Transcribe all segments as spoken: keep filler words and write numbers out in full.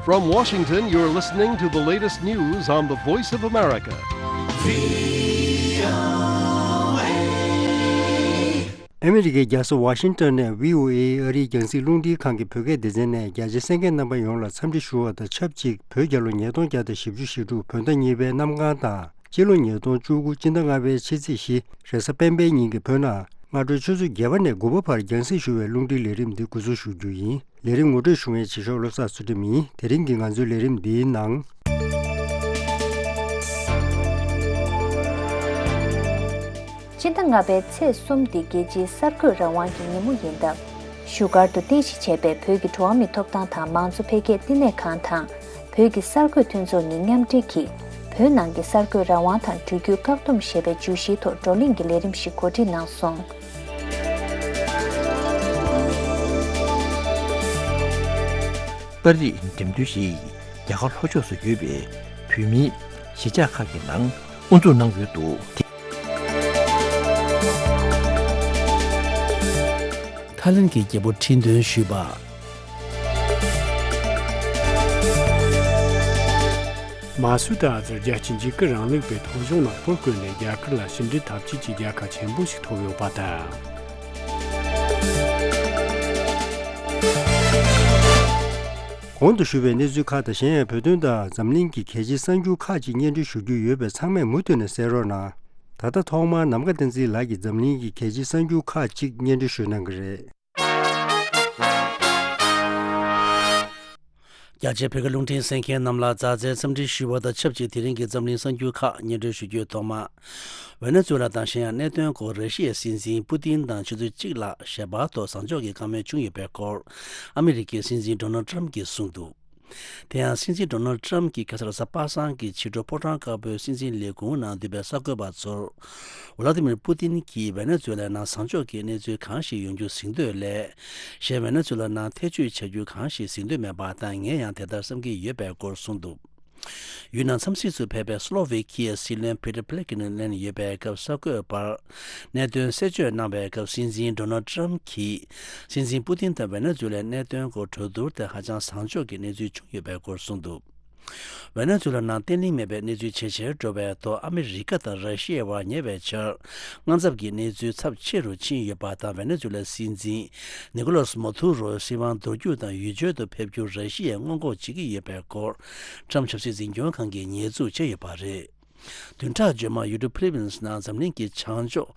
From Washington, you're listening to the latest news on the Voice of America. ཨ་མི་རི་ཀའི་རྒྱལ་ས་ཝ་ཤིང་ཏོན་ནས་བྷི་ཨོ་ཨེ་ཨ་རིའི་རྒྱང་སྲིང་རླུང་འཕྲིན་ཁང་གི་བོད་སྐད་སྡེ་ཚན་ནས་རྒྱ་ཆེའི་གསན་མཁན་རྣམ་པ་ཡོངས་ལ་འཚམས་འདྲི་ཞུ་བ་དང་ཆབས་ཅིག་བོད་རྒྱལ་ལོ་ཉིས་སྟོང་བརྒྱ་དང་བཞི་བཅུ་ཞེ་དྲུག་བོད་ཟླ་གཉིས་པའི་གནམ་གང་དང་། སྤྱི་ལོ་ཉིས་སྟོང་བཅུ་དགུ་སྤྱི་ཟླ་ལྔ་པའི་ཕྱི་ཚེས་བཞི་རེས་གཟའ་སྤེན་པའི་ཉིན་གྱི་བོད་ནང་སྔ་དྲོའི་ཆུ་ཚོད་བརྒྱད་པ་ནས་དགུ་པ་བར་རྒྱང་སྲིང་ཞུ་བའི་རླུང་འཕྲིན་ལས་རིམ་འདི་འགོ་འཛུགས་ཞུ་རྒྱུ་ཡིན། ལས་རིམ་ངོ་སྤྲོད་ཞུ་མཁན་བྱེད་ཤོག་བློ་བཟང་ཚུལ་ཁྲིམས་ཡིན། དེ་རིང་གི་ང་ཚོའི་ལས་རིམ་འདིའི་ནང་། སྤྱི་ཟླ་ལྔ་པའི་ཚེས་གསུམ་འདི་རྒྱལ་སྤྱིའི་གསར་འགོད་རང་དབང་གི་ཉིན་མོ་ཡིན་སྟབས། བཞུགས་སྒར་དུ་རྟེན་གཞི་བྱས་པའི་བོད་ཀྱི་འགྲོ་བ་མིའི་ཐོབ་ཐང་དང་མང་གཙོ་འཕེལ་རྒྱས་བསྟི་གནས་ཁང་དང་། བོད་ཀྱི་གསར་འགོད་མཐུན་ཚོགས་གཉིས་མཉམ་འབྲེལ་གྱིས། བོད་ནང་གི་གསར་འགོད་རང་དབང་དང་འགྲུལ་སྐྱོད་བཀག་སྡོམ་ཞེས་པའི་བརྗོད་གཞིའི་ཐོག་བགྲོ་གླེང་གི་ལས་རིམ་ཞིག་གོ་སྒྲིག་གནང་སོང་། ཏ་རིག་འགྲེམས་སྟོན་ཞིག་རྒྱ་གར་ལྷོ་ཕྱོགས་སུ་ཡོད་པའི་བོད་མིའི་གཞིས་ཆགས་ཁག་གི་ནང་དབུ་འཛུགས་གནང་ཡོད་འདུག། ཐའི་ལེན་གྱི་རྒྱལ་པོ་ཁྲི་འདོན་ཞུས་པ། མ་སུ་ཏ་ཨ་ཛར་རྒྱལ་སྤྱིའི་འཇིགས་སྐུལ་རིང་ལུགས་པའི་ཐོ་གཞུང་ནང་ཕུད་བསྐོས་ནས་རྒྱ་གར་ལ་ཕྱི་འབྲེལ་འཐབ་ཇུས་ཀྱི་རྒྱལ་ཁ་ཆེན་པོ་ཞིག་ཐོབ་ཡོད་པ་དང་། གོང་དུ་ཞུས་པའི་གནས་ཚུལ་ཁག་དང་གཞན་ཡང་བོད་དོན་དང་འཛམ་གླིང་གི་གལ་ཆེའི་གསར་འགྱུར་ཁག་ཅིག་སྙན་སྒྲོན་ཞུ་རྒྱུ་ཡོད་པས་ཚང་མས་མུ་མཐུད་ནས་གསན་རོགས་གནང་། ད་ལྟ་ཐོག་མར་ནམ་མཁའ་བསྟན་འཛིན་ལགས་ཀྱིས་འཛམ་གླིང་གི་གལ་ཆེའི་གསར་འགྱུར་ཁག་ཅིག་སྙན་སྒྲོན་ཞུ་གནང་གི་རེད། རྒྱ་ཆེའི་བོད་ཀྱི་རླུང་འཕྲིན་གསན་མཁན་རྣམས་ལ་མཛའ་བརྩེའི་འཚམས་འདྲི་ཞུ་བ་དང་ཆབས་ཅིག་དེ་རིང་གི་འཛམ་གླིང་གསར་འགྱུར་ཁག་སྙན་སྒྲོན་ཞུ་རྒྱུའི་ཐོག་མ། ཝེ་ནེ་ཛུ་ལ་དང་གཞན་ཡང་གནད་དོན་སྐོར་ར་ཤི་ཡའི་སྲིད་འཛིན་པུ་ཏིན་དང་ཆུ་ཚོད་གཅིག་ལྷག་ཞལ་པར་ཐོག་བཟང་ཕྱོགས་ཀྱི་བཀའ་མོལ་བྱུང་ཡོད་པའི་སྐོར་ཨ་མི་རི་ཀའི་སྲིད་འཛིན་ཌོ་ནལ་ཊམ་གྱིས་གསུངས་འདུག། དེ་ཡང་སྲིད་འཛིན་ཌོ་ནལ་ཊམ་གྱིས་ཁ་སང་རེས་གཟའ་པ་སངས་ཀྱི་ཕྱི་དྲོ་ཕོ་བྲང་དཀར་པོའི་སྲིད་འཛིན་ལས་ཁུངས་ནང་འདུས་པའི་གསར་འགོད་པ་ཚོར། ཝ་ལ་ཏི་མིར་པུ་ཏིན་གྱིས་ཝེ་ནེ་ཛུ་ལའི་ནང་བཟང་ཕྱོགས་ཀྱི་གནས་ཚུལ་གང་ཞིག་ཡོང་རྒྱུ་གཟིགས་འདོད་ལས། གཞན་ཝེ་ནེ་ཛུ་ལ་ནང་ཐེ་བྱུས་བྱ་རྒྱུ་གང་ཞིག་གཟིགས་འདོད་མེད་པ་དང་ངས་ཡང་དེ་ལྟར་བསམ་གྱི་ཡོད་པའི་སྐོར་གསུངས་འདུག། ཡུལ་ནང་འཚམས་གཟིགས་སུ་ཕེབས་པའི་སི་ལོ་ཝེ་ཁི་ཡའི་སྲིད་བློན་པེ་ཏྲ་པེ་ལེ་ཀི་ནི་ལན་ཡོད་པའི་སྐབས་གསར་འགོད་པར་གནད་དོན་གསལ་བརྗོད་གནང་བའི་སྐབས་སྲིད་འཛིན་ཌོ་ནལ་ཊམ་གྱིས་སྲིད་འཛིན་པུ་ཏིན་དང་ཝེ་ནེ་ཛུ་ལའི་གནད་དོན་སྐོར་གྲོས་བསྡུར་དེ་ཧ་ཅང་བཟང་ཕྱོགས་ཀྱི་གནས་ཚུལ་བྱུང་ཡོད་པའི་སྐོར་གསུངས་འདུག། ཝེ་ནེ་ཛུ་ལ་ནང་བརྟན་ལྷིང་མེད་པའི་གནས་ཚུལ་ཇེ་ཆེར་འགྲོ་བའི་ཐོག་ཨ་མི་རི་ཀ་དང་ར་ཤི་ཡའི་བར་ཉེ་བའི་ཆར་དངངས་འཚབ་ཀྱི་གནས་ཚུལ་ཚབས་ཆེ་རུ་ཕྱིན་ཡོད་པ་དང་ཝེ་ནེ་ཛུ་ལའི་སྲིད་འཛིན་ནི་ཀོ་ལོ་སི་མ་དུ་རོ་སྲིད་དབང་འདོར་རྒྱུ་དང་ཡུལ་བྱོལ་དུ་ཕེབས་རྒྱུར་ར་ཤི་ཡས་སྔོན་འགོག་བྱེད་ཀྱི་ཡོད་པའི་སྐོར་ཊམ་ཆབ་སྲིད་འཛིན་སྐྱོང་ཁང་གིས་ཉེས་འཛུགས་བྱས་ཡོད་པ་རེད། བདུན་ཕྲག་རྗེས་མར་ཡུལ་གྲུ་ཕི་ལི་པིན་སི་ནང་འཛམ་གླིང་གི་བྱང་ཕྱོགས་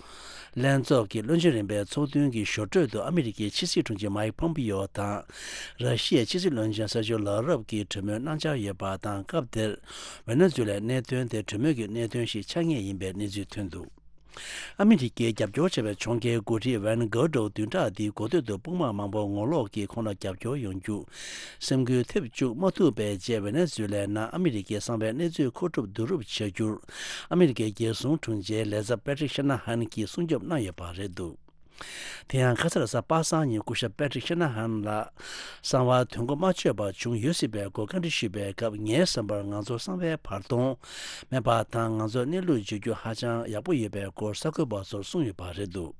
ལྷན་ཚོགས་ཀྱི་བློན་ཆེན་རིམ་པའི་ཚོགས་ཐུན་གྱི་ཞོར་འཕྲོས་དུ་ཨ་མི་རི་ཀའི་ཕྱི་སྲིད་དྲུང་ཆེ་མའིག་ཕོམ་པིའོ་དང་། ར་ཤི་ཡའི་ཕྱི་སྲིད་བློན་ཆེན་སར་ཇོ་ལ་རོབ་ཀྱིས་གྲོས་མོལ་གནང་འཆར་ཡོད་པ་དང་། སྐབས་དེར་ཝེ་ནེ་ཛུ་ལའི་གནད་དོན་དེ་གྲོས་མོལ་གྱི་གནད་དོན་ཞིག་ཆགས་ངེས་ཡིན་པའི་གནས་ཚུལ་ཐོན་འདུག། ཨ་མི་རི་ཀས་རྒྱབ་སྐྱོར་བྱས་པའི་གྱོང་གུན་འགོ་ཁྲིད་ཝན་གྷོ་ཌོ་བདུན་ཕྲག་འདིའི་འགོ་སྟོད་དུ་དཔུང་དམག་མང་པོ་ངོ་ལོག་གིས་ཁོང་ལ་རྒྱབ་སྐྱོར་ཡོང་རྒྱུ་སེམས་འགུལ་ཐེབས་བཅུག་མ་ཐུབ་པའི་རྗེས་ཝེ་ནེ་ཛུ་ལའི་ནང་ཨ་མི་རི་ཀའི་གསང་བའི་གནས་ཚུལ་མཁོ་སྒྲུབ་བསྡུ་རུབ་བྱ་རྒྱུར་ཨ་མི་རི་ཀའི་རྒྱལ་སྲུང་དྲུང་ཆེ་ལས་ཚབ་པེ་ཏྲིག་ཤ་ན་ཧན་གྱིས་སྲུང་སྐྱོབ་གནང་ཡོད་པ་རེད་འདུག། དེ་ཡང་ཁ་སང་རེས་གཟའ་པ་སངས་ཉིན་སྐུ་ཞབས་པེ་ཏྲིག་ཤ་ན་ཧན་ལགས་གསང་བ་དོན་གོ་མ་ཆོད་པ་བྱུང་ཡོད་སྲིད་པའི་སྐོར་བཀའ་འདྲི་ཞུས་པའི་སྐབས། ངའི་བསམ་པར་ང་ཚོ་གསང་བའི་བར་སྟོང་མེད་པ་དང་། ང་ཚོ་གནས་ལུགས་བརྗོད་རྒྱུ་ཧ་ཅང་ཡག་པོ་ཡོད་པའི་སྐོར་གསར་འགོད་པ་ཚོར་གསུངས་ཡོད་པ་རེད་འདུག།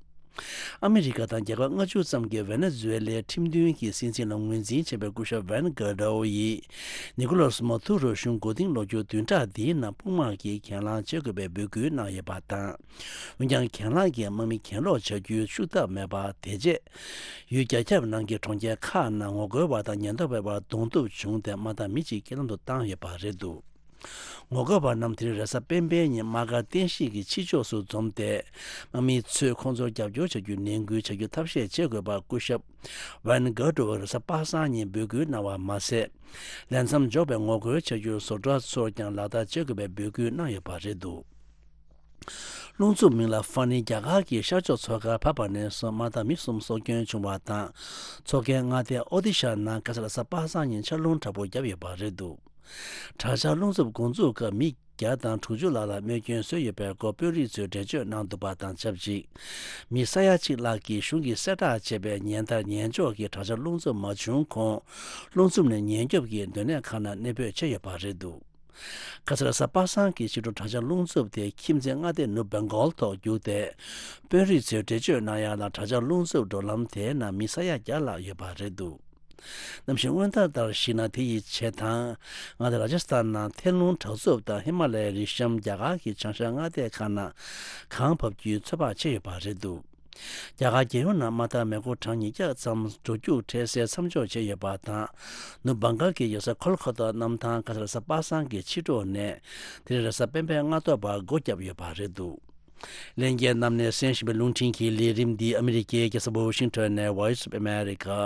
ཨ་མི་རི་ཀ་དང་རྒྱལ་ཁབ་ལྔ་བཅུ་ཙམ་གྱིས་ཝེ་ནེ་ཛུ་ཝེ་ལའི་ཁྲིམས་མཐུན་གྱི་སྲིད་འཛིན་ལ་ངོས་འཛིན་བྱས་པའི་སྐུ་ཞབས་ཝན་གྷོ་ཌོ་ཡིས་ནི་ཀོ་ལོ་སི་མ་དུ་རོ་གཞུང་མགོ་རྟིང་སློག་རྒྱུར་བདུན་ཕྲག་འདིའི་ནང་དཔུང་དམག་གིས་གྱེན་ལངས་བྱེད་དགོས་པའི་འབོད་སྐུལ་གནང་ཡོད་པ་དང་། འོན་ཀྱང་། གྱེན་ལངས་ཀྱིས་དམག་མི་གྱེན་ལོག་བྱ་རྒྱུའི་ཤུགས་རྟགས་མེད་པ། དེ་རྗེས། ཡུལ་རྒྱ་ཁྱབ་ནང་གི་གྲོང་ཁྱེར་ཁག་ནང་ངོ་རྒོལ་བ་དང་ཉེན་རྟོག་པའི་བར་གདོང་ཐུག་བྱུང་སྟེ། དམག་འཐབ་མི་གཅིག་རྐྱེན་ལམ་དུ་བཏང་ཡོད་པ་རེད་འདུག། ངོ་རྒོལ་བ་རྣམས་དེ་རིང་རེས་གཟའ་སྤེན་པའི་ཉིན་དམག་སྒར་རྟེན་གཞི་གི་ཕྱི་ཕྱོགས་སུ་འཛོམས་ཏེ། དམག་མི་ཚོས་ཁོང་ཚོར་རྒྱབ་སྐྱོར་བྱ་རྒྱུའི་ནན་སྐུལ་བྱ་རྒྱུ་ཐབས་ཤེས་བྱེད་དགོས་པར་སྐུ་ཞབས་ཝན་གྷོ་ཌོ་རེས་གཟའ་པ་སངས་ཉིན་འབོད་སྐུལ་གནང་བ་མ་ཟད། ལས་མཚམས་འཇོག་པའི་ངོ་རྒོལ་བྱ་རྒྱུར་བཟོ་གྲྭ་ཚོར་ཀྱང་ལག་བསྟར་བྱེད་དགོས་པའི་འབོད་སྐུལ་གནང་ཡོད་པ་རེད་འདུག། རླུང་འཚུབ་མིང་ལ་ཧྥ་ནི་རྒྱ་གར་གྱི་ཤར་ཕྱོགས་མཚོ་ཁར་བབས་པ་ནས་བཟུང་དམག་འཐབ་མི་གསུམ་སྲོག་སྐྱོན་བྱུང་བ་དང་། མཚོ་ཁའི་མངའ་སྡེ་ཨོ་ཏི་ཤ་ནང་ཁ་སང་རེས་གཟའ་པ་སངས་ཉིན་ཆར་རླུང་དྲག་པོ་བརྒྱབ་ཡོད་པ་རེད་འདུག། དྲག་ཆར་རླུང་འཚུབ་འགོ་འཛུགས་སྐབས་མི་བརྒྱ་དང་དྲུག་ཅུ་ལྷག་ལ་རྨས་སྐྱོན་བཟོས་ཡོད་པའི་སྐོར་དཔོན་རིགས་ཚོས་འགྲེལ་བརྗོད་གནང་འདུག་པ་དང་ཆབས་ཅིག། མི་ས་ཡ་གཅིག་ལྷག་གིས་གཞུང་གིས་གསལ་བསྒྲགས་བྱས་པའི་ཉིན་ལྟར་ཉིན་འཇོག་གི་དྲག་ཆར་རླུང་འཚུབ་མ་བྱུང་གོང་། རླུང་འཚུབ་ནས་ཉེན་སྐྱོབ་ཀྱི་སྡོད་གནས་ཁག་ནང་གནས་སྤོས་བྱས་ཡོད་པ་རེད་འདུག། ཁ་སང་རེས་གཟའ་པ་སངས་ཀྱི་ཕྱི་དྲོ་དྲག་ཆར་རླུང་འཚུབ་དེ་ཁྱིམ་མཚེས་མངའ་སྡེ་ནུབ་བེང་གོལ་ཐོག་རྒྱུགས་ཏེ། དཔོན་རིགས་ཚོས་འགྲེལ་བརྗོད་གནང་ཡག་ལ། དྲག་ཆར་རླུང་འཚུབ་འགྲོ་ལམ་དེའི་ནང་མི་ས་ཡ་བརྒྱ་ལྷག་ཡོད་པ་རེད་འདུག། གནམ་གཤིས་སྔོན་བརྡ་ལྟར་གཞིགས་ན། དེ་ཡི་ཆེད་དང་མངའ་སྡེ་ར་ཇ་སི་ཐན་ནང་ཐལ་རླུང་དྲག་འཚུབ་དང་། ཧི་མ་ལ་ཡའི་རི་གཤམ་རྒྱ་གར་གྱི་བྱང་ཤར་མངའ་སྡེ་ཁག་ནང་གངས་བབས་རྒྱུའི་ཚོད་དཔག་བྱས་ཡོད་པ་རེད་འདུག་རྒྱ་གར་རྒྱལ་ཡོངས་ནང་མ་མཐའ་མེ་འཁོར་གྲངས་ཉིས་བརྒྱ་ཙམ་འགྲོ་རྒྱུག་འཕྲལ་སེལ་མཚམས་འཇོག་བྱས་ཡོད་པ་དང་། ནུབ་བྷང་གལ་གྱི་རྒྱལ་ས་ཁོལ་ཁ་ཏ་གནམ་ཐང་ཁ་སང་རེས་གཟའ་པ་སངས་ཀྱི་ཕྱི་དྲོ་ནས་དེ་རིང་རེས་གཟའ་སྤེན་པའི་སྔ་དྲོ་བར་སྒོ་བརྒྱབ་ཡོད་པ་རེད་འདུག་ལྷན་རྒྱས་རྣམས་ནས་གསན་བཞིན་པའི་རླུང་འཕྲིན་གྱི་ལས་རིམ་འདི་ཨ་མི་རི་ཀའི་རྒྱལ་ས་ཝ་ཤིང་ཊོན་ནས་Voice of America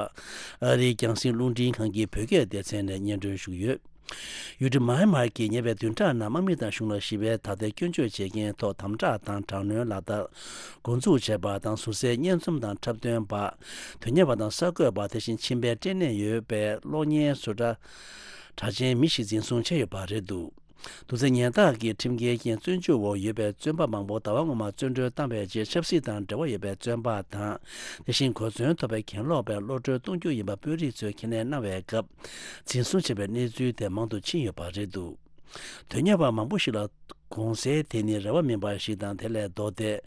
ཨ་རིའི་རྒྱང་སྲིང་རླུང་འཕྲིན་ཁང་གི་བོད་སྐད་སྡེ་ཚན་ནས་སྙན་སྒྲོན་ཞུ་གི་ཡོད། ཡུལ་གྲུ་མཱ་ཧེ་མར་གྱི་ཉེ་བའི་བདུན་ཕྲག་ནང་དམག་མི་དང་གཞུང་ལ་ཞི་བའི་དར་ལྟའི་སྐྱོན་བརྗོད་བྱེད་མཁན་ཐོག་དམ་དྲག་དང་དྲག་གནོན་ལག་བསྟར་འགོ་འཛུགས་བྱས་པ་དང་། ཟུར་བསལ་བརྙན་རྩོམ་དང་འཁྲབ་སྟོན་པ། དོན་གཉེར་བ་དང་གསར་འགོད་པ། དེ་བཞིན་མཆིན་པའི་སྐྲན་ནད་ཡོད་པའི་གློག་བརྙན་བཟོ་གྲྭ་གྲགས་ཅན་མི་ཞིག་འཛིན་བཟུང་བྱས་ཡོད་པ་རེད་འདུག་དུག་རྫས་ཉེན་བརྡ་གི་ཁྲིམས་འགལ་རྐྱེན་བཙོན་འཇུག་འོག་ཡོད་པའི་བཙོན་པ་མང་པོ་ཟླ་བ་སྔོན་མ་བཙོན་གྲོལ་བཏང་བའི་རྗེས་ཆབ་སྲིད་དང་འབྲེལ་བ་ཡོད་པའི་བཙོན་པ་དང་། དེ་བཞིན་གོ་མཚོན་ཐོབ་པའི་གྱེན་ལོག་པའི་གློད་གྲོལ་གཏོང་རྒྱུ་ཡིན་པ་དཔོན་རིགས་ཚོས་ཁས་ལེན་གནང་བའི་སྐབས་འཛིན་བཟུང་བྱས་པའི་གནས་ཚུལ་དེ་མང་དུ་ཕྱིན་ཡོད་པ་རེད་འདུག་དོན་གཉེར་བ་མང་པོ་ཞིག་ལ་གོང་གསལ་དེ་ནི་རེ་བ་མིན་པ་ཞིག་དང་། དེ་ལས་ལྡོག་སྟེ།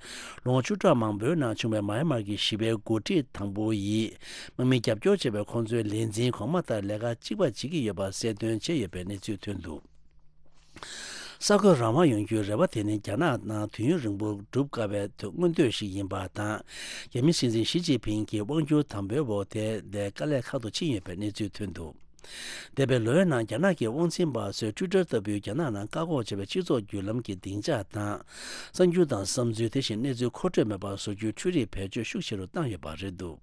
ལོ་ངོ་བཅུ་ཕྲག་མང་པོའི་ནང་བྱུང་བའི་མཱ་ཧེ་མར་གྱི་ཞི་བའི་འགོ་ཁྲིད་དང་པོ་ཡིས་དམག་མི་རྒྱབ་སྐྱོར་བྱས་པའི་ཁོང་ཚོའི་ལས་འཛིན་གོང་མ་ལྟར་ལས་ཀ་གཅིག་པ་བྱེད་ཀྱི་ཡོད་པ་གསལ་སྟོན་བྱས་ཡོད་པའི་གནས་ཚུལ་ཐོན་འདུག་གསར་འགོད་རང་དབང་ཡོང་རྒྱུའི་རེ་བ་དེ་ནི་རྒྱ་ནག་ནང་དུས་ཡུན་རིང་པོ་སྒྲུབ་དཀའ་བའི་མངོན་འདོད་ཞིག་ཡིན་པ་དང་། རྒྱ་མིའི་སྲིད་འཛིན་ཞི་ཅིན་ཕིང་གི་དབང་སྒྱུར་དམ་པོའི་འོག་དེ་ལས་དཀའ་ལས་ཁག་ཏུ་ཕྱིན་ཡོད་པའི་གནས་ཚུལ་ཐོན་འདུག་འདས་པའི་ལོའི་ནང་རྒྱ་ནག་གི་དབང་འཛིན་པ་ཚོས་ཊུའི་ཊར་ལྟ་བུའི་རྒྱ་ནག་ནང་བཀག་འགོག་བྱས་པའི་སྤྱི་ཚོགས་བརྒྱུད་ལམ་གྱི་སྡིངས་ཆ་དང་། གསར་འགྱུར་དང་བསམ་ཚུལ། དེ་བཞིན་གནས་ཚུལ་མཁོ་སྤྲོད་མེད་པར་བཟོ་རྒྱུའི་འཕྲུལ་རིག་བེད་སྤྱོད་ཤུགས་ཆེ་རུ་བཏང་ཡོད་པ་རེད་འདུག་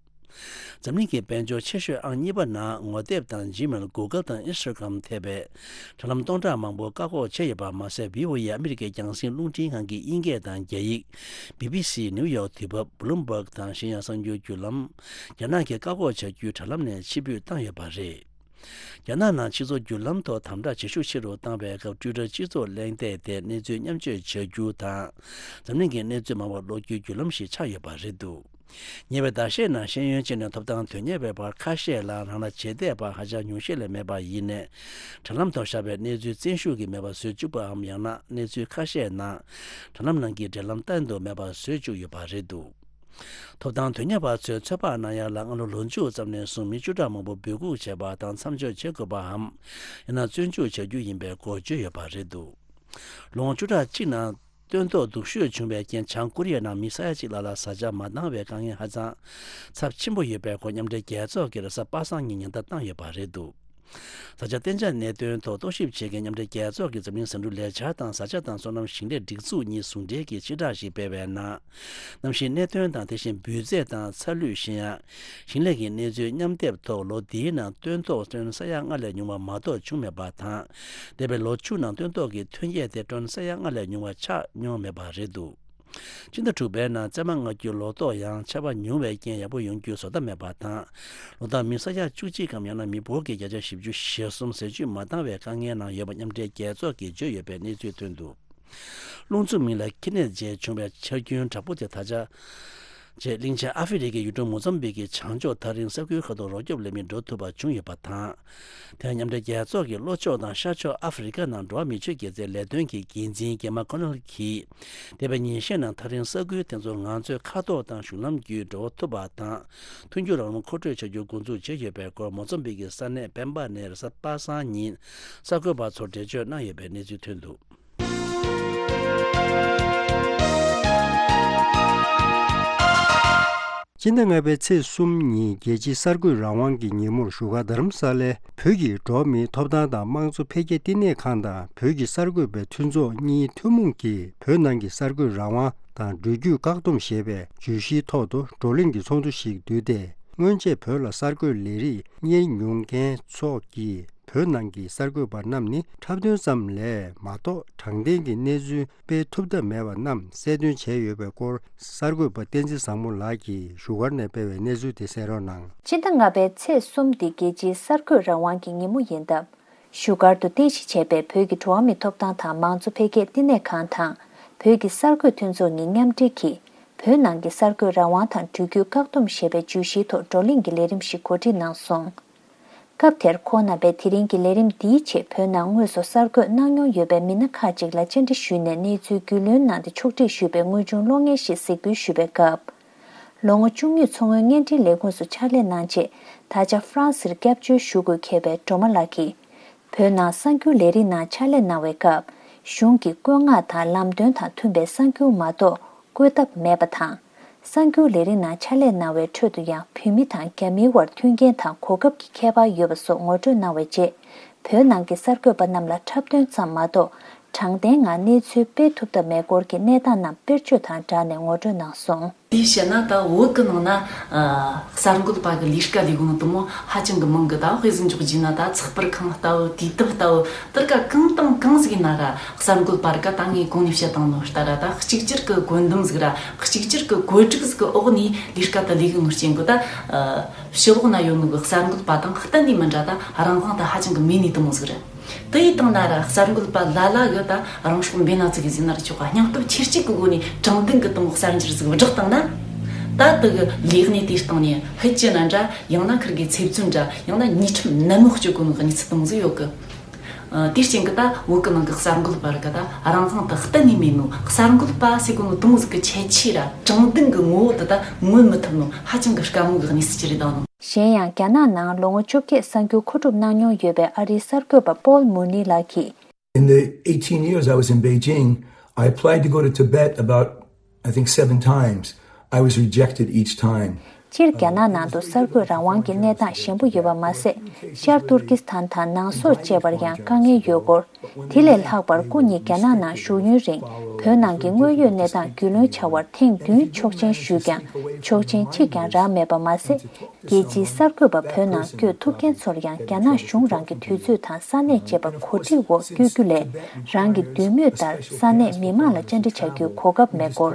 འཛམ་གླིང་གི་དཔལ་འབྱོར་ཆེ་ཤོས་ཨང་གཉིས་པ་ནང་ངོ་དེབ་དང་Gmail། Google དང་Instagram ཐེ་བའི་དྲ་ལམ་སྟོང་ཕྲག་མང་པོ་བཀག་འགོག་བྱས་ཡོད་པ་མ་ཟད། བྷི་ཨོ་ཨེ་ཨ་མི་རི་ཀའི་རྒྱང་སྲིང་རླུང་འཕྲིན་ཁང་གི་དབྱིན་སྐད་དང་རྒྱ་ཡིག་བྷི་བྷི་སི། ནིའུ་ཡོག་དུས་བབ། Bloomberg དང་གཞན་ཡང་གསར་འགྱུར་བརྒྱུད་ལམ་རྒྱ་ནག་གིས་བཀག་འགོག་བྱ་རྒྱུའི་དྲ་ལམ་ནས་ཕྱིར་འབུད་བཏང་ཡོད་པ་རེད། རྒྱ་ནག་ནང་སྤྱི་ཚོགས་བརྒྱུད་ལམ་ཐོག་དམ་དྲག་བྱེད་ཤུགས་ཆེ་རུ་བཏང་བའི་སྐབས། ཊུའི་ཊར་སྤྱི་ཚོགས་གླེང་སྟེགས་དེ་གནས་ཚུལ་མཉམ་སྤྱོད་བྱ་རྒྱུ་དང་། འཛམ་གླིང་གི་གནས་ཚུལ་མང་བ་ཀློག་རྒྱུའི་བརྒྱུད་ལམ་ཞིག་ཆགས་ཡོད་པ་རེད་འདུག་ཉེ་བའི་ཟླ་ཤས་ནང་ཤེས་ཡོན་ཅན་ནས་ཐོབ་ཐང་དོན་གཉེར་བའི་བར་ཁ་ཤས་ལ་རང་ལ་བྱེད་བདེ་བ་ཧ་ཅང་ཉུང་ཤས་ལས་མེད་པ་ཡིན་ནའི། དྲ་ལམ་ཐོག་བཞག་པའི་གནས་ཚུལ་བཙན་ཤུགས་ཀྱིས་མེད་པར་བཟོས་བཅུག་པའམ། ཡང་ན་གནས་ཚུལ་ཁ་ཤས་ནང་དྲ་ལམ་ནང་གི་འབྲེལ་ལམ་གཏན་དུ་མེད་པར་བཟོས་བཅུག་ཡོད་པ་རེད་འདུག་ཐོབ་ཐང་དོན་གཉེར་བ་ཚོས་ཚོད་དཔག་གནང་ཡག་ལ། སྔ་ལོ་ལོ་མཇུག་ཙམ་ནས་བཟུང་མི་བཅུ་ཕྲག་མང་པོ་འབོད་འགུག་བྱས་པ་དང་མཚམས་འཇོག་བྱེད་དགོས་པའམ། ཡང་ན་བཙོན་འཇུག་བྱ་རྒྱུ་ཡིན་པའི་སྐོར་བརྗོད་ཡོད་པ་རེད་འདུག་ལོ་ངོ་བཅུ་ཕྲག་གཅིག་ནང་སྟོན་ཐོག་སྡུག་ཤོས་བྱུང་བའི་རྐྱེན། བྱང་ཀོ་རི་ཡའི་ནང་མི་ས་ཡ་གཅིག་ལྷག་ལ་བཟའ་བཅའ་མ་འདང་བའི་དཀའ་ངལ་ཧ་ཅང་ཚབས་ཆེན་པོ་ཡོད་པའི་སྐོར་མཉམ་འབྲེལ་རྒྱལ་ཚོགས་ཀྱིས་རེས་གཟའ་པ་སངས་ཉིན་ཉེན་བརྡ་བཏང་ཡོད་པ་རེད་འདུག་བཟའ་བཅའ་གཏན་འཇགས་གནད་དོན་ཐོག་རྟོག་ཞིབ་བྱེད་མཁན་མཉམ་འབྲེལ་རྒྱལ་ཚོགས་ཀྱི་འཛམ་གླིང་ཟིང་འཁྲུག་ལས་འཆར་དང་། བཟའ་བཅའ་དང་སོ་ནམ་ཞིང་ལས་སྒྲིག་འཛུགས་གཉིས་ཟུང་འབྲེལ་གྱིས་ཕྱིར་བསྒྲགས་ཤིག་སྤེལ་བའི་ནང་། གནམ་གཤིས་གནད་དོན་དང་། དེ་བཞིན་འབུད་རྫས་དང་ཚ་ལུད། གཞན་ཡང་ཞིང་ལས་ཀྱི་གནས་ཚུལ་མཉམ་སྡེབ་ཐོག་ལོ་འདིའི་ནང་སྟོན་ཐོག་ཊོན་ས་ཡ་ལྔ་ལས་ཉུང་བ་མ་གཏོགས་བྱུང་མེད་པ་དང་། འདས་པའི་ལོ་བཅུ་ནང་སྟོན་ཐོག་གི་ཐོན་སྐྱེད་དེ་ཊོན་ས་ཡ་ལྔ་ལས་ཉུང་བ་ཆགས་མྱོང་མེད་པ་རེད་འདུག་སྤྱི་ཟླ་དྲུག་པའི་ནང་བཙས་མ་མངགས་རྒྱུའི་ལོ་ཏོག་ཡང་ཆར་པ་ཉུང་བའི་རྐྱེན་ཡག་པོ་ཡོང་རྒྱུའི་བཟོ་ལྟ་མེད་པ་དང་། ལོ་ལྟར་མི་ས་ཡ་བཅུ་གཅིག་གམ། ཡང་ན་མི་འབོར་གྱི་བརྒྱ་ཆ་བཞི་བཅུ་ཞེ་གསུམ་ཟས་བཅུད་མ་འདང་བའི་དཀའ་ངལ་ནང་ཡོད་པ་མཉམ་འབྲེལ་རྒྱལ་ཚོགས་ཀྱིས་བརྗོད་ཡོད་པའི་གནས་ཚུལ་ཐོན་འདུག་རླུང་འཚུབ་མིང་ལ་ཁི་ནེད་རྗེས་བྱུང་བའི་ཆར་རྒྱུན་དྲག་པོ་དེ་ད་ཆ་རྗེས་གླིང་ཆེན་ཨ་ཧྥེ་རི་ཁའི་ཡུལ་གྲུ་མོ་ཛམ་བིག་གི་བྱང་ཕྱོགས་ཐག་རིང་ས་ཁུལ་ཁག་ཏུ་རོགས་སྐྱོབ་ལས་མི་འགྲོ་ཐུབ་པ་བྱུང་ཡོད་པ་དང་། དེ་ཡང་མཉམ་འབྲེལ་རྒྱལ་ཚོགས་ཀྱི་ལྷོ་ཕྱོགས་དང་ཤར་ཕྱོགས་ཨ་ཧྥེ་རི་ཁ་ནང་འགྲོ་བ་མིའི་ཆེད་དགེ་རྩའི་ལས་དོན་གྱི་འགན་འཛིན་གེ་མ་ཁོ་ནལ་གྱིས། འདས་པའི་ཉིན་ཤས་ནང་ཐག་རིང་ས་ཁུལ་དེ་ཚོར་ང་ཚོས་མཁའ་ཐོག་དང་གཞུང་ལམ་བརྒྱུད་འགྲོ་ཐུབ་པ་དང་། མཐུན་འགྱུར་རང་དབང་མཁོ་སྤྲོད་བྱ་རྒྱུར་འགོ་འཛུགས་བྱས་ཡོད་པའི་སྐོར་མོ་ཛམ་བིག་གི་ས་གནས་པེམ་པ་ནས་རེས་གཟའ་པ་སངས་ཉིན་གསར་འགོད་པ་ཚོར་འགྲེལ་བརྗོད་གནང་ཡོད་པའི་གནས་ཚུལ་ཐོན་འདུག་སྤྱི་ཟླ་ལྔ་པའི་ཚེས་གསུམ་ཉིན་རྒྱལ་སྤྱིའི་གསར་འགོད་རང་དབང་གི་ཉིན་མོར་བཞུགས་སྒར་རྡ་རམ་ས་ལའི་བོད་ཀྱི་འགྲོ་བ་མིའི་ཐོབ་ཐང་དང་དམངས་གཙོ་འཕེལ་རྒྱས་བསྟི་གནས་ཁང་དང་བོད་ཀྱི་གསར་འགོད་པའི་མཐུན་ཚོགས་གཉིས་ཐུན་མོང་གིས་བོད་ནང་གི་གསར་འགོད་རང་དབང་དང་འགྲུལ་བསྐྱོད་བཀག་སྡོམ་ཞེས་པའི་བརྗོད་གཞིའི་ཐོག་ཏུ་བགྲོ་གླེང་གི་ཚོགས་འདུ་ཞིག་བསྡུས་ཏེ། སྔོན་ཆད་བོད་ལ་གསར་འགོད་ལས་རིགས་གཉེར་མྱོང་མཁན་ཚོ་གིས། བོད་ནང་གི་གསར་འགོད་པ་རྣམས་ནི་འཁྲབ་སྟོན་ཙམ་ལས་མ་གཏོགས་དྲང་བདེན་གྱི་གནས་ཚུལ་སྤེལ་ཐུབ་ཐབས་མེད་པ་རྣམས་གསལ་སྟོན་བྱས་ཡོད་པའི་སྐོར་གསར་འགོད་པ་བསྟན་འཛིན་བཟང་མོ་ལགས་ཀྱིས་བཞུགས་སྒར་ནས་སྤེལ་བའི་གནས་ཚུལ་དེ་གསན་རོགས་གནང་། སྤྱི་ཟླ་ལྔ་པའི་ཚེས་གསུམ་འདི་རྒྱལ་སྤྱིའི་གསར་འགོད་རང་དབང་གི་ཉིན་མོ་ཡིན་སྟབས། བཞུགས་སྒར་དུ་རྟེན་གཞི་བྱས་པའི་བོད་ཀྱི་འགྲོ་བ་མིའི་ཐོབ་ཐང་དང་མང་གཙོ་འཕེལ་རྒྱས་བསྟི་གནས་ཁང་དང་། བོད་ཀྱི་གསར་འགོད་མཐུན་ཚོགས་གཉིས་མཉམ་འབྲེལ་གྱིས། བོད་ནང་གི་གསར་འགོད་རང་དབང་དང་འགྲུལ་བསྐྱོད་བཀག་སྡོམ་ཞེས་པའི་བརྗོད་གཞིའི་ཐོག་བགྲོ་གླེང་གི་ལས་རིམ་ཞིག་གོ་སྒྲིག་གནང་སོང་། སྐབས་དེར་ཁོང་རྣམ་པས་དེ་རིང་གི་ལས་རིམ་འདིའི་ཆེད་བོད་ནང་དངོས་སུ་གསར་འགོད་གནང་མྱོང་ཡོད་པའི་མི་སྣ་ཁག་ཅིག་ལ་བཅར་འདྲི་ཞུས་ནས་གནས་ཚུལ་རྒྱུས་ལོན་གནང་སྟེ་ཕྱོགས་སྒྲིག་ཞུས་པའི་དངོས་བྱུང་གློག་བརྙན་ཞིག་གཟིགས་འབུལ་ཞུས་པའི་སྐབས། ལོ་ངོ་བཅུ་གཉིས་མཚོ་སྔོན་བརྙན་འཕྲིན་ལས་ཁུངས་སུ་ཕྱག་ལས་གནང་རྗེས་ ད་ཆ་ཧྥ་རན་སིར་སྐྱབས་བཅོལ་ཞུ་དགོས་འཁེལ་བའི་སྒྲོལ་མ་ལགས་ཀྱིས། བོད་ནང་གསར་འགྱུར་ལས་རིགས་ནང་ཕྱག་ལས་གནང་བའི་སྐབས། གཞུང་གི་བཀོད་མངགས་དང་ལམ་སྟོན་དང་མཐུན་པའི་གསར་འགྱུར་མ་གཏོགས་བཀོད་ཐབས་མེད་པ་དང་། གསར་འགྱུར་ལས་རིགས་ནང་ཕྱག་ལས་གནང་བའི་ཁྲོད་དུ་ཡང་བོད་མི་དང་རྒྱ་མིའི་དབར་མཐུན་རྐྱེན་དང་གོ་སྐབས་ཀྱི་ཁྱད་པར་ཡོད་པ་སོགས་ངོ་སྤྲོད་གནང་བའི་རྗེས། བོད་ནང་གི་གསར་འགོད་པ་རྣམས་ལ་འཁྲབ་སྟོན་ཙམ་མ་གཏོགས། དྲང་བདེན་ངང་གནས་ཚུལ་སྤེལ་ཐུབ་ཐབས་མེད་སྐོར་གྱི་གནས་སྟངས་རྣམས་དཔེར་བརྗོད་དང་སྦྲགས་ནས་ངོ་སྤྲོད་གནང་སོང་། དེའི་ཕྱིར་ན་ད་བོད་ཀྱི་ནང་ན་ཨ་གསར་འགོད་པ་གི་ལས་ཀ་ལས་གོ་ནོ་དུ་མོ་ཧ་ཅང་གི་མང་གི། ད་དཔེ་ཟིག་འཇོག་རྒྱུ་ན་ད་ཚགས་པར་ཁང་ལྟ་བུ། དུས་དེབ་ལྟ་བུ། དེར་ཀ་གང་དང་གང་ཟིག་ཡིན་ན་ར་གསར་འགོད་པ་ར་ཀ་ད་ངས་གོང་ནས་བཤད་བཏང་ནོ་ལྟར་ར་ད་གཅིག་གྱུར་གི་བཀོད་འདོམས་ཟིག་ར་གཅིག་གྱུར་གི་བཀོད་སྒྲིག་ཟིག་གི་འོག་ནས་ལས་ཀ་ད་ལས་གི་ནོ་རྐྱེན་གི། ད་ཨ་ཕྱི་ལོགས་ན་ཡོད་ནོ་གི་གསར་འགོད་པ་དང་གཏན་ནས་མི་འདྲ། ད་རང་དབང་ད་ཧ་ཅང་གི་མེད་ནི་དུ་མོ་ཟིག་ར། དེ་ཡི་སྟེང་ན་ར་གསར་འགོད་པ་ལ་ལ་གི་ད་རང་སྲོག་འབེན་ན་ཙི་གི་ཟིན་ན་ར་ཆོག་ག་སྙིང་སྟོབས་ཆེར་སྐྱེད་ཀྱི་སྒོ་ནས་དྲང་བདེན་གི་དུ་མོ་གསར་འགྱུར་ཟིག་བསྒྲགས་བཏང་ན། ད་དེ་གི་ལས་གནས་དེའི་སྟེང་ནས་ཕལ་ཆེར་ན་འདྲ་ཡང་ན་ཁིར་གི་ཚེ་བཙོན་འདྲ་ཡང་ན་ཉེས་ཁྲིམས་ནན་མོ་གཅོད་གོ་ནོ་གི་གནས་ཚུལ་དུ་མོ་ཟིག་ཡོད་གི། ཨ་དེའི་རྐྱེན་གི་ད་བོད་གི་ནང་གི་གསར་འགོད་པ་ར་གི་ད་རང་དབང་དེ་གཏན་ནས་མེད་ནོ། གསར་འགོད་པ་ཟེར་གོ་ནོ་དུ་མོ་ཟིག་གི་ཁྱད་ཆོས་ར་དྲང་བདེན་གི་ངོ་བོ་དེ་ད་མངོན་མི་ཐུབ་ནོ་ཧ་ཅང་གི་དཀའ་མོ་གི་གནས་ཚུལ་ཅིག་རེད་ད་ནོ། གཞན་ཡང་རྒྱ་ནག་ནང་ལོ་ངོ་བཅོ་བརྒྱད་གསར་འགྱུར་མཁོ་སྒྲུབ་གནང་མྱོང་ཡོད་པའི་ཨ་རིའི་གསར་འགོད་པ་པོལ་མུར་ནི་ལགས་ཀྱིས། In the eighteen years I was in Beijing, I applied to go to Tibet about, I think, seven times. I was rejected each time. སྤྱིར་རྒྱ་ནག་ནང་དུ་གསར་འགོད་རང་དབང་གི་གནས་སྟངས་ཞན་པོ་ཡོད་པ་མ་ཟད། ཤར་ཏུར་ཀི་སི་ཐན་དང་ནང་སོག་བཅས་པར་ཡང་དཀའ་ངལ་ཡོད་སྐོར། དེ་ལས་ལྷག་པར་སྐུ་ཉིད་རྒྱ་ནག་ནང་བཞུགས་ཡུན་རིང་བོད་ནང་གི་དངོས་ཡོད་གནས་སྟངས་རྒྱུས་ལོན་བྱ་བར་ཐེངས་བདུན་ཆོག་མཆན་ཞུས་ཀྱང་ཆོག་མཆན་གཅིག་ཀྱང་རག་མེད་པ་མ་ཟད། རྒྱལ་སྤྱིའི་གསར་འགོད་པ་བོད་ནང་བསྐྱོད་ཐུབ་མཁན་ཚོར་ཡང་རྒྱ་ནག་གཞུང་རང་གི་དུས་ཚོད་དང་ས་གནས་བཅས་པ་གོ་སྒྲིག་འོག་བསྐྱོད་རྒྱུ་ལས་རང་གི་འདོད་མོས་ལྟར་ས་གནས་མི་མང་ལ་བཅར་འདྲི་བྱ་རྒྱུའི་གོ་སྐབས་མེད་སྐོར།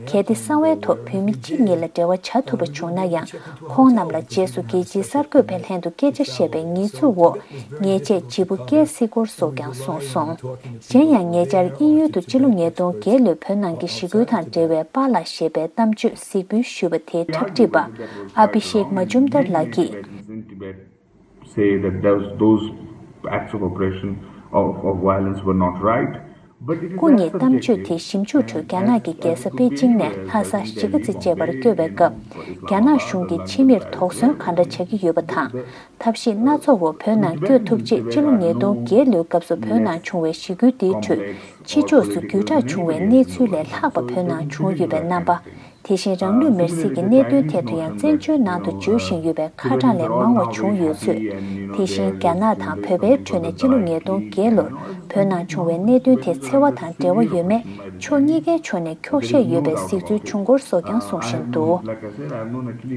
གལ་ཏེ་གསང་བའི་ཐོག་བོད་མི་གཅིག་གཉིས་ལ་འབྲེལ་བ་བྱ་ཐུབ་པ་བྱུང་ན་ཡང་ཁོང་རྣམས་ལ་རྗེས་སུ་རྒྱལ་སྤྱིའི་གསར་འགོད་པའི་ལྷན་དུ་སྐད་ཆ་བཤད་པའི་ཉེས་འཛུགས་འོག་ཉེས་ཆད་ལྗིད་པོ་བཀལ་སྲིད་སྐོར་སོགས་ཀྱང་གསུངས་སོང་། གཞན་ཡང་ཉེ་ཆར་དབྱིན་ཡུལ་དུ་སྤྱི་ལོ་ཉིས་སྟོང་བརྒྱད་ལོའི་བོད་ནང་གི་ཞི་རྒོལ་དང་འབྲེལ་བའི་པཱ་ལགས་ཞེས་པའི་གཏམ་བརྗོད་གཟིགས་འབུལ་ཞུས་པ་དེའི་འཁྲབ་ཁྲིད་པ་ཨ་བྷི་ཤེག་མ་ཇུམ་དར་ལགས་ཀྱིས། Say that those, those acts of oppression, of, of violence were not right. But it is སྐུ་ཉིད་གཏམ་བརྗོད་དེ་ཞིབ་འཇུག་ཁྲོད་རྒྱ་ནག་གི་རྒྱལ་ས་པེ་ཅིང་ནས་ལྷ་ས་གཞིས་ཀ་རྩེ་བཅས་པར་བསྐྱོད་པའི་སྐབས། རྒྱ་ནག་གཞུང་གིས་ཕྱི་མིར་དོགས་ཟོན་གང་འདྲ་བྱ་གི་ཡོད་པ་དང་། ཐབས་ཤེས་སྣ་ཚོགས་འོག་བོད་ནང་བསྐྱོད་ཐུབ་ཆེད་ཕྱི་ལོ་ཉིས་སྟོང་བརྒྱད་ལོའི་སྐབས་སུ་བོད་ནང་བྱུང་བའི་ཞི་རྒོལ་དེའི་ཁྲོད་ཕྱི་ཕྱོགས་སུ་བརྒྱུད་བསྒྲགས་བྱུང་བའི་གནས་ཚུལ་ལས་ལྷག་པ་བོད་ནང་བྱུང་ཡོད་པའི་རྣམ་པ། དེ་བཞིན་རང་ལུས་མེར་སྲེག་གི་གནད་དོན་ཐད་དུ་ཡང་བཙན་བྱོལ་ནང་དུ་བརྗོད་བཞིན་ཡོད་པའི་ཁ་གྲངས་ལས་མང་བ་བྱུང་ཡོད་ཚུལ། དེ་བཞིན་རྒྱ་ནག་དང་བོད་པའི་ཁྲོད་ནས་ཕྱི་ལོ་ཉིས་སྟོང་བརྒྱད་ལོར་བོད་ནང་བྱུང་བའི་གནད་དོན་དེ་འཚེ་བ་དང་འབྲེལ་བ་ཡོད་མེད་ཕྱོགས་གཉིས་ཀའི་ཕྱོགས་ནས་འཁྱོག་བཤད་ཡོད་པའི་གཟིགས་ཚུལ་བྱུང་སྐོར་སོགས་ཀྱང་གསུང་བཞིན་འདུག་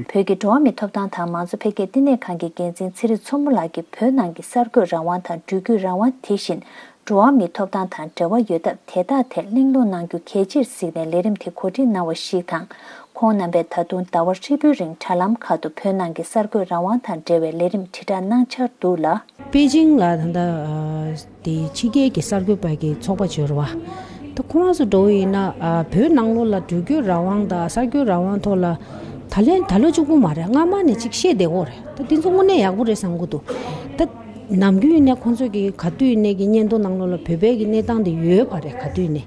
བོད་ཀྱི་འགྲོ་བ་མིའི་ཐོབ་ཐང་དང་མང་གཙོ་འཕེལ་རྒྱས་བསྟི་གནས་ཁང་གི་འགན་འཛིན་ཚེ་རིང་མཚོ་མོ་ལགས་ཀྱིས་བོད་ནང་གི་གསར་འགོད་རང་དབང་དང་འགྲུལ་བསྐྱོད་རང་དབང་དེ་བཞིན། འགྲོ་བ་མིའི་ཐོབ་ཐང་དང་འབྲེལ་བ་ཡོད་སྟབས་དེ་དག་ཐད་གླེང་སློང་གནང་རྒྱུ་གལ་ཆེར་གཟིགས་ནས་ལས་རིམ་དེ་གོ་སྒྲིག་གནང་བ་ཞིག་དང་། ཁོང་རྣམ་པས་ད་དུང་ཟླ་བ་ཧྲིལ་པོའི་རིང་དྲ་ལམ་ཁག་ཏུ་བོད་ནང་གི་གསར་འགོད་རང་དབང་དང་འབྲེལ་བའི་ལས་རིམ་དྲིལ་བསྒྲགས་གནང་འཆར་འདུག་ལ། པེ་ཅིང་ལ་ད་ལྟ་དེ་ཕྱི་རྒྱལ་གྱི་གསར་འགོད་པ་གི་ཚོགས་པ་ཅིག་ཡོད་རེད་བ། ད་ཁོ་རང་ཚོ་འདྲ་བོ་ཡིན་ན་བོད་ནང་ལོགས་ལ་འགྲུལ་སྐྱོད་རང་དབང་དང་གསར་འགོད་རང་དབང་ཐོག་ལ་ད་ལན་ད་ལོ་གཅིག་པུ་མ་རེད། སྔ་མ་ནས་ཅིག་བཤད་བསྡད་ཡོད་རེད། ད་དེ་ཚོ་དངོས་གནས་ཡག་པོ་རེད་བསམ་གྱི་འདུག་ད། ནམ་རྒྱུན་ཡིན་ནའི་ཁོང་ཚོ་གི་ག་དུས་ཡིན་ནའི་གི་སྙན་ཐོ་ནང་ལོགས་ལ་བོད་པའི་གི་གནས་སྟངས་དེ་ཡོད་པ་རེད། ག་དུས་ཡིན་ནའི་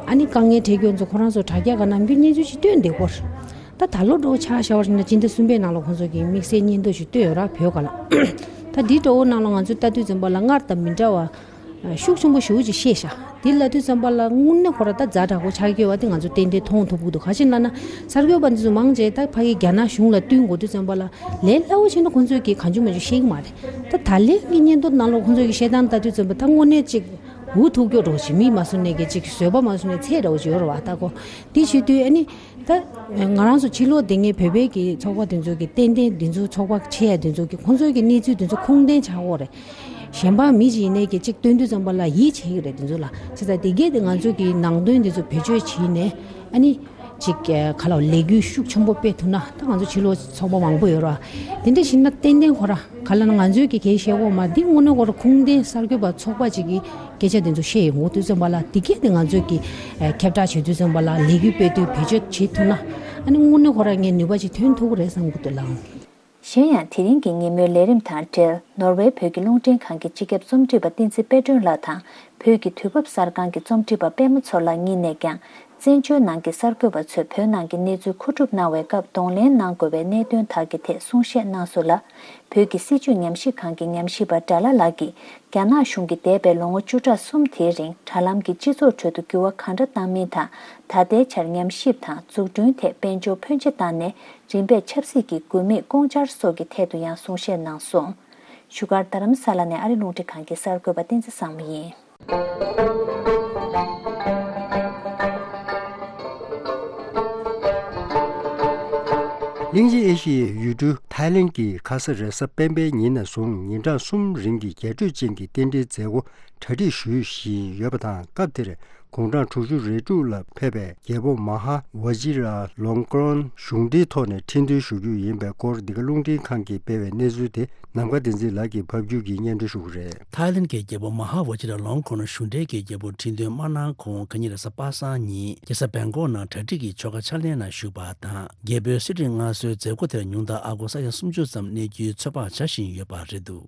ཨ་ནི་དཀའ་ངལ་འཕྲད་རྒྱུ་ཚོ་ཁོ་རང་ཚོ་དྲ་རྒྱ་ག་ནམ་རྒྱུན་སྙན་ཞུ་ཞིག་བཏོན་བསྡད་ཡོད་རེད། ད་ད་ལོ་འགྲོ་ཆ་བཞག་པ་ཡིན་ན་སྤྱི་ཟླ་གསུམ་པའི་ནང་ལ་ཁོང་ཚོ་གི་དམིགས་བསལ་སྙན་ཐོ་ཞིག་བཏོན་ཡོད་ར་བོད་སྒང་ལ། ད་འདི་འདྲ་བོ་ནང་ལ་ང་ཚོས་ལྟ་དུས་ཙམ་པ་ལ་སྔར་དང་མི་འདྲ་བ་ཤུགས་ཆེན་པོ་ཞེ་པོ་ཅིག་བཤད་ཤག་དེ་ལབ་དུས་ཙམ་པ་ལ་དངོས་གནས་ཁོ་ར་ད་ཛ་དྲག་པོ་ཆགས་ཀྱི་ཡོད་པ་དེ་ང་ཚོ་ཏན་ཏན་མཐོང་ཐུབ་ཀྱི་འདུག་ག་ཅི་ལབ་ན་གསར་འགོད་པ་འདི་ཚོ་མང་ཆེ་ད་ཕ་གི་རྒྱ་ནག་གཞུང་ལ་བསྟུན་དགོས་དུས་ཙམ་པ་ལ་ལས་སླ་བོ་བྱས་ན་ཁོང་ཚོས་ཀྱིས་གང་བྱུང་མང་བྱུང་བཤད་ཀྱི་མ་རེད། ད་ད་ལན་གྱི་སྙན་ཐོ་ནང་ལོགས་ཁོང་ཚོས་ཀྱིས་བཤད་སྟངས་ལྟ་དུས་ཙམ་པ་ད་དངོས་གནས་ཅིག་འུ་ཐུག་སྐྱོ་འདྲ་བོ་ཅིག་མི་མ་བཟོ་ནས་ཀྱི་ཅིག་བཟོད་པ་མ་བཟོ་ནས་ཚད་འདྲ་བོ་ཅིག་ཡོད་རེད་བ། ད་ཁོ་དེ་བྱེད་དུས་ཨ་ནི། ད་ང་རང་ཚོ་ཕྱི་ལོགས་དེ་ངའི་བོད་པའི་གི་ཚོགས་པ་དེ་ཚོ་གི་ཏན་ཏན་དེ་ཚོ་ཚོགས་པ་ཆེ་ཡ་དེ་ཚོ་གི་ཁོང་ཚོའི་གི་གནས་ཚུལ་དེ་ཚོ་ཁུངས་ལྡན་ཆགས་ཡོད་རེད། གཞན་པ་མི་ཅིག་ཡིན་ནའི་གི་ཅིག་སྟོན་དུས་ཙམ་པ་ལ་ཡིད་ཆེས་ཀྱི་རེད་དེ་ཚོ་ལ། བྱས་ཙང་དེ་གས་དེ་ང་ཚོ་གི་ནང་དོན་དེ་ཚོ་བེད་སྤྱོད་བྱས་ནས་ཨ་ནི་ཅིག་ག་ལ་ལས་འགུལ་ཤུགས་ཆེན་པོ་སྤེལ་ཐུབ་ན་ད་ང་ཚོ་ཕྱི་ལོགས་ཚོགས་པ་མང་པོ་ཡོད་རེད་བ། དེ་འདྲ་བྱས་ན་ཏན་ཏན་ཁོ་ར་ག་ལ་ན་ང་ཚོའི་གི་གལ་ཤེས་གོ་མ་འདི་དངོས་གནས་ཁོ་ར་ཁུངས་ལྡན་གསར་འགོད་པ་ཚོགས་པ་ཅིག་གི་སྐད་ཆ་དེ་ཚོ་བཤད་ཡོང་དུས་ཙམ་པ་ལ་དེ་གས་དེ་ང་ཚོས་ཀྱི་ཨ་ཁྱབ་བསྒྲགས་བྱེད་དུས་ཙམ་པ་ལ་ལས་འགུལ་སྤེལ་དུས་བེད་སྤྱོད་བྱེད་ཐུབ་ན་ཨ་ནི་དངོས་གནས་ཁོ་རང་ངས་ནུས་པ་ཅིག་ཐོན་ཐུབ་ཀྱི་རེད་བསམ་གྱི་འདུག་ལགས། གཞན་ཡང་དེ་རིང་གི་ཉིན་མོའི་ལས་རིམ་དང་འབྲེལ་ནོར་ཝེ་བོད་ཀྱི་རླུང་འཕྲིན་ཁང་གི་སྤྱི་ཁྱབ་རྩོམ་སྒྲིག་པ་བསྟན་འཛིན་དཔལ་སྒྲོན་ལགས་དང་བོད་ཀྱི་དུས་བབ་གསར་ཁང་གི་རྩོམ་སྒྲིག་པ་པད་མ་མཚོ་ལགས་གཉིས་ནས་ཀྱང་ བཙན་བྱོལ་ནང་གི་གསར་འགོད་པ་ཚོས་བོད་ནང་གི་གནས་ཚུལ་མཁོ་སྒྲུབ་གནང་བའི་སྐབས་གདོང་ལེན་གནང་དགོས་པའི་གནད་དོན་དག་གི་ཐད་གསུང་བཤད་གནང་སོང་ལ། བོད་ཀྱི་སྲིད་བྱུས་ཉམས་ཞིབ་ཁང་གི་ཉམས་ཞིབ་པ་སྒྲ་ལྷ་ལགས་ཀྱིས་རྒྱ་ནག་གཞུང་གིས་འདས་པའི་ལོ་ངོ་བཅུ་ཕྲག་གསུམ་དེའི་རིང་དྲ་ལམ་གྱི་སྤྱི་ཚོགས་ཁྲོད་དུ་འགྱུར་བ་གང་འདྲ་བཏང་མིན་དང་། ད་ལྟའི་ཆར་ཉམས་ཞིབ་དང་འཛུགས་སྐྲུན་ཐད་དཔལ་འབྱོར་ཕོན་ཆེ་བཏང་ནས་རིམ་པས་ཆབ་སྲིད་ཀྱི་དགོས་དམིགས་སྐོང་འཆར་སོགས་ཀྱི་ཐད་དུ་ཡང་གསུང་བཤད་གནང་སོང་། བཞུགས་སྒར་རྡ་རམ་ས་ལ་ནས་ཨ་རི་རླུང་འཕྲིན་ཁང་གི་གསར་འགོད་པ་བསྟན་འཛིན་བཟང་མོ་ཡིན། གླིང་ཆེན་ཨེ་ཤི་ཡའི་ཡུལ་གྲུ་ཐའི་ལེན་གྱི་ཁ་ས་རེས་གཟའ་སྤེན་པའི་ཉིན་ནས་བཟུང་ཉིན་གྲངས་གསུམ་རིང་གི་རྒྱས་སྤྲོས་ཅན་གྱི་རྟེན་འབྲེལ་མཛད་སྒོ་གྲ་སྒྲིག་ཞུ་བཞིན་ཡོད་པ་དང་། སྐབས་དེར་དགུང་གྲངས་དྲུག་ཅུ་རེ་དྲུག་ལ་ཕེབས་པའི་རྒྱལ་པོ་མ་ཧཱ་ཝ་ཇི་ར་ལོང་ཀོན་གཞུང་འབྲེལ་ཐོག་ནས་ཁྲི་འདོན་ཞུ་རྒྱུ་ཡིན་པའི་སྐོར། འདི་ག་རླུང་འཕྲིན་ཁང་གིས་སྤེལ་བའི་གནས་ཚུལ་དེ་ནམ་མཁའ་བསྟན་འཛིན་ལགས་ཀྱིས་ཕབ་སྒྱུར་གྱིས་སྙན་སྒྲོན་ཞུ་གི་རེད། ཐའི་ལེན་གྱི་རྒྱལ་པོ་མ་ཧཱ་ཝ་ཇི་ར་ལོང་ཀོན་གཞུང་འབྲེལ་གྱི་རྒྱལ་པོ་ཁྲི་འདོན་མ་གནང་གོང་། ཁ་ཉིན་རེས་གཟའ་པ་སངས་ཉིན་རྒྱལ་ས་བེང་ཀོག་ནང་གྲ་སྒྲིག་གི་ཆོ་ག་ཕྱག་ལེན་ནང་ཞུགས་པ་དང་། རྒྱལ་པོའི་གསེར་ཁྲི་མངའ་གསོལ་མཛད་སྒོ་དེར་ཉུང་མཐར་ཨ་སྒོར་ས་ཡ་སུམ་ཅུ་ཙམ་གནས་རྒྱུའི་ཚོད་དཔག་བྱ་བཞིན་ཡོད་པ་རེད་འདུག་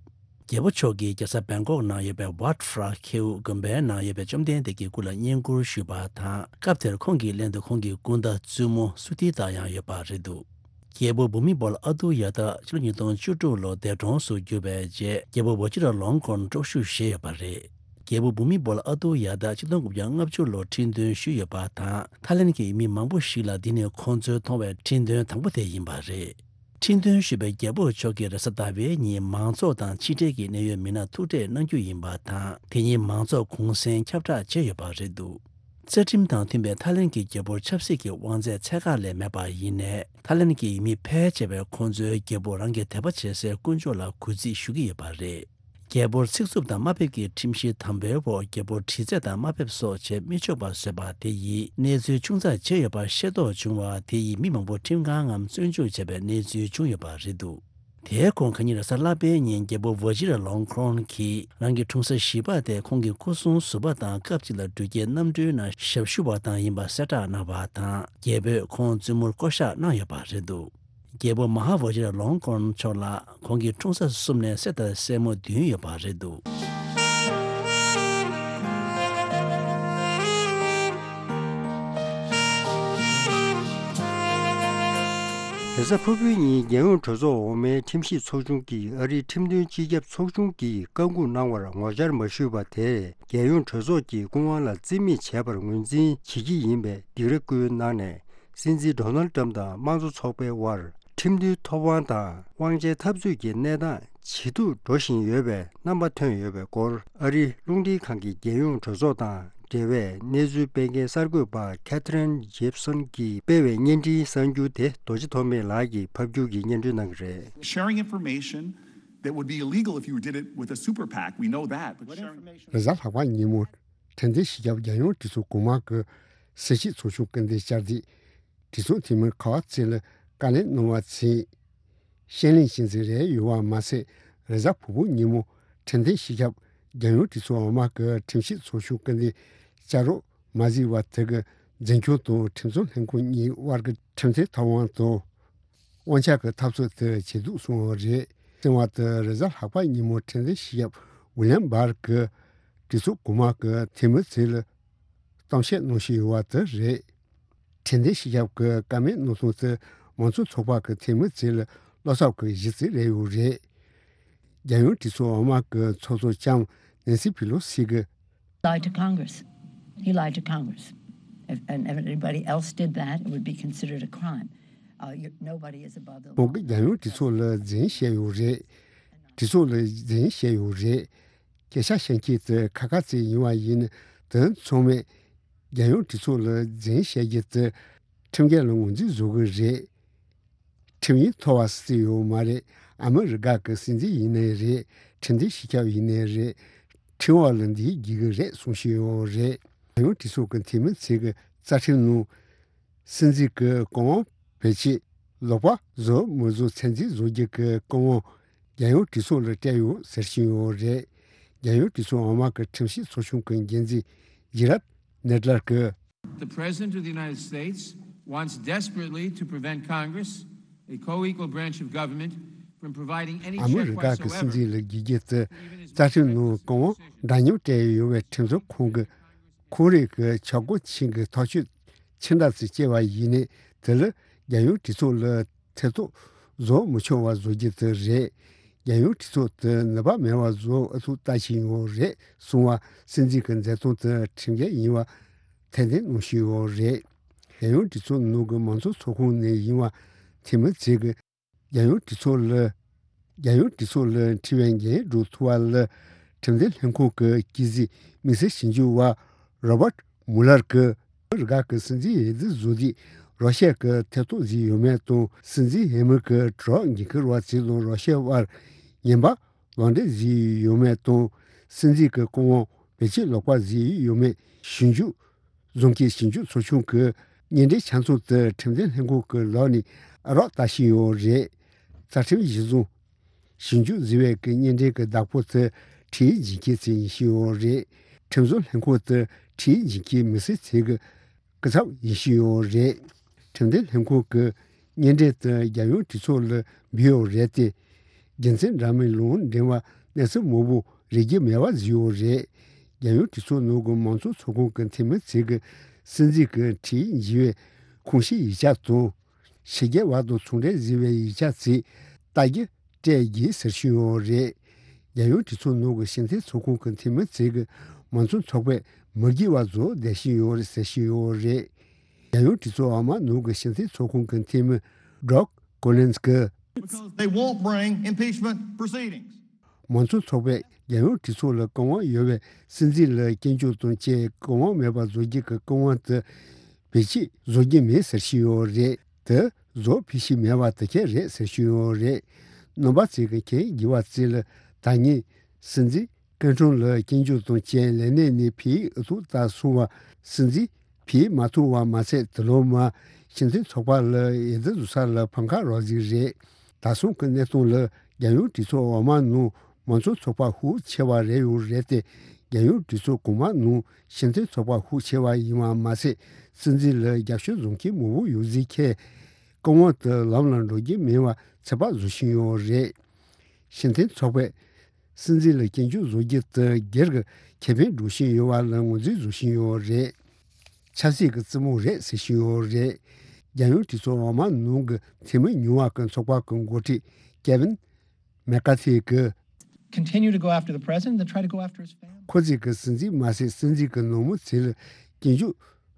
རྒྱལ་པོ་མཆོག་གིས་རྒྱལ་ས་བེང་ཀོག་ནང་ཡོད་པའི་ཝཊ་ཕྲ་ཁེའུ་དགོན་པའི་ནང་ཡོད་པའི་བཅོམ་ལྡན་འདས་ཀྱི་སྐུ་ལ་བསྙེན་བཀུར་ཞུས་པ་དང་། སྐབས་དེར་ཁོང་གི་ལྷན་དུ་ཁོང་གི་སྐུ་ཟླ་བཙུན་མོ་སུ་ཏི་ཏཱ་ཡང་ཡོད་པ་རེད་འདུག་རྒྱལ་པོ་བྷུ་མི་བོལ་ཨ་ཏུ་ཡ་ཏ་ཕྱི་ལོ་ཉིས་སྟོང་བཅུ་དྲུག་ལོར་འདས་གྲོངས་སུ་གྱུར་བའི་རྗེས། རྒྱལ་པོ་ཝ་ཇི་ར་ལོང་ཀོན་དཀྲོག་ཞུགས་བཞེས་ཡོད་པ་རེད། རྒྱལ་པོ་བྷུ་མི་བོལ་ཨ་ཏུ་ཡ་ཏ་ཆིག་སྟོང་དགུ་བརྒྱ་ལྔ་བཅུ་ལོར་ཁྲི་འདོན་ཞུས་ཡོད་པ་དང་། ཐའི་ལེན་གྱི་མི་མང་པོ་ཞིག་ལ་འདི་ནི་ཁོང་ཚོའི་མཐོང་བའི་ཁྲི་འདོན་དང་པོ་དེ་ཡིན་པ་རེད། ཁྲི་འདོན་ཞུས་པའི་རྒྱལ་པོ་མཆོག་གིས་རེས་གཟའ་ཟླ་བའི་ཉིན་མང་ཚོགས་དང་ཕྱི་འབྲེལ་གྱི་གནད་ཡོད་མི་སྣར་ཐུག་འཕྲད་གནང་རྒྱུ་ཡིན་པ་དང་། དེ་ཉིན་མང་ཚོགས་གུང་སེང་ཁྱབ་བསྒྲགས་བྱས་ཡོད་པ་རེད་འདུག་རྩ་ཁྲིམས་དང་མཐུན་པའི་ཐའི་ལེན་གྱི་རྒྱལ་པོར་ཆབ་སྲིད་ཀྱི་དབང་ཚད་ཚད་བཀག་ལས་མེད་པ་ཡིན་ནའི། ཐའི་ལེན་གྱི་མི་ཕལ་ཆེ་བས་ཁོང་ཚོའི་རྒྱལ་པོ་རང་གི་དད་པ་བྱེད་སའི་དཀོན་མཆོག་ལ་གུས་བརྩི་ཞུ་གི་ཡོད་པ་རེད། རྒྱལ་པོར་ཚིག་རྩུབ་དང་དམའ་འབེབས་ཀྱི་ཁྲིམས་གཞི་དམ་པོའི་འོག་རྒྱལ་པོར་དྲི་རྩད་དང་དམའ་འབེབས་སོགས་བྱེད་མི་ཆོག་པ་བཟོས་པ་དེ་ཡིས་གནས་ཚུལ་ཆུང་ཙག་བྱས་ཡོད་པ་ཤེས་རྟོགས་བྱུང་བ་དེ་ཡིས་མི་མང་པོ་ཁྲིམས་ཁང་ངམ་བཙོན་འཇུག་བྱས་པའི་གནས་ཚུལ་བྱུང་ཡོད་པ་རེད་འདུག་དེའི་གོང་ཁ་ཉིན་རེས་གཟའ་ལྷག་པའི་ཉིན་རྒྱལ་པོ་ཝ་ཇི་ར་ལོང་ཁོན་གྱིས་རང་གི་འཁྲུངས་ས་གཞིས་པ་དེ་ཁོང་གི་སྐུ་སྲུང་ཟུར་པ་དང་སྐབས་གཅིག་ལ་འགྲུལ་སྐྱེལ་གནམ་གྲུའི་ནང་ཞབས་ཞུ་བ་དང་ཡིན་པ་གསལ་བསྒྲགས་གནང་བ་དང་། རྒྱལ་པོས་ཁོང་བཙུན་མོར་བསྐོ་བཞག་གནང་ཡོད་པ་རེད་འདུག་རྒྱལ་པོ་མ་ཧཱ་ཝ་ཇི་ར་ལོང་ཀོན་མཆོག་ལ་ཁོང་གི་འཁྲུངས་ས་གསུམ་ནས་སྲས་དང་སྲས་མོ་བདུན་ཡོད་པ་རེད་འདུག་རེས་གཟའ་ཕུར་བུའི་ཉིན་རྒྱལ་ཡོངས་གྲོས་ཚོགས་འོག་མའི་ཁྲིམས་ཞིབ་ཚོགས་ཆུང་གིས་ཨ་རིའི་ཁྲིམས་དོན་སྤྱི་ཁྱབ་ཚོགས་ཆུང་གིས་བཀའ་འགུག་གནང་བར་ངོ་བཅར་མ་ཞུས་པ་དེས་རྒྱལ་ཡོངས་གྲོས་ཚོགས་ཀྱི་སྐུ་དབང་ལ་རྩིས་མེད་བྱས་པར་ངོས་འཛིན་བྱེད་ཀྱི་ཡིན་པའི་སྡིགས་ར་བསྐུལ་གནང་ནས། སྲིད་འཛིན་ཌོ་ནལ་ཏྲམ་དང་དམངས་གཙོ་ཚོགས་པའི་དབར་ཁྲིམས་མཐུན་ཐོབ་དབང་དང་དབང་ཆའི་འཐབ་རྩོད་ཀྱི་གནས་སྟངས་ཇེ་སྡུག་འགྲོ་བཞིན་ཡོད་པའི་རྣམ་པ་ཐོན་ཡོད་པའི་སྐོར། ཨ་རིའི་རླུང་འཕྲིན་ཁང་གི་རྒྱལ་ཡོངས་གྲོས་ཚོགས་དང་འབྲེལ་བའི་གནས་ཚུལ་སྤེལ་མཁན་གསར་འགོད་པ་Katherine Gibson་གྱིས་སྤེལ་བའི་བརྙན་འཕྲིན་གསར་འགྱུར་དེ་རྡོ་རྗེ་ཐོགས་མེད་ལགས་ཀྱིས་ཕབ་སྒྱུར་གྱིས་སྙན་སྒྲོན་གནང་གི་རེད། Sharing information that would be illegal if you did it with a super PAC. We know that. But sharing information རེས་གཟའ་ལྷག་པ་ཉིན་མོ་ཁྲིམས་དོན་སྤྱི་ཁྱབ་རྒྱལ་ཡོངས་གྲོས་ཚོགས་གོང་མ་གི་སྲིད་བྱུས་ཚོགས་ཆུང་སྐུ་མདུན་བཅར་ཏེ། གྲོས་ཚོགས་འཐུས་མི་ག་བ་ཚེ་ལ་བཀའ་ལན་གནང་བ་ཚེ། ཤེས་ལེན་བྱེད་འཛིན་རེ་ཡོད་པ་མ་ཟད། རེས་གཟའ་ཕུར་བུ་ཉིན་མོ་ཁྲིམས་དོན་སྤྱི་ཁྱབ་རྒྱལ་ཡོངས་གྲོས་ཚོགས་འོག་མ་གི་ཁྲིམས་ཞིབ་ཚོགས་ཆུང་སྐུ་མདུན་བཅར་རོགས་མ་གཟིགས་པ་དེ་གི་འཛིན་སྐྱོང་དང་ཁྲིམས་བཟོ་ལྷན་ཁང་གཉིས་དབར་གྱི་ཁྲིམས་མཐུན་ཐོབ་དབང་དང་། དབང་ཆ་གི་འཐབ་རྩོད་དེ་ཇེ་སྡུག་སོང་བ་རེད། གསང་བ་དེ་རེས་གཟའ་ལྷག་པ་ཉིན་མོ་ཁྲིམས་དོན་སྤྱི་ཁྱབ་ཝི་ལིམ་བྷར་གྱིས་གྲོས་ཚོགས་གོང་མ་གི་འཐུས་མི་ཚོ་ལ་གཏམ་བཤད་གནང་བཞིན་ཡོད་པ་དེ་རེད། ཁྲིམས་དོན་སྤྱི་ཁྱབ་ཀྱི་བཀའ་མོལ་གནང་སྟངས་དེ་མང་གཙོ་ཚོགས་པ་གི་འཐུས་མི་ཚོ་ལ་བློ་འཚབ་ཀྱི་གཞི་རྩ་རེད་ཡོད་རེད། རྒྱལ་ཡོངས་གྲོས་ཚོགས་འོག་མ་གི་ཚོགས་གཙོ་ལྕམ་ནེན་སི་པི་ལོ་སི་གིས། Lied to Congress. He lied to Congress. If, and if anybody else did that, it would be considered a crime. Uh, you, nobody is above the law. ཁོང་གིས་རྒྱལ་ཡོངས་གྲོས་ཚོགས་ལ་རྫུན་བཤད་ཡོད་རེད། གྲོས་ཚོགས་ལ་རྫུན་བཤད་ཡོད་རེད། སྐད་ཆ་བཤད་མཁན་དེ་ཁ་ཁ་ཚིག་ཡིན་པ་ཡིན་ན། དེ་ཚང་མས་རྒྱལ་ཡོངས་གྲོས་ཚོགས་ལ་རྫུན་བཤད་རྒྱུ་དེ་ཁྲིམས་འགལ་ལ་ངོས་འཛིན་བཟོ་གི་རེད། ཁྲིམས་ཡིག་མཐོ་བ་སྲིད་ཡོད་མ་རེད། ཨ་མི་རི་ཀ་གི་སྲིད་འཛིན་ཡིན་ནའི་རེད། ཁྲིམས་དོན་སྤྱི་ཁྱབ་ཡིན་ནའི་རེད། ཁྲིམས་འོག་ལ་འདི་རྒྱུག་གི་རེད་གསུང་བཞིན་ཡོད་རེད། རྒྱལ་ཡོངས་གྲོས་ཚོགས་ཀྱི་འཐུས་མི་ཚོས་ཀྱི་རྩ་ཁྲིམས་ནང་སྲིད་འཛིན་གྱི་བཀའ་དབང་བེད་སྤྱད་ལོག་པ་བཟོ་མི་བཟོ་ཚད་འཛིན་བཟོ་རྒྱུ་གི་བཀའ་དབང་རྒྱལ་ཡོངས་གྲོས་ཚོགས་ལ་སྤྲད་ཡོད་ཟེར་བཞིན་ཡོད་རེད། རྒྱལ་ཡོངས་གྲོས་ཚོགས་འོག་མ་གི་ཁྲིམས་ཞིབ་ཚོགས་ཆུང་གི་འགན་འཛིན་ཇི་རད་ནེ་ཏ་ལར་གྱིས། The President of the United States wants desperately to prevent Congress, a co-equal branch of government, from providing any ཨ་མི་check རི་ཀ་གི་སྲིད་whatsoever འཛིན་ལ་དགོས་རྒྱུ་དེ་རྩ་ཁྲིམས་ནང་བཀའ་དབང་འདྲ་མཉམ་སྤྲད་ཡོད་པའི་ཁྲིམས་བཟོ་ཁང་གི་ཁོང་རང་གི་ཆབ་སྒོ་ཆེན་གྱི་ཐག་གཅོད་ ཕྱིར་འཐེན་བྱས་པ་ཡིན་ནའི་དེ་ལ་རྒྱལ་ཡོངས་གྲོས་ཚོགས་ལ་ཐེ་གཏོགས་བཟོ་མི་ཆོག་པ་བཟོ་རྒྱུ་དེ་རེད། རྒྱལ་ཡོངས་གྲོས་ཚོགས་དེ་ནུས་པ་མེད་པ་བཟོ་ཨུ་ཚུགས་ལྟ་བཞིན་ཡོད་རེད་གསུངས་པ་སྲིད་འཛིན་གྱི་མཛད་སྟངས་དེ་ཁྲིམས་འགལ་ཡིན་པ་ཐེར་འདོན་གནང་བཞིན་ཡོད་རེད། རྒྱལ་ཡོངས་གྲོས་ཚོགས་ནང་གི་མང་གཙོ་ཚོགས་ཁང་ནས་ཡིན་པ་འཐུས་མི་ཚོས་ཀྱི་རྒྱལ་ཡོངས་གྲོས་ཚོགས་ལ། རྒྱལ་ཡོངས་གྲོས་ཚོགས་ལ་དྲི་བའི་འགན་སྒྲུབ་ཐུབ་པ་ལ་ཁྲིམས་འཛིན་ལྷན་ཁང་གི་དཀྱིལ་སྲིད་དམིགས་བསལ་ཞིབ་འཇུག་པ་རོ་བར་མུ་ལར་གྱིས་རི་ག་གི་སྲིད་འཛིན་འོས་བསྡུ་བཟོ་དུས་རོ་ཤ་གི་ཐེ་གཏོགས་བཟོས་ཡོད་མེད་དང་སྲིད་འཛིན་འོས་མི་གི་གྲོགས་འགན་འཁུར་བ་ཚོ་དང་རོ་ཤ་བར་ངན་པ་ལག་འབྲེལ་བཟོས་ཡོད་མེད་དང་སྲིད་འཛིན་གྱི་སྐུ་དབང་བེད་སྤྱོད་ལོག་པ་བཟོས་ཡོད་མེད་ཞིབ་འཇུག་བཟོ་མཁན་ཞིབ་འཇུག་ཚོགས་ཆུང་གི་སྙན་འགྲེལ་ཆ་ཚང་དེ་ཁྲིམས་འཛིན་ལྷན་ཁང་གི་ལག་ནས་རག་ལྟ་བཞིན་ཡོད་རེད། རྩ་ཁྲིམས་གཞི་བཟུང་ཞིབ་འཇུག་བཟོ་བའི་གི་སྙན་འགྲེལ་གྱི་བདག་པོ་དེ་ཁྲིམས་ཡིག་འཛིན་མཁན་ཚོ་ཡིན་བཞིན་ཡོད་རེད། ཁྲིམས་བཟོ་ལྷན་ཁང་དེ་ཁྲིམས་ཡིག་འཛིན་མཁན་མི་སེར་ཚོའི་གི་སྐུ་ཚབ་ཡིན་བཞིན་ཡོད་རེད། ཁྲིམས་འཛིན་ལྷན་ཁང་གི་སྙན་འགྲེལ་དེ་རྒྱལ་ཡོངས་གྲོས་ཚོགས་ལ་འབུལ་ཡོད་རེད་དེ། རྒྱུ་མཚན་འདྲ་མིན་ལུང་འདྲེན་པ་གནས་ཚུལ་མང་པོ་རེག་གི་མེད་པ་བཟོས་ཡོད་རེད། རྒྱལ་ཡོངས་གྲོས་ཚོགས་ནང་གི་མང་གཙོ་ཚོགས་ཁང་གི་འཐུས་མི་ཚོས་ཀྱི་སྲིད་འཛིན་གྱི་ཁྲིམས་ཡིག་འཛིན་པའི་ཁོངས་ཞུགས་ཡིག་ཆ་དང་། ཕྱི་རྒྱལ་བ་དང་ཚོང་འབྲེལ་བཟོ་བའི་ཡིག་ཆ་ཚོ་ལྟ་རྒྱུ་སྤྲད་རྒྱུ་ཟེར་བཞིན་ཡོད་རེད། རྒྱལ་ཡོངས་གྲོས་ཚོགས་ནང་གི་ཕྱི་འཐེན་ཚོགས་ཁང་གི་འཐུས་མི་ཚོས་ཀྱི་མང་གཙོ་ཚོགས་པས་མི་དགོས་པ་བཟོ་བསྡད་བཞིན་ཡོད་རེད་ཟེར་བཞིན་ཡོད་རེད། རྒྱལ་ཡོངས་གྲོས་ཚོགས་འོག་མ་ནང་གི་ཕྱི་འཐེན་ཚོགས་ཁང་གི་འཐུས་མི་Doug Collins་གྱིས། Because they won't bring impeachment proceedings. མང་གཙོ་ཚོགས་པས་རྒྱལ་ཡོངས་གྲོས་ཚོགས་ལ་བཀའ་དབང་ཡོད་པའི་སྲིད་འཛིན་ལ་སྐྱོན་བརྗོད་དང་བཅས་བཀའ་དབང་མེད་པར་བཟོ་རྒྱུ་གི་བཀའ་དབང་དེ་བེད་སྤྱོད་བཟོ་རྒྱུ་མེད་ཟེར་བཞིན་ཡོད་རེད། དེ་བཟོ་ཕོད་ཀྱི་མེད་པ་དེ་ག་རེད་ཟེར་བཞིན་ཡོད་རེད། རྣམ་པ་ཚོས་ཀྱི་མཁྱེན་དགོས་པ་ཚོ་ལ་ད་ངས་སྲིད་འཛིན་སྐུ་ཕྲེང་ལ་སྐྱོན་བརྗོད་དང་བཅས་ལས་གནས་ནས་ཕུད་ཨུ་ཚུགས་ལྟ་སོང་བ་སྲིད་འཛིན་ཕུད་མ་ཐུབ་པ་མ་ཚད་དེ་ལོ་མ་ཕྱི་འཐེན་ཚོགས་པ་ལ་འོས་བསྡུ་བཟོ་ས་ལ་ཕམ་ཁ་རག་ཟིག་རེད། ད་སོང་གི་གནས་སྟངས་ལ་རྒྱལ་ཡོངས་གྲོས་ཚོགས་འོག་མ་ནང་མང་གཙོ་ཚོགས་པ་ཤུགས་ཆེ་བ་རེད་ཡོད་རེད་དེ། རྒྱལ་ཡོངས་གྲོས་ཚོགས་གོང་མ་ནང་ཕྱི་འཐེན་ཚོགས་པ་ཤུགས་ཆེ་བ་ཡིན་པ་མ་ཟད་སྲིད་འཛིན་ལ་རྒྱབ་སྐྱོར་བཟོ་མཁན་མང་པོ་ཡོད་ཟིག་ཁེ། བཀའ་དབང་དེ་ལམ་ལ་འགྲོ་རྒྱུ་མིན་པ་ཚོད་དཔག་བཟོ་བཞིན་ཡོད་རེད། ཕྱི་འཐེན་ཚོགས་པས་སྲིད་འཛིན་ལ་སྐྱོན་བརྗོད་བཟོ་རྒྱུ་དེ་སྒེར་གྱི་ཁེ་ཕན་སྒྲུབ་བཞིན་ཡོད་པ་ལ་ངོས་འཛིན་བཟོ་བཞིན་ཡོད་རེད། ཆབ་སྲིད་ཀྱི་རྩེད་མོ་རེད་ཟེར་བཞིན་ཡོད་རེད། རྒྱལ་ཡོངས་གྲོས་ཚོགས་འོག་མ་ནང་གི་འཐུས་མི་ཉུང་བ་ཀྱི་ཚོགས་པ་གི་འགོ་ཁྲིད་Kevin McCarthy་གིས། Continue to go after the president, then try to go after his family. ཁོ་ཚོས་ཀྱི་སྲིད་འཛིན་མ་ཟད་སྲིད་འཛིན་གྱི་ནང་མི་ཚོ་ལ་སྐྱོན་བརྗོད་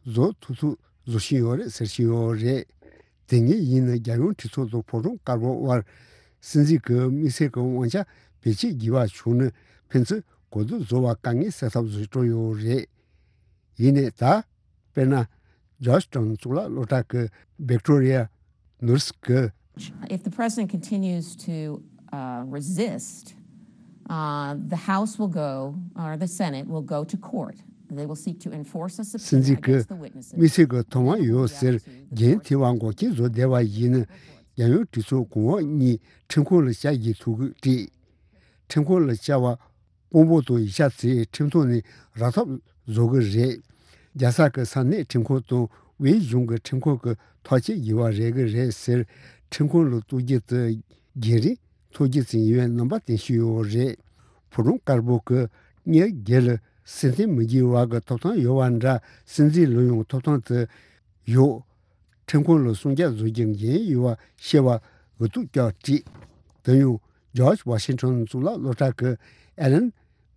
བཟོ་ཐུབ་ཐུབ་བཟོ་བཞིན་ཡོད་རེད་ཟེར་བཞིན་ཡོད་རེད། དེ་ངས་ཡིན་ན་རྒྱལ་ཡོངས་གྲོས་ཚོགས་དང་ཕོ་བྲང་དཀར་པོ་དབར་སྲིད་འཛིན་གྱི་དམིགས་བསལ་གྱི་དབང་ཆ་བེད་སྤྱོད་དགོས་པ་བྱུང་ན་ཕན་ཚུན་གོ་བསྡུར་བཟོ་བར་དཀའ་ངལ་སེལ་ཐབས་བཟོ་འགྲོ་ཡོད་རེད། ཡིན་ནའི་ད་དཔེར་ན་Georgetown་གཙུག་ལག་སློབ་གྲྭ་གི་Victoria Nussbaum་གིས། If the president continues to uh, resist, uh, the House will go, or the Senate will go to court. They will seek to enforce a སྲིད་subpoena འཛིན་གྱི་against the witnesses. དམིགས་བསལ་གྱི་ཐོབ་དབང་ཡོད་ཟེར་འགན་འཁྱེར་བ་འགོག་རྐྱེན་བཟོ་བསྡད་པ་ཡིན་ན་རྒྱལ་ཡོངས་གྲོས་ཚོགས་གོང་འོག་གཉིས་ཁྲིམས་ཁང་ལ་བཅར་རྒྱུའི་ཐུགས་ཁུར་བྲིས། ཁྲིམས་ཁང་ལ་བཅར་བ་དཔང་པོ་དང་ཡིག་ཆ་ཚོས་ཁྲིམས་ཐོག་ནས་རག་ཐབས་བཟོ་གི་རེད། རྒྱལ་ས་གི་ས་གནས་ཁྲིམས་ཁང་དང་དབུས་གཞུང་གི་ཁྲིམས་ཁང་གི་ཐག་གཅོད་དགོས་པ་རེད་གི་རེད་ཟེར། ཁྲིམས་ཁང་ལ་གཏུག་རྒྱུ་དེ་རྒྱུན་རིང་ཐོག་རྒྱུ་ཙམ་ཡིན་པའི་རྣམ་པ་བསྟན་བཞིན་ཡོད་རེད། ཕོ་བྲང་དཀར་པོ་གི་གཉེར་སྒེར་ལ་སྲིད་འཛིན་མི་དགོས་པ་གི་ཐོབ་ཐང་ཡོད་པ་འདྲ་སྲིད་འཛིན་ལ་ཡང་ཐོབ་ཐང་དེ་ཡོད། ཁྲིམས་ཁང་ལ་གསུང་བཤད་བཟོ་རྒྱུ་འགན་ཡོད་པ་ཤེས་པ་འུ་ཐུག་ཀྱང་བྲིས། དེ་ཡང་George Washington་གཙུག་ལག་སློབ་གྲྭ་གི་Alan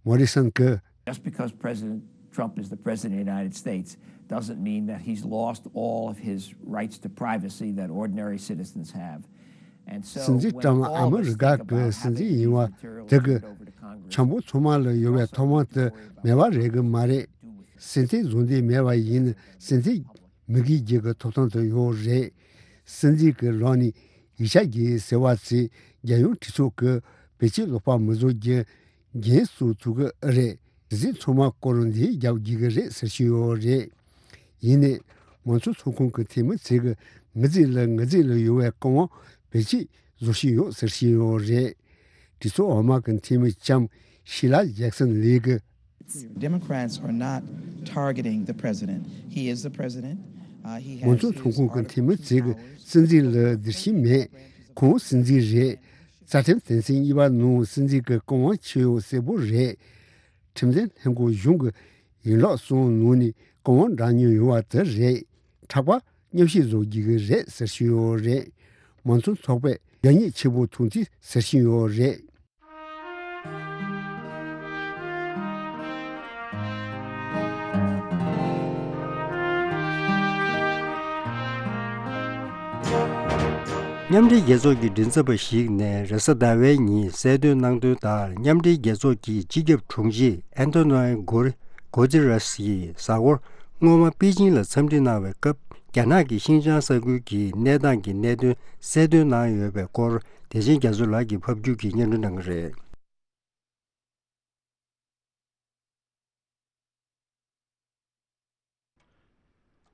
Morrison་གིས། Just because President Trump is the president of the United States doesn't mean that he's lost all of his rights to privacy that ordinary citizens have. And so སྲིད་འཛིན་ཊམ་ཨ་མི་རི་ཀ་གི་སྲིད་འཛིན་ཡིན་པ་དེ་གི་འཆམ་པོ་ཚང་མ་ལ་ཡོད་པའི་ཐོབ་དབང་དེ་མེད་པ་རེད་གི་མ་རེད། སྲིད་འཛིན་བཟོ་འདོད་མེད་པ་ཡིན་ན་སྲིད་འཛིན་མི་དགོས་རྒྱུ་གི་ཐོབ་ཐང་དེ་ཡོད་རེད། སྲིད་འཛིན་གྱི་ལག་ནས་ཡིག་ཆ་གི་ཟེར་བ་ཚོས་རྒྱལ་ཡོངས་གྲོས་ཚོགས་ཀྱི་བེད་སྤྱོད་ལོག་པ་མི་བཟོ་རྒྱུ་འགན་སྲུང་ཐུབ་ཀྱི་ཨེ་རེད། གཟིགས་ཚང་མ་སྐོར་འདི་རྒྱབ་དགོས་ཀྱི་རེད་ཟེར་བཞིན་ཡོད་རེད། ཡིན་ནའི་མང་གཙོ་ཚོགས་ཁང་གི་འཐུས་མི་ཚོས་ཀྱི་ངའི་རྩིས་ལ་ངའི་རྩིས་ལ་ཡོད་པའི་བཀའ་དབང་བེད་སྤྱོད་བཟོ་བཞིན་ཡོད་ཟེར་བཞིན་ཡོད་རེད། གྲོས་ཚོགས་འོག་མ་གི་འཐུས་མི་ལྕམ་ཤི་ལ་ཇེག་སན་ལི་གིས། Democrats are not targeting the president. He is the president. Uh, he མང་གཙོ་ཚོགས་ཁང་གི་འཐུས་མི་ཚོས་ཀྱི་སྲིད་འཛིན་ལ་བདེ་སྐྱིད་མེད། ཁོང་སྲིད་འཛིན་རེད། རྩ་ཁྲིམས་དོན་ཚན་གཉིས་པ་ནང་སྲིད་འཛིན་གྱི་བཀའ་དབང་ཆེ་ཡོད་གསལ་པོ་རེད། ཁྲིམས་འཛིན་ལྷན་ཁང་གཞུང་གི་ཡན་ལག་གསུམ་ནང་ནས་བཀའ་དབང་བསྒྲགས་མྱོང་ཡོད་པ་དེ་རེད། དྲག་པ་མཉམ་ཞིག་བཟོ་རྒྱུ་གི་རེད་ཟེར་བཞིན་ཡོད་རེད། མང་གཙོ་ཚོགས་པས་རྒྱ་ཉེས་ཆེ་པོ་ཐོན་རྩིས་ཟེར་བཞིན་ཡོད་རེད། མཉམ་འབྲེལ་རྒྱལ་ཚོགས་ཀྱི་མགྲིན་ཚབ་པ་ཞིག་ནས་རེས་གཟའ་ཟླ་བའི་ཉིན་གསལ་སྟོན་གནང་དོན་ལྟར། མཉམ་འབྲེལ་རྒྱལ་ཚོགས་ཀྱི་སྤྱི་ཁྱབ་དྲུང་ཆེ་ཨན་ཐོ་ནོ་གོ་རི་གོ་ཛི་རེས་ཡིས་གཟའ་འཁོར་སྔོན་མ་པེ་ཅིང་ལ་འཚམས་འདྲི་གནང་བའི་སྐབས། རྒྱ་ནག་གི་ཤིན་ཅང་ས་ཁུལ་གྱི་གནས་སྟངས་ཀྱི་གནད་དོན་གསལ་སྟོན་གནང་ཡོད་པའི་སྐོར། བདེ་ཆེན་རྒྱ་མཚོ་ལགས་ཀྱིས་ཕབ་སྒྱུར་གྱིས་སྙན་སྒྲོན་གནང་གི་རེད།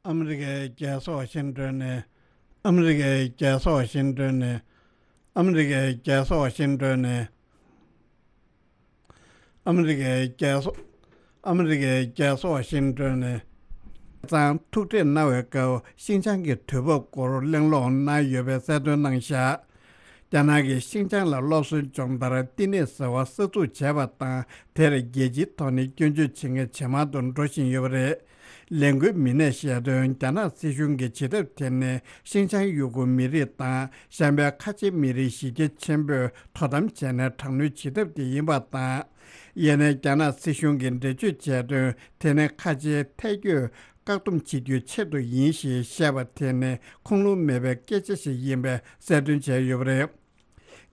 ཨ་མི་རི་ཀའི་རྒྱལ་ས་ཝ་ཤིང་ཏོན་ནས། ཨ་མི་རི་ཀའི་རྒྱལ་ས་ཝ་ཤིང་ཏོན་ནས། ཨ་མི་རི་ཀའི་རྒྱལ་ས་ཝ་ཤིང་ཏོན་ནས། ཨ་མི་རི་ཀའི་རྒྱལ་ས། ཨ་མི་རི་ཀའི་རྒྱལ་ས་ཝ་ཤིང་ཏོན་ནས། ཚང་ཐུག་འཕྲད་གནང་བའི་སྐབས། ཤིན་ཅང་གི་དུས་བབ་སྐོར་གླེང་སློང་གནང་ཡོད་པའི་གསལ་སྟོན་གནང་བཞག་རྒྱ་ནག་གིས་ཤིན་ཅང་ལ་སློབ་གསོའི་སྦྱོང་བརྡར་བསྟི་གནས་ཟེར་བ་གསར་འཛུགས་བྱས་པ་དང་། དེར་རྒྱལ་སྤྱིའི་ཐོག་ནས་སྐྱོན་བརྗོད་བྱེད་མཁན་ཇེ་མང་དུ་འགྲོ་བཞིན་ཡོད་པ་རེད། ལས་འགུལ་མི་སྣས་བཤད་དོན། རྒྱ་ནག་སྲིད་གཞུང་གིས་བྱེད་ཐབས་དེ་ནི་ཤིན་ཅང་ཡུ་གུར་མི་རིགས་དང་གཞན་པའི་ཁ་ཆེ་མི་རིགས་གཞི་རྒྱ་ཆེན་པོས་དོ་དམ་བྱས་ནས་དྲག་གནོན་བྱེད་ཐབས་དེ་ཡིན་པ་དང་། ཡིན་ནའི་རྒྱ་ནག་སྲིད་གཞུང་གིས་འགྲེལ་བརྗོད་བྱས་དོན། དེ་ནི་ཁ་ཆེའི་ཐལ་སྐྱོད་བཀག་སྡོམ་བྱེད་རྒྱུའི་ཆེད་དུ་ཡིན་ཞེས་བཤད་པ་དེ་ནི་ཁུངས་ལུང་མེད་པའི་སྐད་ཆ་ཞིག་ཡིན་པའི་གསལ་སྟོན་བྱས་ཡོད་པ་རེད།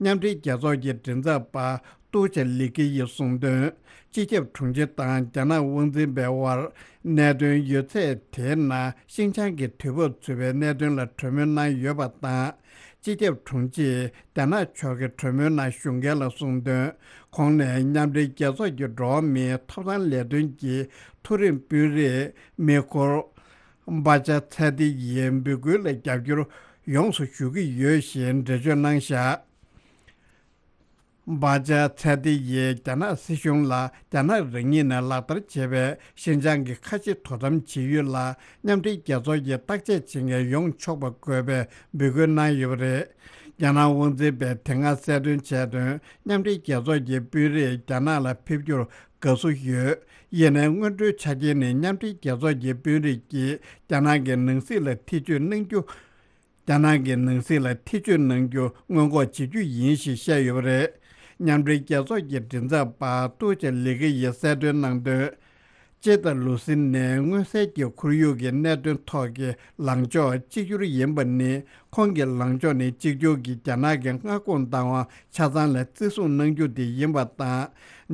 མཉམ་འབྲེལ་རྒྱལ་ཚོགས་ཀྱི་མགྲིན་ཚབ་པ་ཏུའུ་ཅེ་ལི་ཀི་ཡིས་གསུངས་དོན། སྤྱི་ཁྱབ་དྲུང་ཆེ་དང་རྒྱ་ནག་དབང་འཛིན་པའི་དབར་གནད་དོན་ཡོད་ཚད་དེའི་ནང་ཤིན་ཅང་གི་དུས་བབ་ཚུད་པའི་གནད་དོན་ལ་གྲོས་མོལ་གནང་ཡོད་པ་དང་། སྤྱི་ཁྱབ་དྲུང་ཆེས་རྒྱ་ནག་ཕྱོགས་ཀྱི་གྲོས་མོལ་ནང་ཞུགས་མཁན་ལ་གསུངས་དོན། ཁོང་ནས་མཉམ་འབྲེལ་རྒྱལ་ཚོགས་ཀྱི་འགྲོ་བ་མིའི་ཐོབ་ཐང་ལས་དོན་གྱི་མཐོ་རིམ་དཔོན་རིགས་མི་ཁོར་བྷ་ཅ་ཚེ་ཏི་ཡི་འབོད་སྐུལ་ལ་རྒྱབ་སྐྱོར་ཡོངས་སུ་ཞུ་གི་ཡོད་ཞེས་འགྲེལ་བརྗོད་གནང་བཞག་བྷ་ཅ་ཚེ་ཏི་ཡིས་རྒྱ་ནག་སྲིད་གཞུང་ལ་རྒྱ་ནག་རང་ཉིད་ནས་ལག་བསྟར་བྱས་པའི་ཤིན་ཅང་གི་ཁ་ཆེ་དོ་དམ་བྱེད་ཡུལ་ལ་མཉམ་འབྲེལ་རྒྱལ་ཚོགས་ཀྱིས་བརྟག་དཔྱད་བྱེད་མཁན་ཡོང་ཆོག་པ་དགོས་པའི་འབོད་སྐུལ་གནང་ཡོད་པ་རེད། རྒྱ་ནག་དབང་འཛིན་པས་དེ་སྔ་གསལ་སྟོན་བྱས་དོན། མཉམ་འབྲེལ་རྒྱལ་ཚོགས་ཀྱི་དཔོན་རིགས་རྒྱ་ནག་ལ་ཕེབས་རྒྱུར་དགའ་བསུ་ཡོད། ཡིན་ནའི་སྔོན་འགྲོའི་ཆ་རྐྱེན་ནི་མཉམ་འབྲེལ་རྒྱལ་ཚོགས་ཀྱི་དཔོན་རིགས་ཀྱིས་རྒྱ་ནག་གི་ནང་སྲིད་ལ་ཐེ་བྱུས་གནང་རྒྱུ། རྒྱ་ནག་གི་ནང་སྲིད་ལ་ཐེ་བྱུས་གནང་རྒྱུ་སྔོན་འགོག་བྱེད་རྒྱུ་ཡིན་ཞེས་བཤད་ཡོད་པ་རེད། མཉམ་འབྲེལ་རྒྱལ་ཚོགས་ཀྱི་མགྲིན་ཚབ་པ་ཏུའུ་ཅེ་ལི་ཀི་ཡིས་གསལ་སྟོན་གནང་དོན། ཅེ་ཏ་ལུ་སི་ནས་མངོན་གསལ་གྱིས་ཁོར་ཡུག་གི་གནད་དོན་ཐོག་གི་ལངས་ཕྱོགས་གཅིག་གྱུར་ཡིན་པ་ནི། ཁོང་གི་ལངས་ཕྱོགས་ནི་གཅིག་གྱུར་གྱིས་རྒྱ་ནག་གི་མངའ་ཁོངས་བདག་དབང་ཆ་ཚང་ལ་བརྩི་སྲུང་གནང་རྒྱུ་དེ་ཡིན་པ་དང་།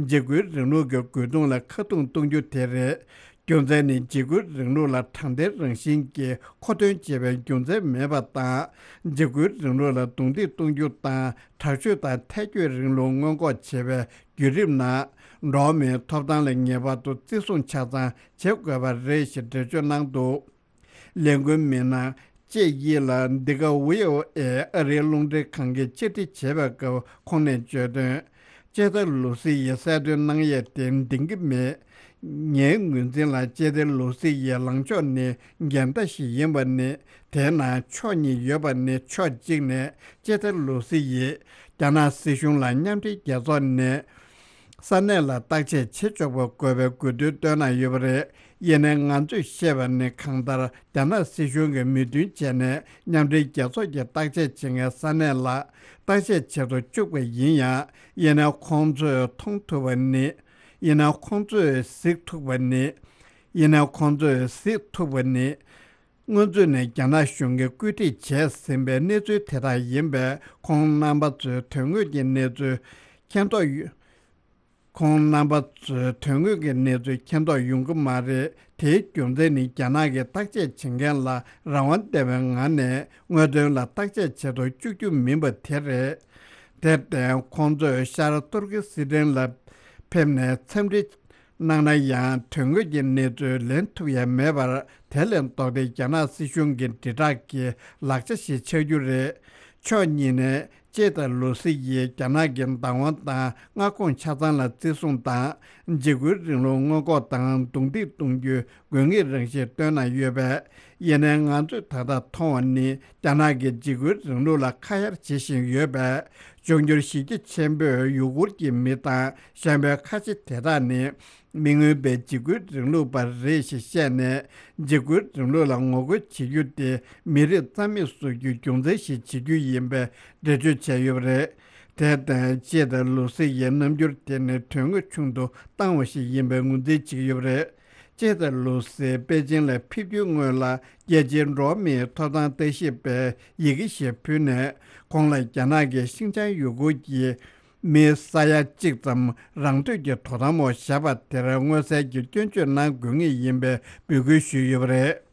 འཇིགས་སྐུལ་རིང་ལུགས་ཀྱི་རྒོལ་རྡུང་ལ་ཁ་རྡུང་གཏོང་རྒྱུ་དེ་རེད། རྒྱུ་མཚན་ནི་འཇིགས་སྐུལ་རིང་ལུགས་ལ་དྲང་བདེན་རང་བཞིན་གྱི་མཁོ་འདོན་བྱེད་པའི་རྒྱུ་མཚན་མེད་པ་དང་། འཇིགས་སྐུལ་རིང་ལུགས་ལ་རྡུང་རྡེག་གཏོང་རྒྱུ་དང་དྲག་སྤྱོད་དང་ཐལ་སྐྱོད་རིང་ལུགས་སྔོན་འགོག་བྱེད་པའི་བརྒྱུད་རིམ་ནང་འགྲོ་བ་མིའི་ཐོབ་ཐང་ལ་ངེས་པར་དུ་བརྩི་སྲུང་ཆ་ཚང་བྱེད་དགོས་པ་རེད་ཞེས་འགྲེལ་བརྗོད་གནང་འདུག་ལས་འགུལ་མི་སྣ་ཅེ་ཡི་ལ་འདི་ག་ཝི་ཨོ་ཨེ་ཨ་རིའི་རླུང་འཕྲིན་ཁང་གིས་བཅར་འདྲི་བྱས་པའི་སྐབས་ཁོང་ནས་བརྗོད་དོན། ཅེ་ཏ་ལུ་སི་ཡིས་གསལ་སྟོན་གནང་ཡས་དེ་འདིང་གི་མེད། ངའི་ངོས་འཛིན་ལ་ཅེ་ཏ་ལུ་སི་ཡི་ལངས་ཕྱོགས་ནི་འགལ་ཟླ་ཞིག་ཡིན་པ་ནི། དེའི་ནང་ཕྱོགས་གཉིས་ཡོད་པ་ནི། ཕྱོགས་གཅིག་ནས་ཅེ་ཏ་ལུ་སི་ཡིས་རྒྱ་ནག་སྲིད་གཞུང་ལ་མཉམ་འབྲེལ་རྒྱལ་ཚོགས་ནས་ས་གནས་ལ་བརྟག་དཔྱད་བྱེད་ཆོག་པ་དགོས་པའི་དགོས་འདུན་བཏོན་གནང་ཡོད་པ་རེད། ཡིན་ནའི་ང་ཚོས་ཤེས་པ་ནི། གང་ལྟར་རྒྱ་ནག་སྲིད་གཞུང་གིས་མོས་མཐུན་བྱས་ནས་མཉམ་འབྲེལ་རྒྱལ་ཚོགས་ཀྱི་བརྟག་དཔྱད་བྱེད་མཁན་ས་གནས་ལ་བརྟག་དཔྱད་བྱེད་དུ་བཅུག་པ་ཡིན་ཡང་། ཡིན་ནའི་ཁོང་ཚོས་མཐོང་ཐུབ་པ་ནི། ཡིན་ནའི་ཁོང་ཚོས་གཟིགས་ཐུབ་པ་ནི། ཡིན་ནའི་ཁོང་ཚོས་གཟིགས་ཐུབ་པ་ནི། སྔོན་ཚུད་ནས་རྒྱ་ནག་གཞུང་གིས་བཀོད་སྒྲིག་བྱས་ཟིན་པའི་གནས་ཚུལ་དེ་དག་ཡིན་པས། ཁོང་རྣམ་པ་ཚོས་དོན་དངོས་ཀྱི་གནས་ཚུལ་མཁྱེན་རྟོགས་ཡོད། ཁོང་རྣམ་པ་ཚོས་དོན་དངོས་ཀྱི་གནས་ཚུལ་མཁྱེན་རྟོགས་ཡོང་གི་མ་རེད། དེའི་རྒྱུ་མཚན་ནི་རྒྱ་ནག་གིས་བརྟག་དཔྱད་བྱེད་མཁན་ལ་རང་དབང་ལྡན་པའི་ངང་ནས་དངོས་དོན་ལ་བརྟག་དཔྱད་བྱེད་དུ་བཅུག་རྒྱུ་མིན་པ་དེ་རེད། དེར་བརྟེན་ཁོང་ཚོས་ཤར་ཏུར་ཀི་སི་ཐན་ལ་ཕེབས་ནས་འཚམས་འདྲི་གནང་ན་ཡང་། དོན་དངོས་ཀྱི་གནས་ཚུལ་ལེན་ཐུབ་ཡ་མེད་པར། དེ་ལས་ལྡོག་སྟེ་རྒྱ་ནག་སྲིད་གཞུང་གི་དྲིལ་བསྒྲགས་ཀྱི་ལག་ཆ་ཞིག་ཆགས་རྒྱུ་རེད། ཕྱོགས་གཉིས་ནས་ཅེ་དང་ལུ་སི་ཡིས་རྒྱ་ནག་གི་བདག་དབང་དང་མངའ་ཁོངས་ཆ་ཚང་ལ་བརྩི་སྲུང་དང་། འཇིགས་སྐུལ་རིང་ལུགས་སྔོན་འགོག་དང་རྡུང་རྡེག་གཏོང་རྒྱུའི་དགོས་ངེས་རང་བཞིན་བཏོན་གནང་ཡོད་པས། ཡིན་ནའི་ང་ཚོས་ད་ལྟ་མཐོང་བ་ནི། རྒྱ་ནག་གིས་འཇིགས་སྐུལ་རིང་ལུགས་ལ་ཁ་གཡར་བྱེད་བཞིན་ཡོད་པས། འབྱུང་འགྱུར་གཞི་རྒྱ་ཆེན་པོས་ཡུ་གུར་གྱི་མི་དང་གཞན་པའི་ཁ་ཆེ་དེ་དག་ནི། མི་མངོན་པའི་འཇིགས་སྐུལ་རིང་ལུགས་པ་རེད་ཞེས་བཤད་ནས། འཇིགས་སྐུལ་རིང་ལུགས་ལ་ངོ་རྒོལ་བྱེད་རྒྱུ་དེ་མི་རིགས་རྩ་མེད་བཟོ་རྒྱུའི་རྒྱུ་མཚན་ཞིག་བྱེད་རྒྱུ་ཡིན་པའི་འགྲེལ་བརྗོད་བྱས་ཡོད་པ་རེད། དེར་བརྟེན་ཅེ་དང་ལུ་སི་ཡི་རྣམ་འགྱུར་དེ་ནི་དོན་དངོས་ཆུང་དུ་བཏང་བ་ཞིག་ཡིན་པའི་ངོས་འཛིན་བྱེད་ཀྱི་ཡོད་པ་རེད། ཅེ་དང་ལུ་སི་པེ་ཅིང་ལ་ཕེབས་རྒྱུའི་སྔོན་ལ། རྒྱལ་སྤྱིའི་འགྲོ་བ་མིའི་ཐོབ་ཐང་ལྟ་ཞིབ་པས་ཡི་གེ་ཞིག་ཕུལ་ནས། ཁོང་ལ་རྒྱ་ནག་གིས་ཤིན་ཅང་ཡུ་གུར་གྱི་མི་ས་ཡ་གཅིག་ཙམ་རང་འདོད་ཀྱིས་དོ་དམ་འོག་བཞག་པ་དེར་མངོན་གསལ་གྱིས་སྐྱོན་བརྗོད་གནང་དགོས་ངེས་ཡིན་པའི་འབོད་སྐུལ་ཞུས་ཡོད་པ་རེད།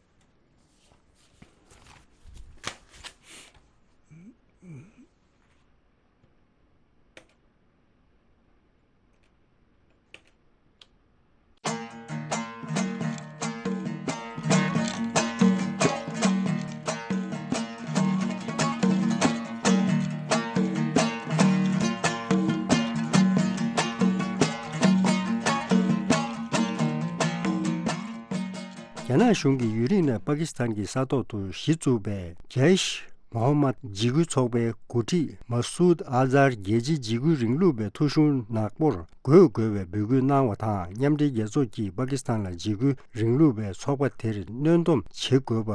རྒྱ་ནག་གཞུང་གིས་ཡུན་རིང་ནས་པ་ཀི་སི་ཐན་གྱི་ས་ཐོག་ཏུ་གཞི་བཙུགས་པའི་ཇེ་ཤ་མོ་ཧ་མད་འཇིགས་སྐུལ་ཚོགས་པའི་འགོ་ཁྲིད་མ་སུད་ཨ་ཛར་རྒྱལ་སྤྱིའི་འཇིགས་སྐུལ་རིང་ལུགས་པའི་ཐོ་གཞུང་ནག་པོར་འགོད་དགོས་པའི་འབོད་སྐུལ་གནང་བ་དང་། མཉམ་འབྲེལ་རྒྱལ་ཚོགས་ཀྱིས་པ་ཀི་སི་ཐན་ལ་འཇིགས་སྐུལ་རིང་ལུགས་པའི་ཚོགས་པ་དེར་གནོན་སྡོམ་བྱེད་དགོས་པ་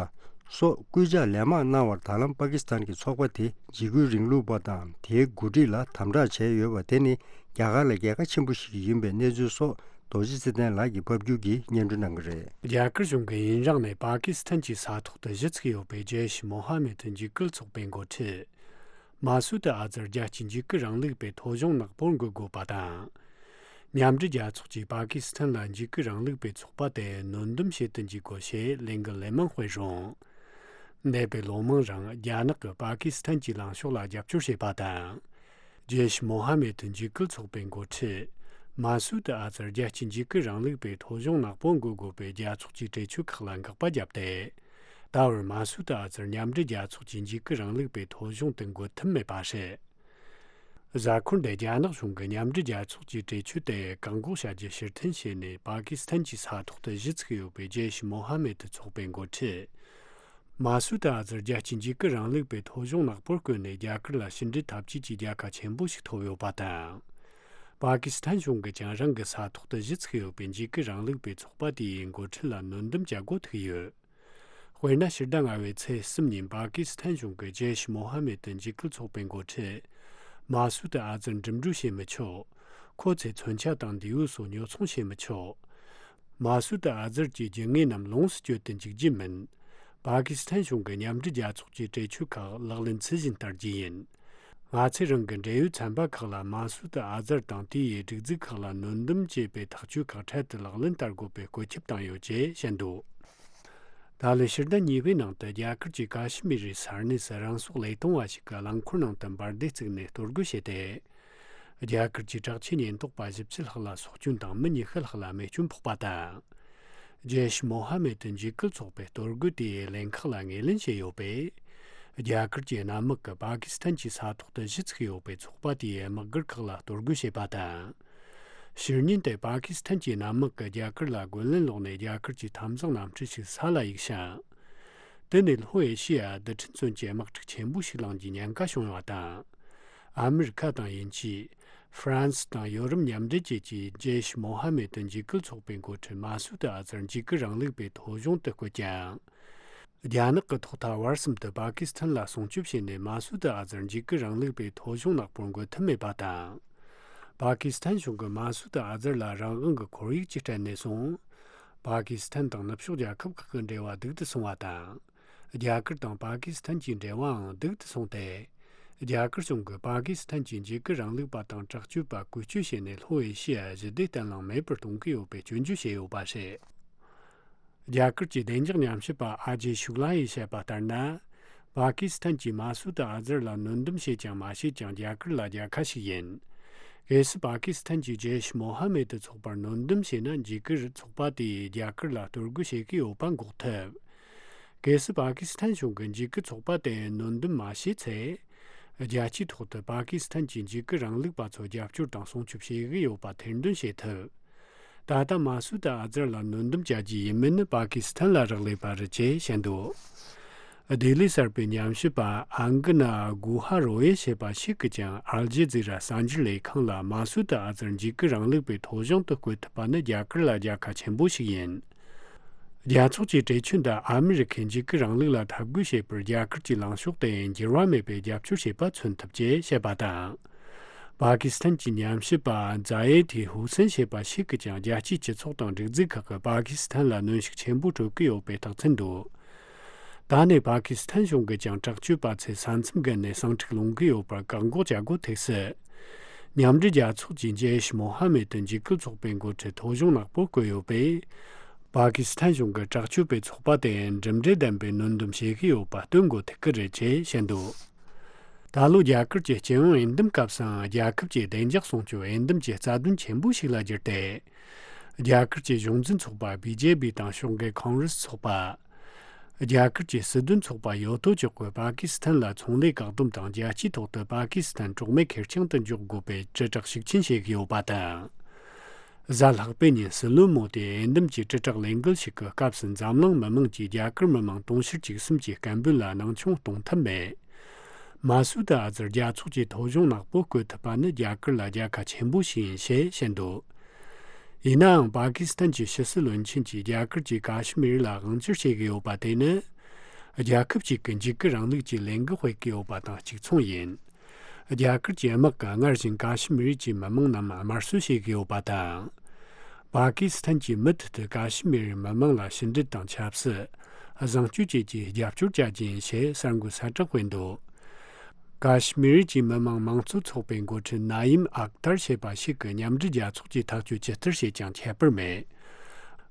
སོགས་སྐུལ་ལྕག་ལན་མང་གནང་བར། ད་ལམ་པ་ཀི་སི་ཐན་གྱི་ཚོགས་པ་དེ་འཇིགས་སྐུལ་རིང་ལུགས་པ་དང་དེའི་འགོ་ཁྲིད་ལ་དམ་དྲག་བྱས་ཡོད་པ་དེ་ནི་རྒྱ་གར་ལ་རྒྱལ་ཁ་ཆེན་པོ་ཞིག་ཡིན་པའི་གནས་ཚུལ་སོགས་རྡོ་རྗེ་ཚེ་བརྟན་ལགས་ཀྱིས་ཕབ་སྒྱུར་གྱིས་སྙན་སྒྲོན་གནང་གི་རེད། རྒྱ་གར་གཞུང་གིས་ཡུན་རིང་ནས་པ་ཀི་སི་ཐན་གྱི་ས་ཐོག་ཏུ་གཞི་ཚུགས་ཡོད་པའི་ཇེ་ཤ་མོ་ཧ་མེད་འཇིགས་སྐུལ་ཚོགས་པའི་འགོ་ཁྲིད་མ་སུད་ཨ་ཛར་རྒྱལ་སྤྱིའི་འཇིགས་སྐུལ་རིང་ལུགས་པའི་ཐོ་གཞུང་ནག་པོར་འགོད་དགོས་པ་དང་། མཉམ་འབྲེལ་རྒྱལ་ཚོགས་ཀྱིས་པ་ཀི་སི་ཐན་ལ་འཇིགས་སྐུལ་རིང་ལུགས་པའི་ཚོགས་པ་དེ་གནོན་སྡོམ་བྱེད་དུ་འཇུག་དགོས་ཞེས་ལས་འགུལ་ལན་མང་སྤེལ་རུང་། འདས་པའི་ལོ་མང་རིང་རྒྱ་ནག་གིས་པ་ཀི་སི་ཐན་གྱི་ལངས་ཕྱོགས་ལ་རྒྱབ་སྐྱོར་བྱས་པ་དང་། ཇེ་ཤ་མོ་ཧ་མེད་འཇིགས་སྐུལ་ཚོགས་པའི་འགོ་ཁྲིད་མ་སུད་ཨ་ཛར་རྒྱལ་སྤྱིའི་འཇིགས་སྐུལ་རིང་ལུགས་པའི་ཐོ་གཞུང་ནག་པོ་འགོད་དགོས་པའི་རྒྱལ་ཚོགས་ཀྱི་གྲོས་ཆོད་ཁག་ལ་འགག་པ་བརྒྱབ་སྟེ། ད་བར་མ་སུད་ཨ་ཛར་མཉམ་འབྲེལ་རྒྱལ་ཚོགས་ཀྱི་འཇིགས་སྐུལ་རིང་ལུགས་པའི་ཐོ་གཞུང་དུ་འགོད་ཐུབ་མེད་པ་རེད། གཟའ་འཁོར་འདིར་རྒྱ་ནག་གཞུང་གིས་མཉམ་འབྲེལ་རྒྱལ་ཚོགས་ཀྱི་གྲོས་ཆོད་དེ་བཀག་འགོག་བྱ་རྒྱུ་ཕྱིར་འཐེན་བྱས་ནས། པ་ཀི་སི་ཐན་གྱི་ས་ཐོག་ཏུ་གཞི་ཚུགས་ཡོད་པའི་ཇེ་ཤ་མོ་ཧ་མེད་ཚོགས་པའི་འགོ་ཁྲིད་མ་སུད་ཨ་ཛར་རྒྱལ་སྤྱིའི་འཇིགས་སྐུལ་རིང་ལུགས་པའི་ཐོ་གཞུང་ནག་པོར་བཀོད་ནས། རྒྱ་གར་ལ་ཕྱི་འབྲེལ་འཐབ་ཇུས་ཀྱི་རྒྱལ་ཁ་ཆེན་པོ་ཞིག་ཐོབ་ཡོད་པ་དང་། པ་ཀི་སི་ཐན་གཞུང་གིས་ཀྱང་རང་གི་ས་ཐོག་ཏུ་གཞི་ཚུགས་ཡོད་པའི་འཇིགས་སྐུལ་རིང་ལུགས་པའི་ཚོགས་པ་དེའི་འགོ་ཁྲིད་ལ་གནོན་སྡོམ་བྱ་དགོས་ཐུག་ཡོད། དཔེར་ན། ཕྱི་ཟླ་ལྔ་པའི་ཚེས་གསུམ་ཉིན་པ་ཀི་སི་ཐན་གཞུང་གིས་ཇེ་ཤ་མོ་ཧ་མེད་འཇིགས་སྐུལ་ཚོགས་པའི་འགོ་ཁྲིད་མ་སུད་ཨ་ཛར་འགྲིམ་འགྲུལ་བྱེད་མི་ཆོག་ཁོ་ཚོས་མཚོན་ཆ་དང་མདེའུ་སོགས་ཉོ་ཚོང་བྱེད་མི་ཆོག་མ་སུད་ཨ་ཛར་གྱི་རྒྱུ་དངོས་རྣམས་ལོངས་སུ་སྤྱོད་དུ་འཇུག་རྒྱུ་མིན། པ་ཀི་སི་ཐན་གཞུང་གིས་མཉམ་འབྲེལ་རྒྱལ་ཚོགས་ཀྱི་གྲོས་ཆོད་ཁག་ལག་ལེན་ཚུལ་བཞིན་བསྟར་རྒྱུ་ཡིན། ང་ཚོས་རང་གི་འབྲེལ་ཡོད་ཚན་པ་ཁག་ལ་མ་སུད་ཨ་ཛར་དང་དེའི་སྒྲིག་འཛུགས་ཁག་ལ་གནོན་སྡོམ་བྱེད་པའི་ཐག་གཅོད་ཁག་འཕྲལ་དུ་ལག་ལེན་བསྟར་དགོས་པའི་བཀོད་ཁྱབ་བཏང་ཡོད་ཅེས་བཤད་འདུག་ད་ལོའི་ཕྱི་ཟླ་གཉིས་པའི་ནང་དུ་རྒྱ་གར་གྱི་ཀ་ཤི་མིར་རི་ས་གནས་སུ་རང་སྲོག་བློས་གཏོང་བ་ཞིག་གིས་རླངས་འཁོར་ནང་དུ་འབར་མདེལ་བཙུགས་ནས་གཏོར་རྒོལ་བྱས་ཏེ། རྒྱ་གར་གྱི་དྲག་ཆས་ཉེན་རྟོག་པ་བཞི་བཅུ་ལྷག་ལ་སྲོག་སྐྱོན་དང་མི་ཉི་ཤུ་ལྷག་ལ་རྨས་སྐྱོན་ཕོག་པ་དང་། ཇེ་ཤ་མོ་ཧ་མེད་འཇིགས་སྐུལ་ཚོགས་པའི་གཏོར་རྒོལ་དེའི་ལན་ཁག་ལ་ངོས་ལེན་བྱས་ཡོད་པས། རྒྱ་གར་གྱི་གནམ་དམག་གིས་པ་ཀི་སི་ཐན་གྱི་ས་ཐོག་ཏུ་གཞི་ཚུགས་ཡོད་པའི་ཚོགས་པ་དེའི་དམག་སྒར་ཁག་ལ་གཏོར་རྒོལ་བྱས་པ་དང་། ཕྱི་ཉིན་དེ་པ་ཀི་སི་ཐན་གྱི་གནམ་དམག་གིས་རྒྱ་གར་ལ་རྒོལ་ལན་སློག་ནས། རྒྱ་གར་གྱི་འཐབ་འཛིང་གནམ་གྲུ་ཞིག་ས་ལ་གཡུགས་ཤིང་། དེ་ནས་ལྷོ་ཨེ་ཤི་ཡ་རྡུལ་ཕྲན་མཚོན་ཆའི་དམག་འཁྲུག་ཆེན་པོ་ཞིག་ལངས་རྒྱུའི་ཉེན་ཁ་བྱུང་ཡོད་པ་དང་། ཨ་མི་རི་ཁ་དང་དབྱིན་ཇི། ཧྥ་རན་སི་དང་ཡོ་རོབ་མཉམ་འབྲེལ་བཅས་ཀྱིས་ཇེ་ཤ་མོ་ཧ་མེད་འཇིགས་སྐུལ་ཚོགས་པའི་འགོ་ཁྲིད་མ་སུད་ཨ་ཛར་འཇིགས་སྐུལ་རིང་ལུགས་པའི་ཐོ་གཞུང་དུ་བཀོད་ཀྱང་། རྒྱ་ནག་གིས་ཐོག་མཐའ་བར་གསུམ་དུ་པ་ཀི་སི་ཐན་ལ་སྲུང་སྐྱོབ་བྱས་ནས། མ་སུད་ཨ་ཛར་འཇིགས་སྐུལ་རིང་ལུགས་པའི་ཐོ་གཞུང་ནག་པོར་འགོད་ཐུབ་མེད་པ་དང་། པ་ཀི་སི་ཐན་གཞུང་གིས་མ་སུད་ཨ་ཛར་ལ་རང་དབང་གི་ཁོར་ཡུག་ཅིག་སྤྲད་ནས་བཟུང་། པ་ཀི་སི་ཐན་དང་ནུབ་ཕྱོགས་རྒྱལ་ཁབ་ཁག་གི་འབྲེལ་བ་སྡུག་ཏུ་སོང་བ་དང་། རྒྱ་གར་དང་པ་ཀི་སི་ཐན་གྱི་འབྲེལ་བའང་སྡུག་ཏུ་སོང་སྟེ། རྒྱ་གར་གཞུང་གིས་པ་ཀི་སི་ཐན་གྱི་འཇིགས་སྐུལ་རིང་ལུགས་པ་དང་དྲག་སྤྱོད་པ་བཀོལ་སྤྱོད་བྱས་ནས། ལྷོ་ཨེ་ཤི་ཡ་ཞི་བདེ་བརྟན་ལྷིང་མེད་པར་གཏོང་གི་ཡོད་པའི་སྐྱོན་བརྗོད་བྱས་ཡོད་པ་རེད། རྒྱ་གར་གྱི་བདེ་འཇགས་ཉམས་ཞིབ་པ་ཨ་ཇེ་ཤུག་ལ་ཡིས་བཤད་པ་ལྟར་ན། པ་ཀི་སི་ཐན་གྱིས་མ་སུད་ཨ་ཛར་ལ་གནོན་སྡོམ་བྱེད་ཀྱང་མ་བྱེད་ཀྱང་། རྒྱ་གར་ལ་རྒྱལ་ཁ་ཞིག་ཡིན། གལ་སྲིད་པ་ཀི་སི་ཐན་གྱིས་ཇེ་ཤ་མོ་ཧ་མེད་ཚོགས་པར་གནོན་སྡོམ་བྱས་ན། འཇིགས་སྐུལ་ཚོགས་པ་དེས་རྒྱ་གར་ལ་གཏོར་རྒོལ་བྱེད་ཀྱི་ཡོད་པ་འགོག་ཐུབ། གལ་སྲིད་པ་ཀི་སི་ཐན་གཞུང་གིས་འཇིགས་སྐུལ་ཚོགས་པ་དེ་གནོན་སྡོམ་མ་བྱས་ཚེ། རྒྱལ་སྤྱིའི་ཐོག་ཏུ་པ་ཀི་སི་ཐན་གྱི་འཇིགས་སྐུལ་རིང་ལུགས་པ་ཚོར་རྒྱབ་སྐྱོར་དང་སྲུང་སྐྱོབ་བྱེད་ཀྱི་ཡོད་པ་ཐེར་འདོན་བྱེད་ཐུབ། ད་ལྟ་མ་སུད་ཨ་ཛར་ལ་གནོན་སྡོམ་བྱ་རྒྱུ་ཡིན་མིན་ནི་པ་ཀི་སི་ཐན་ལ་རག་ལས་པ་རེད་ཅེས་བཤད་འདུག་ལྡི་ལི་གསར་པའི་ཉམས་ཞིབ་པ་ཨང་གི་ན་གུ་ཧ་རོ་ཡེ་ཞེས་པ་ཞིག་གིས་ཀྱང་ཨལ་ཇི་ཛི་ར་གསར་འགྱུར་ལས་ཁང་ལ་མ་སུ་ཏི་ཨ་ཛར་འཇིགས་སྐུལ་རིང་ལུགས་པའི་ཐོ་གཞུང་དུ་བཀོད་ཐུབ་པ་ནི་རྒྱ་གར་ལ་རྒྱལ་ཁ་ཆེན་པོ་ཞིག་ཡིན། རྒྱལ་ཚོགས་ཀྱི་གྲོས་ཆོད་འདི་ཨ་མི་རི་ཁས་འཇིགས་སྐུལ་རིང་ལུགས་ལ་འཐབ་རྒོལ་བྱེད་པར་རྒྱ་གར་གྱི་ལངས་ཕྱོགས་དེ་འགྱུར་བ་མེད་པའི་རྒྱབ་སྐྱོར་བྱེད་པ་མཚོན་ཐུབ་ཅེས་བཤད་པ་དང་། པ་ཀི་སི་ཐན་གྱི་ཉམས་ཞིབ་པ་ཛ་ཡེ་ཐི་ཧུ་སན་ཞེས་པ་ཞིག་གིས་ཀྱང་རྒྱལ་སྤྱིའི་སྤྱི་ཚོགས་དང་སྒྲིག་འཛུགས་ཁག་གིས་པ་ཀི་སི་ཐན་ལ་གནོན་ཤུགས་ཆེན་པོ་སྤྲོད་ཀྱི་ཡོད་པའི་རྟགས་མཚན་འདུག་ད་ནི་པ་ཀི་སི་ཐན་གཞུང་གིས་ཀྱང་དྲག་སྤྱོད་པ་ཚོས་ས་མཚམས་བརྒལ་ནས་ཟིང་འཁྲུག་སློང་གི་ཡོད་པར་བཀག་འགོག་བྱ་དགོས་ཐུག་སྲིད། མཉམ་འབྲེལ་རྒྱལ་ཚོགས་ཀྱི་ཇེ་ཤི་མོ་ཧ་མེད་དུ་འཇིགས་སྐུལ་ཚོགས་པའི་འགོ་ཁྲིད་ཐོ་གཞུང་ནག་པོ་བཀོད་ཡོད་པས། པ་ཀི་སི་ཐན་གཞུང་གིས་དྲག་སྤྱོད་པའི་ཚོགས་པ་དེ་གྲུབ་འབྲས་ལྡན་པའི་གནོན་སྡོམ་བྱེད་ཀྱི་ཡོད་པ་སྟོན་དགོས་ཐུག་གི་རེད་ཅེས་བཤད་འདུག་ད་ལོ་རྒྱ་གར་གྱི་སྤྱི་ཡོངས་འོས་འདེམས་སྐབས་སུའང་རྒྱལ་ཁབ་ཀྱི་བདེ་འཇགས་སྲུང་སྐྱོབ་འོས་འདེམས་ཀྱི་རྩ་དོན་ཆེན་པོ་ཞིག་ལ་གྱུར་ཏེ། རྒྱ་གར་གྱི་གཞུང་འཛིན་ཚོགས་པ་བི་ཇེ་པི་དང་ཕྱོགས་འགལ་ཁོང་རེས་ཚོགས་པ། རྒྱ་གར་གྱི་སྲིད་དོན་ཚོགས་པ་ཡོ་ཏོ་ཅོ་ཀོས་པ་ཀི་སི་ཐན་ལ་ཚོང་ལས་བཀག་སྡོམ་དང་རྒྱལ་སྤྱིའི་ཐོག་ཏུ་པ་ཀི་སི་ཐན་གྲོགས་མེད་ཁེར་རྐྱང་དུ་འཇོག་དགོས་པའི་དྲིལ་བསྒྲགས་ཤུགས་ཆེན་བྱེད་ཀྱི་ཡོད་པ་དང་། གཟའ་ལྷག་པའི་ཉིན་སྲིད་བློན་མོ་དེས་འོས་འདེམས་ཀྱི་དྲིལ་བསྒྲགས་ལས་འགུལ་ཞིག་གི་སྐབས་སུ་འཛམ་གླིང་མི་མང་གིས་རྒྱ་གར་མི་མང་དུང་ཕྱུར་གཅིག་གསུམ་གྱི་སྐད་འབོད་ལ་སྣང་ཆུང་གཏོང་ཐབས་མེད། མ་སུ་ཏི་ཨ་ཛར་རྒྱལ་ཚོགས་ཀྱི་ཐོ་གཞུང་ནག་པོ་བཀོད་ཐུབ་པ་ནི་རྒྱ་གར་ལ་རྒྱལ་ཁ་ཆེན་པོ་ཞིག་ཡིན་ཞེས་བཤད་འདུག་ཡིན་ནའང་པ་ཀི་སི་ཐན་གྱི་ཕྱི་སྲིད་བློན་ཆེན་གྱིས་རྒྱ་གར་གྱིས་ཀ་ཤི་མིར་ལ་དབང་བསྒྱུར་བྱེད་ཀྱི་ཡོད་པ་དེ་ནི། རྒྱལ་ཁབ་ཅིག་གི་འཇིགས་སྐུལ་རིང་ལུགས་ཀྱི་ལས་འགུལ་སྤེལ་གྱི་ཡོད་པ་དང་གཅིག་མཚུངས་ཡིན། རྒྱ་གར་གྱི་དམག་གིས་སྔར་བཞིན་ཀ་ཤི་མིར་གྱི་མི་མང་རྣམས་དམར་གསོད་བྱེད་ཀྱི་ཡོད་པ་དང་། པ་ཀི་སི་ཐན་གྱིས་མུ་མཐུད་དུ་ཀ་ཤི་མིར་མི་མང་ལ་ཕྱི་འབྲེལ་དང་ཆབ་སྲིད། བཟང་སྤྱོད་བཅས་ཀྱི་རྒྱབ་སྐྱོར་བྱ་རྒྱུ་ཡིན་ཞེས་གསར་འགོད་གསལ་བསྒྲགས་སྤེལ་འདུག་ཀ་ཤི་མིར་གྱི་མི་མང་མང་གཙོ་ཚོགས་པའི་འགོ་ཁྲིད་ནཱ་ཡིམ་ཨག་ཏར་ཞེས་པ་ཞིག་གིས་མཉམ་འབྲེལ་རྒྱལ་ཚོགས་ཀྱིས་ཐག་གཅོད་ཇི་ལྟར་བྱས་ཀྱང་ཁྱད་པར་མེད།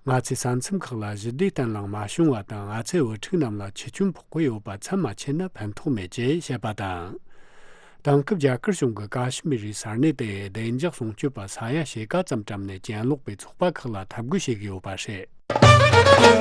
ང་ཚོས་ས་མཚམས་ཁག་ལ་ཞི་བདེ་བརྟན་ལྷིང་མ་བྱུང་བ་དང་ང་ཚོའི་བུ་ཕྲུག་རྣམས་ལ་འཆི་སྐྱོན་ཕོག་གི་ཡོད་པ་ཚབས་མ་ཆེ་ན་ཕན་ཐོགས་མེད་ཅེས་བཤད་པ་དང་། དེང་སྐབས་རྒྱ་གར་གཞུང་གིས་ཀ་ཤི་མིར་རི་ས་གནས་དེའི་བདེ་འཇགས་སྲུང་སྐྱོབ་པ་ས་ཡ་ཕྱེད་ཀ་ཙམ་བཀྲམ་ནས་གྱེན་ལོག་པའི་ཚོགས་པ་ཁག་ལ་འཐབ་རྒོལ་བྱེད་ཀྱི་ཡོད་པ་རེད།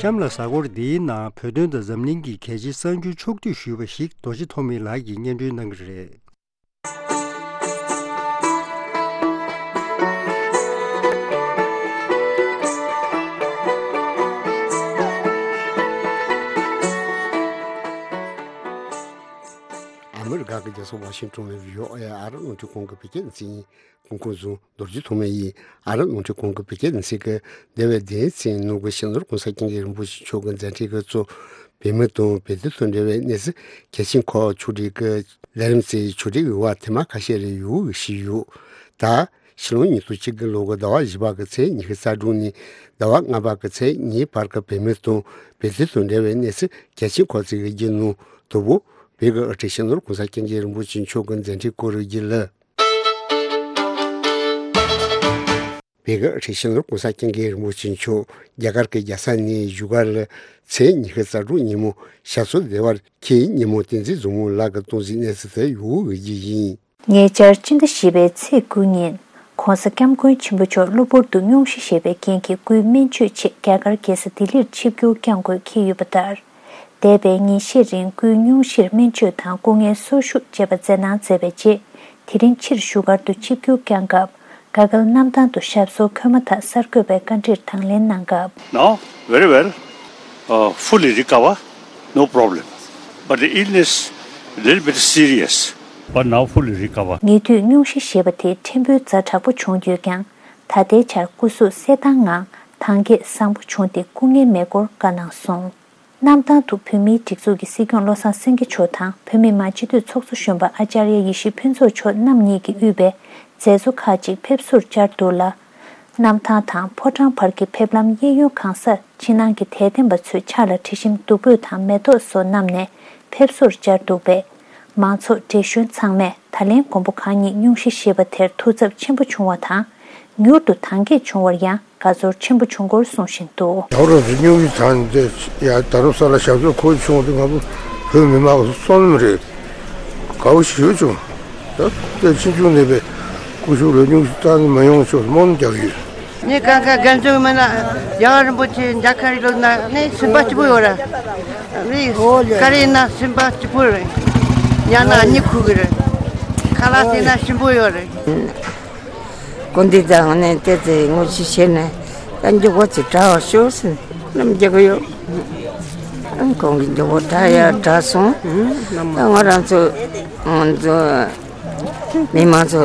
གཤམ་ལ་གཟའ་འཁོར་འདིའི་ནང་བོད་དོན་དང་འཛམ་གླིང་གི་གལ་ཆེའི་གསར་འགྱུར་ཕྱོགས་བསྡུས་ཞུས་པ་ཞིག་རྡོ་རྗེ་ཐོགས་མེད་ལགས་ཀྱིས་སྙན་སྒྲོན་གནང་གི་རེད། ཨ་མི་རི་ཀ་གི་རྒྱལ་ས་ཝ་ཤིང་ཏོན་ནས་བྷི་ཨོ་ཨེ་ཨ་རི་རླུང་འཕྲིན་ཁང་གི་བོད་སྐད་སྡེ་ཚན་ཡིན། སྐུ་ཁམས་བཟང་། རྡོ་རྗེ་ཐོགས་མེད་ཡིན། ཨ་རི་རླུང་འཕྲིན་ཁང་གི་བོད་སྐད་སྡེ་ཚན་གྱིས་འདས་པའི་བདུན་ཚན་ནང་གི་སྤྱི་ནོར་༸གོང་ས་༸སྐྱབས་མགོན་རིན་པོ་ཆེ་མཆོག་གི་མཛད་འཕྲིན་གྱི་གཙོ། བོད་མི་དང་བོད་དོན་དང་འབྲེལ་བའི་གནས་ཚུལ་གལ་ཆེན་ཁག་ཕྱོགས་སྒྲིག་གི་ལས་རིམ་གྱི་ཕྱོགས་སྒྲིག་ཡོད་པ་ཐེངས་མ་ཁ་ཤས་རེ་ཡོད་ཞུས་ཡོད། ད་ཕྱི་ལོ་ཉིས་སྟོང་བཅུ་དགུ་ལོ་གི་ཟླ་བ་བཞི་པ་གི་ཚེས་ཉི་ཤུ་རྩ་དྲུག་ནས་ཟླ་བ་ལྔ་པ་གི་ཚེས་གཉིས་བར་གྱི་བོད་མི་དང་བོད་དོན་དང་འབྲེལ་བའི་གནས་ཚུལ་གལ་ཆེན་ཁག་ཅིག་གི་རྒྱུན་ནང་དོ་པོ་བོད་ཀྱི་དབུ་ཁྲིད་སྤྱི་ནོར་༸གོང་ས་༸སྐྱབས་མགོན་རིན་པོ་ཆེ་མཆོག་གི་མཛད་འཕྲིན་སྐོར་རྒྱུན་ལས། བོད་ཀྱི་དབུ་ཁྲིད་སྤྱི་ནོར་༸གོང་ས་༸སྐྱབས་མགོན་རིན་པོ་ཆེ་མཆོག་རྒྱ་གར་གྱི་རྒྱལ་ས་ནས་བཞུགས་སྒར་ལ་ཚེས་ཉི་ཤུ་རྩ་དྲུག་ཉིན་མོ་ཞབས་སོར་བདེ་བར་འཁྱམས་ཉིན་མོ་བསྟན་འཛིན་བཟང་མོ་ལགས་ཀྱི་སྟོང་གཟིགས་གནས་ཚུལ་དེ་ཡོད་ཀྱི་ཡིན། ཉེ་ཆར་སྤྱི་ཟླ་བཞི་པའི་ཚེས་དགུ་ཉིན་༸གོང་ས་༸སྐྱབས་མགོན་ཆེན་པོ་མཆོག་གློ་བུར་དུ་སྙུང་གཞི་ཞེས་པའི་རྐྱེན་གྱིས་སྐུའི་སྨན་བཅོས་ཆེད་རྒྱ་གར་རྒྱལ་ས་ལྡི་ལིར་ཆིབས་བསྒྱུར་བསྐྱངས་དགོས་འཁེལ་ཡོད་པ་ལྟར། འདས་པའི་ཉིན་ཤས་རིང་སྐུའི་སྙུང་གཞིར་སྨན་བཅོས་དང་སྐུ་ངལ་གསོ་བཞུགས་བཅས་པ་མཛད་གནང་མཛད་པའི་རྗེས། དེ་རིང་ཕྱིར་བཞུགས་སྒར་དུ་ཆིབས་བསྒྱུར་བསྐྱངས་སྐབས། དགའ་སྐལ་གནམ་ཐང་དུ་ཞབས་སོར་འཁོད་མ་ཐག་གསར་འགོད་པའི་བཀའ་འདྲིར་དང་ལེན་གནང་སྐབས། Now, very well, uh, fully recover, no problem. But the illness, little bit serious. But now fully recover. ཉེ་དུས་སྙུང་གཞི་ཞེས་པ་དེ་ཕྲན་བུ་ཛ་དྲག་པོ་བྱུང་ཡོད་ཀྱང་། ད་ལྟའི་ཆར་སྐུ་གཟུགས་གསལ་ཐང་ངང་ཐང་རྒྱས་བཟང་པོ་བྱུང་སྟེ་སྐུ་ངལ་མེད་སྐོར་བཀའ་གནང་སོང་། གནམ་ཐང་དུ་བོད་མིའི་སྒྲིག་འཛུགས་ཀྱི་སྲིད་སྐྱོང་བློ་བཟང་སེང་གེ་མཆོག་དང་བོད་མི་མང་སྤྱི་འཐུས་ཚོགས་གཙོ་གཞོན་པ་ཨ་ཙརྱ་ཡེ་ཤེས་ཕུན་ཚོགས་མཆོག་རྣམ་གཉིས་ཀྱིས་དབུས་པའི་མཛད་གཙོ་ཁག་ཅིག་ཕེབས་བསུར་བཅར་འདུག་ལ། གནམ་ཐང་དང་ཕོ་བྲང་བར་གྱི་ཕེབས་ལམ་གཡས་གཡོན་གང་སར་ཕྱི་ནང་གི་དད་ལྡན་པ་ཚོས་ཕྱག་ལ་དྲི་ཞིམ་བདུག་སྤོས་དང་མེ་ཏོག་སོགས་བསྣམས་ནས་ཕེབས་བསུར་བཅར་འདུག་པས། མང་ཚོགས་བགྲེས་གཞོན་ཚང་མས་ད་ལན་མགོན་པོ་གང་ཉིད་སྙུང་གཞི་ཞེས་པ་དེར་ཐུགས་འཚབ་ཆེན་པོ་བྱུང་བ་དང་། མྱུར་དུ་ཐང་རྒྱས་བྱུང་བར་ཡང་དགའ་ཚོར་ཆེན་པོ་བྱུང་སྐོར་གསུངས་བཞིན་འདུག། ཡག་རབས་སུ་སྙུང་གཞི་དང་འདི་ཡ་ད་རུང་ས་ལ་ཞབས་སོར་འཁོད་བྱུང་སྟེ་ང་ཚོ་བོད་མི་མང་གི་བསོད་ནམས་རེད། དགའ་བོ་ཞེ་པོ་བྱུང་། ད་ལྟ་ཕྱི་ཕྱོགས་ནས་པའི་སྐུ་ཞབས་ལ་སྙུང་གཞི་བཏང་ནས་མ་ཡོང་ཆོག་སྨོན་རྒྱག་ཡོད། ངས་གང་ག་རྒན་ཚོའི་མི་ལ་རྒྱལ་བ་རིན་པོ་ཆེ་མཇལ་ཁ་རི་ལོ་ན་ནས་སེམས་པ་སྐྱིད་པོ་ཡོད་ར། མི་ཀ་རི་ན་སེམས་པ་སྐྱིད་པོ་རེད། ཉ་ན་གཉིད་ཁུག་གི་རེད། ཁ་ལག་དེ་ན་ཞིམ་པོ་ཡོད་རེད། དགོན་སྡེ་དང་ནས་བལྟས་ཚེ་ངོ་ཤེས་བྱས་ནས་ད་མགྱོགས་པོ་ཅིག་དྲག་པར་ཤོག་ཟེར་ནས་ལམ་རྒྱག་གི་ཡོད། ཁོང་གིས་མགྱོགས་པོ་དྲག་ཡ་དྲག་སོང་། ད་ང་རང་ཚོ་ང་ཚོ་མི་མང་ཚོ་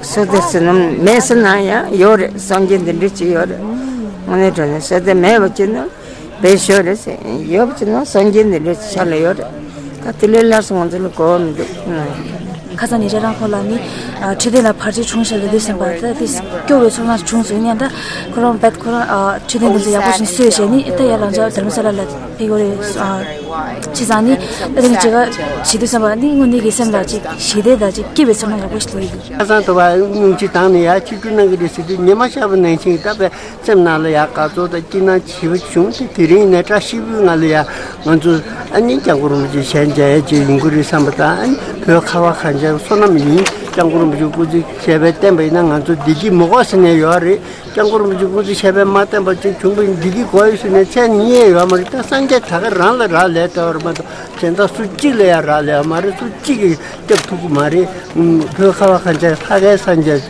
བསོད་བདེ་ཟེར་ན་མེད་ཟེར་ན་ཡང་ཡོད་རེད། སངས་རྒྱས་འདི་འདྲ་ཅིག་ཡོད་རེད། དངོས་གནས་དྲང་གནས་བསོད་བདེ་མེད་པ་ཅིག་ན། བེད་ཤོག་རེད་ཟེར། ཡོད་པ་ཅིག་ན་སངས་རྒྱས་འདི་འདྲ་ཆ་ལ་ཡོད་རེད། ད་དེ་ལས་སླར་སོང་ང་ཚོ་ལ་གོ་བ་མི་འདུག་ཁ་སང་ཉེ་ཆར་རང་ཁོ་ལ་ནི་ཨ་འཕྲོད་བསྟེན་ལ་བར་ཆད་བྱུང་ཤག་ལ་འདུག་སེམས་པ་ད་དེ་སྐྱོ་བའི་ཚོར་སྣང་བྱུང་སོང་། ཡིན་ཡང་ད་ཁོ་རང་བད་ཁོ་རང་ཨ་འཕྲོད་བསྟེན་དེ་ཚོ་ཡག་པོ་ཞིག་གསོས་བྱས་ནི་ད་ཡར་ལང་ཚོ་དྷ་རམ་ས་ལ་ལ་ཕེབས་ཡོད་རེད། ཨ་བྱས་ཙང་ནི་ད་དེ་ནི་བྱེད་ཀ་བྱེད་དུས་བསམ་པ་ནི་དངོས་གནས་ཀྱི་སེམས་ལ་ཅིག་ཞི་བདེ་དང་ཅིག་སྐྱིད་པའི་ཚོར་སྣང་ཡག་པོ་ཞིག་སླེབས་ཡོད། ཁ་སང་དུ་བ་སྙུང་གཞི་བཏང་ནས་ཡར་ཆིབས་བསྒྱུར་གནང་གི་རེད་ཟེར་དུས་ཉི་མ་ཤར་བ་ནང་བཞིན་ད་བས། སེམས་ནང་ལ་ཡང་དགའ་ཚོར་དང་སྐྱིད་སྣང་ཞེ་པོ་བྱུང་སྟེ། དེ་རིང་ནས་བཀྲ་ཤིས་པའི་ངང་ལ་ཡང་ང་ཚོ་ཨ་ནི་སྐྱབས་མགོན་རིན་པོ་ཆེ་ཞལ་མཇལ་ཡས་ཅིག་ཡོང་གི་རེད་བསམ་པ་དང་། ཨ་ནི་བོད་ཁ་བ་གངས་ཅན་བསོད་ནམས་ཡིན། སྐྱབས་མགོན་རིན་པོ་ཆེ་སྐུ་ཚེ་ཞབས་པད་བརྟན་པ་ཡིན་ན་ང་ཚོ་བདེ་སྐྱིད་མི་དགོས་ཟེར་ནས་ཡོད་རེད། སྐྱབས་མགོན་རིན་པོ་ཆེ་སྐུ་ཚེ་ཞབས་པད་མ་བརྟན་པ་ཅིག་བྱུང་བ་ཡིན་བདེ་སྐྱིད་དགོས་ཡོད་ཟེར་ནས་ཚད་རྙེད་ཡོད་མ་རེད། ད་སངས་རྒྱས་ད་ག་རང་ལ་རག་ལས་བསྡད་པ་རེད་མ་གཏོགས་གཞན་དག་སུ་གཅིག་ལ་ཡང་རག་ལས་ཡོད་མ་རེད། སུ་གཅིག་གིས་སྐྱབས་ཐུབ་ཀྱི་མ་རེད། བོད་ཁ་བ་གངས་ཅན་ལྷ་སྐལ་སངས་རྒྱས་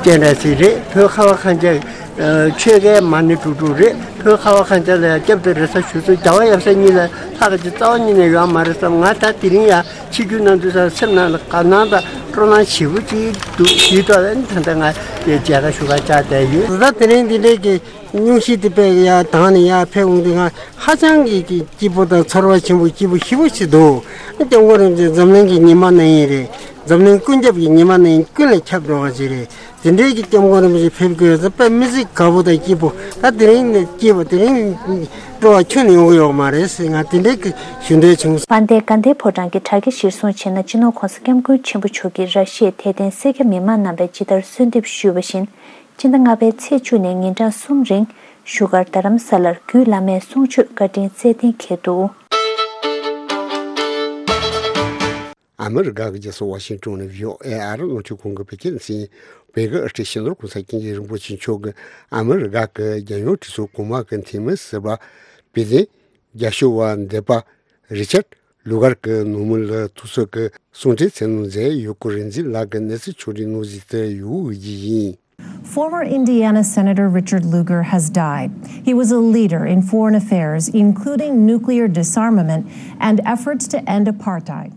སྤྱན་རས་གཟིགས་རེད། བོད་ཁ་བ་གངས་ཅན། ཆོས་རྒྱལ་མ་ཎི་དྲུག་དྲུག་རེད། བོད་ཁ་བ་གངས་ཅན་ལ་ཡང་སྐྱབས་དང་རེ་ས་ཞུ་ཚུལ་རྒྱལ་བ་ཡབ་སྲས་གཉིས་ལ་ལྷག་གི་རྩ་བ་ཉིད་ནས་ཡོད་མ་རེད་བསམ། ང་ད་དེ་རིང་ཡང་ཆིབས་བསྒྱུར་གནང་དུས་སང་སེམས་ནང་ལ་དགའ་སྣང་དང་སྤྲོ་སྣང་ཞེ་པོ་ཅིག་འདུག་དེའི་ཐོག་ལ་ནི་ད་ལྟ་ང་མཇལ་ཁ་ཞུ་གར་བཅར་བསྡད་ཡོད། ད་དེ་རིང་འདི་འདྲའི་གི་སྙུང་གཞི་དེ་དཔེ་ཡར་དང་ནས་ཡར་ཕེབས་འོང་དུས་ང་ཧ་ཅང་གི་གི་སྐྱིད་པོ་དང་ཚོར་བ་ཆེན་པོ་སྐྱིད་པོ་ཞེ་པོ་ཞིག་འདུག་སྐྱབས་མགོན་རིན་པོ་ཆེ་འཛམ་གླིང་གི་ཉི་མ་ནང་བཞིན་རེད། འཛམ་གླིང་ཀུན་ཁྱབ་ཀྱི་ཉི་མ་ནང་བཞིན་ཀུན་ལ་ཁྱབ་འགྲོ་བ་ཞིག་རེད། དེ་འདྲའི་གི་སྐྱབས་མགོན་རིན་པོ་ཆེ་ཕེབས་དགོས་ཟེར་དཔེ་མི་སྲིད་དགའ་པོ་དང་སྐྱིད་པོ། ད་དེ་རིང་ནས་སྐྱིད་པོ་དེ་རིང་སྤྲོ་བ་ཁྱོན་ནས་ཡོང་གི་ཡོད་མ་རེད་ཟེར་ང་དེ་འདྲའི་གི་ཞུ་འདོད་བྱུང་། དཔལ་ལྡན་དགའ་ལྡན་ཕོ་བྲང་གི་དྲ་རྒྱ་གཞིར་བཟུང་བྱས་ན། སྤྱི་ནོར་ྋགོང་ས་ྋསྐྱབས་མགོན་ཆེན་པོ་མཆོག་གིས་ར་ཤི་ཡའི་དད་ལྡན་སེར་སྐྱ་མི་མང་རྣམ་པས་ཇི་ལྟར་གསོལ་འདེབས་ཞུས་པ་བཞིན། སྤྱི་ཟླ་ལྔ་པའི་ཚེས་བཅུ་ནས་ཉིན་གྲངས་གསུམ་རིང་བཞུགས་སྒར་རྡ་རམ་ས་ལར་རྒྱུད་བླ་མའི་གསུང་ཆོས་བཀའ་དྲིན་སྩལ་གཏན་འཁེལ་འདུག་ཨ་མི་རི་ཀ་གི་རྒྱལ་ས་ཝ་ཤིང་ཏོན་ནས་བྷི་ཨོ་ཨེ་ཨ་རི་རླུང་འཕྲིན་ཁང་གི་བོད་སྐད་སྡེ་ཚན། བོད་ཀྱི་ཨ་ཁྲིད་སྤྱི་ནོར་ྋགོང་ས་ྋསྐྱབས་མགོན་རིན་པོ་ཆེ་མཆོག་གིས་ཨ་མི་རི་ཀ་གི་རྒྱལ་ཡོངས་ཁྲིམས་སྲུང་གོང་མ་གི་འཐུས་མི་ཟུར་པ་པི་ཏན་རྒྱ་ཤོག་པ་འདེབས་པ་རི་ཆར་ལུ་གར་གྱི་ནང་མི་ལ་ཐུག་ཚོད་ཀྱི་གསུང་འཕྲིན་བསྩལ་གནང་མཛད་ཡོད་སྐོར་རིག་འཛིན་ལགས་ཀྱིས་གནས་ཚུལ་ཕྱོགས་སྒྲིག་གནང་བཞིན་དུ་ཡོད་ཀྱི་ཡིན། Former Indiana Senator Richard Lugar has died. He was a leader in foreign affairs, including nuclear disarmament and efforts to end apartheid.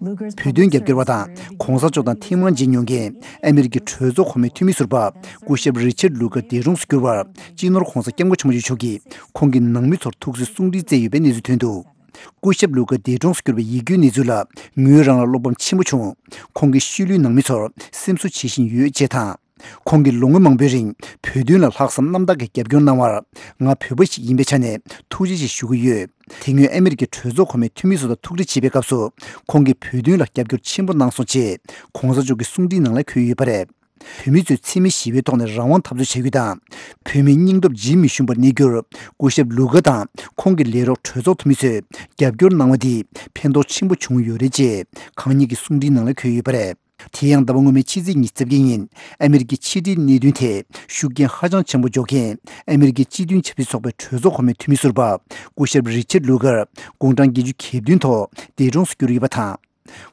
Lugar's བོད་དོན་རྒྱབ་སྐྱོར་བ་དང་གོང་ས་མཆོག་དང་ཐེངས་མང་མཇལ་མྱོང་མཁན་ཨ་མི་རི་ཀའི་གྲོས་ཚོགས་གོང་མའི་འཐུས་མི་ཟུར་པ་སྐུ་ཞབས་རི་ཆར་ལུ་གར་འདས་གྲོངས་སུ་གྱུར་བར་སྤྱི་ནོར་གོང་ས་སྐྱབས་མགོན་ཆེན་པོ་མཆོག་གིས་ཁོང་གི་ནང་མི་ཚོར་ཐུགས་གསོའི་གསུང་འཕྲིན་བསྩལ་ཡོད་པའི་གནས་ཚུལ་ཐོན་འདུག་སྐུ་ཞབས་ལུ་གར་འདས་གྲོངས་སུ་གྱུར་བའི་ཡིད་སྐྱོའི་གནས་ཚུལ་ལ་ངོས་རང་ལ་བློ་ཕམ་ཆེན་པོ་བྱུང་། ཁོང་གི་ཤུལ་ལུས་ནང་མི་ཚོར་སེམས་གསོ་བྱེད་བཞིན་ཡོད་ཅེས་དང་། ཁོང་གིས་ལོ་ངོ་མང་པོའི་རིང་བོད་དོན་ལ་ལྷག་བསམ་རྣམ་དག་གིས་རྒྱབ་སྐྱོར་གནང་བར་ང་བོད་པ་ཞིག་ཡིན་པའི་ཆ་ནས་ཐུགས་རྗེ་ཆེ་ཞུ་གི་ཡོད། དེ་སྔོན་ཨ་མི་རི་ཀའི་གྲོས་ཚོགས་གོང་མའི་འཐུས་མི་ཚོ་དང་ཐུག་འཕྲད་བྱེད་པའི་སྐབས་སུ་ཁོང་གིས་བོད་དོན་ལ་རྒྱབ་སྐྱོར་ཆེན་པོ་གནང་སོང་ཅེས་གོང་ས་མཆོག་གི་གསུང་འཕྲིན་ནང་ལ་འཁོད་ཡོད་པ་རེད། བོད་མི་ཚོས་འཚེ་མེད་ཞི་བའི་ཐོག་ནས་རང་དབང་འཐབ་རྩོད་བྱ་རྒྱུ་དང་། བོད་མིའི་སྙིང་སྟོབས་ཇི་མི་ཞུམ་པར་གནས་རྒྱུར་སྐུ་ཞབས་ལུ་གར་དང་ཁོང་གི་ལས་རོགས་གྲོས་ཚོགས་འཐུས་མི་ཚོས་རྒྱབ་སྐྱོར་གནང་བ་འདིས་ཕན་ཐོགས་ཆེན་པོ་བྱུང་ཡོད་རེད་ཅེས་གང་ཉིད་ཀྱི་གསུང་འཕྲིན་ནང་ལ་འཁོད་ཡོད་པ་རེད། དེ་ཡང་ཟླ་བ་སྔོན་མའི་ཕྱི་ཚེས་ཉི་ཤུ་རྩ་བརྒྱད་ཉིན་ཨ་མི་རི་ཀའི་ཕྱི་དྲིལ་གནད་དོན་ཐད་ཤུགས་རྐྱེན་ཧ་ཅང་ཆེན་པོ་འཇོག་མཁན་ཨ་མི་རི་ཀའི་སྤྱི་མཐུན་ཆབ་སྲིད་ཚོགས་པའི་གྲོས་ཚོགས་གོང་མའི་འཐུས་མི་ཟུར་པ་སྐུ་ཞབས་རི་ཆར་ལུ་གར་དགུང་གྲངས་བརྒྱད་ཅུ་གྱ་བདུན་ཐོག་འདས་གྲོངས་སུ་གྱུར་ཡོད་པ་དང་།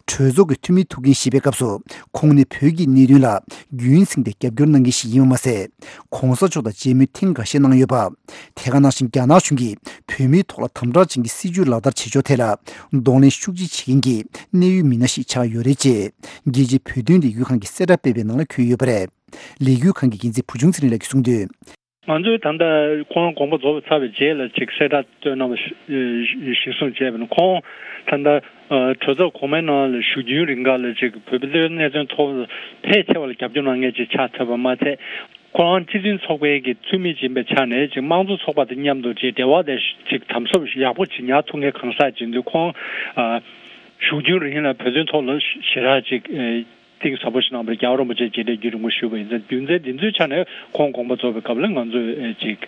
གྲོས་ཚོགས་ཀྱི་འཐུས་མི་ཐུག་མཁན་ཞེས་པའི་སྐབས་སུ་ཁོང་ནི་བོད་ཀྱི་གནད་དོན་ལ་རྒྱུན་བསྲིངས་ཏེ་རྒྱབ་སྐྱོར་གནང་མཁན་ཞིག་ཡིན་པ་མ་ཟད། གོང་ས་མཆོག་དང་མཇལ་མོལ་ཐེངས་འགའ་ཤས་གནང་ཡོད་པ། དེ་ག་ནང་བཞིན་རྒྱ་ནག་གཞུང་གིས་བོད་མིའི་ཐོག་ལ་དམ་དྲག་ཅན་གྱི་སྲིད་བྱུས་ལག་བསྟར་བྱེད་ཕྱོགས་ཐད་ལ་གདོང་ལེན་ཤུགས་ཆེ་བྱེད་མཁན་གྱི་གནད་ཡོད་མི་སྣ་ཞིག་ཆགས་ཡོད་རེད་ཅེས་རྒྱལ་སྤྱིའི་བོད་དོན་ལས་འགུལ་ཁང་གིས་གསལ་བསྒྲགས་སྤེལ་བའི་ནང་ལ་འཁོད་ཡོད་པ་རེད། ལས་འགུལ་ཁང་གི་འགན་འཛིན་བུ་ཆུང་ཚེ་རིང་ལགས་ཀྱིས་གསུངས་དོན། ང་ཚོས་ད་ལྟ་ཁོང་དགོངས་པ་རྫོགས་པ་ཚར་བའི་རྗེས་ལ་ཅིག་གསལ་བསྒྲགས་བཏོན་གནང་བ་ཞིག་གསུངས་བྱས་པ་ན། ཁོང་ད་ལྟ་གྲོས་ཚོགས་གོང་མའི་ནང་ལ་བཞུགས་རྒྱུན་རིང་ག་ལ་ཅིག་བོད་པའི་གནད་དོན་ཐོག་ཕལ་ཆེ་བ་ལ་རྒྱབ་སྐྱོར་གནང་མཁན་ཅིག་ཆགས་ཐུབ་པ་མ་ཚད། ཁོ་རང་སྤྱི་མཐུན་ཚོགས་པའི་གི་འཐུས་མི་ཡིན་པའི་ཆ་ནས་ཅིག་དམངས་གཙོ་ཚོགས་པ་དང་མཉམ་དུ་ཅིག་འབྲེལ་བ་དེ་ཅིག་དམ་ཟབ་ཡག་པོ་ཅིག་ཉར་ཐུབ་མཁན་གང་ཟག་ཅིག་འདུག་ཁོང་བཞུགས་རྒྱུན་རིང་ལ་བོད་དོན་ཐོག་ལ་ཞེ་དྲག་ཅིག་གཏིང་ཟབ་པོ་ཞིག་གནང་བར་རྒྱལ་བ་རིན་པོ་ཆེ་མཇལ་འཕྲད་རྒྱུན་རིང་པོ་ཞུས་པ་ཡིན་ཙང་། རྒྱུ་མཚན་འདི་ཚོའི་ཆ་ནས་ཁོང་དགོངས་པ་རྫོགས་པའི་སྐབས་ལ་ང་ཚོས་ཅིག་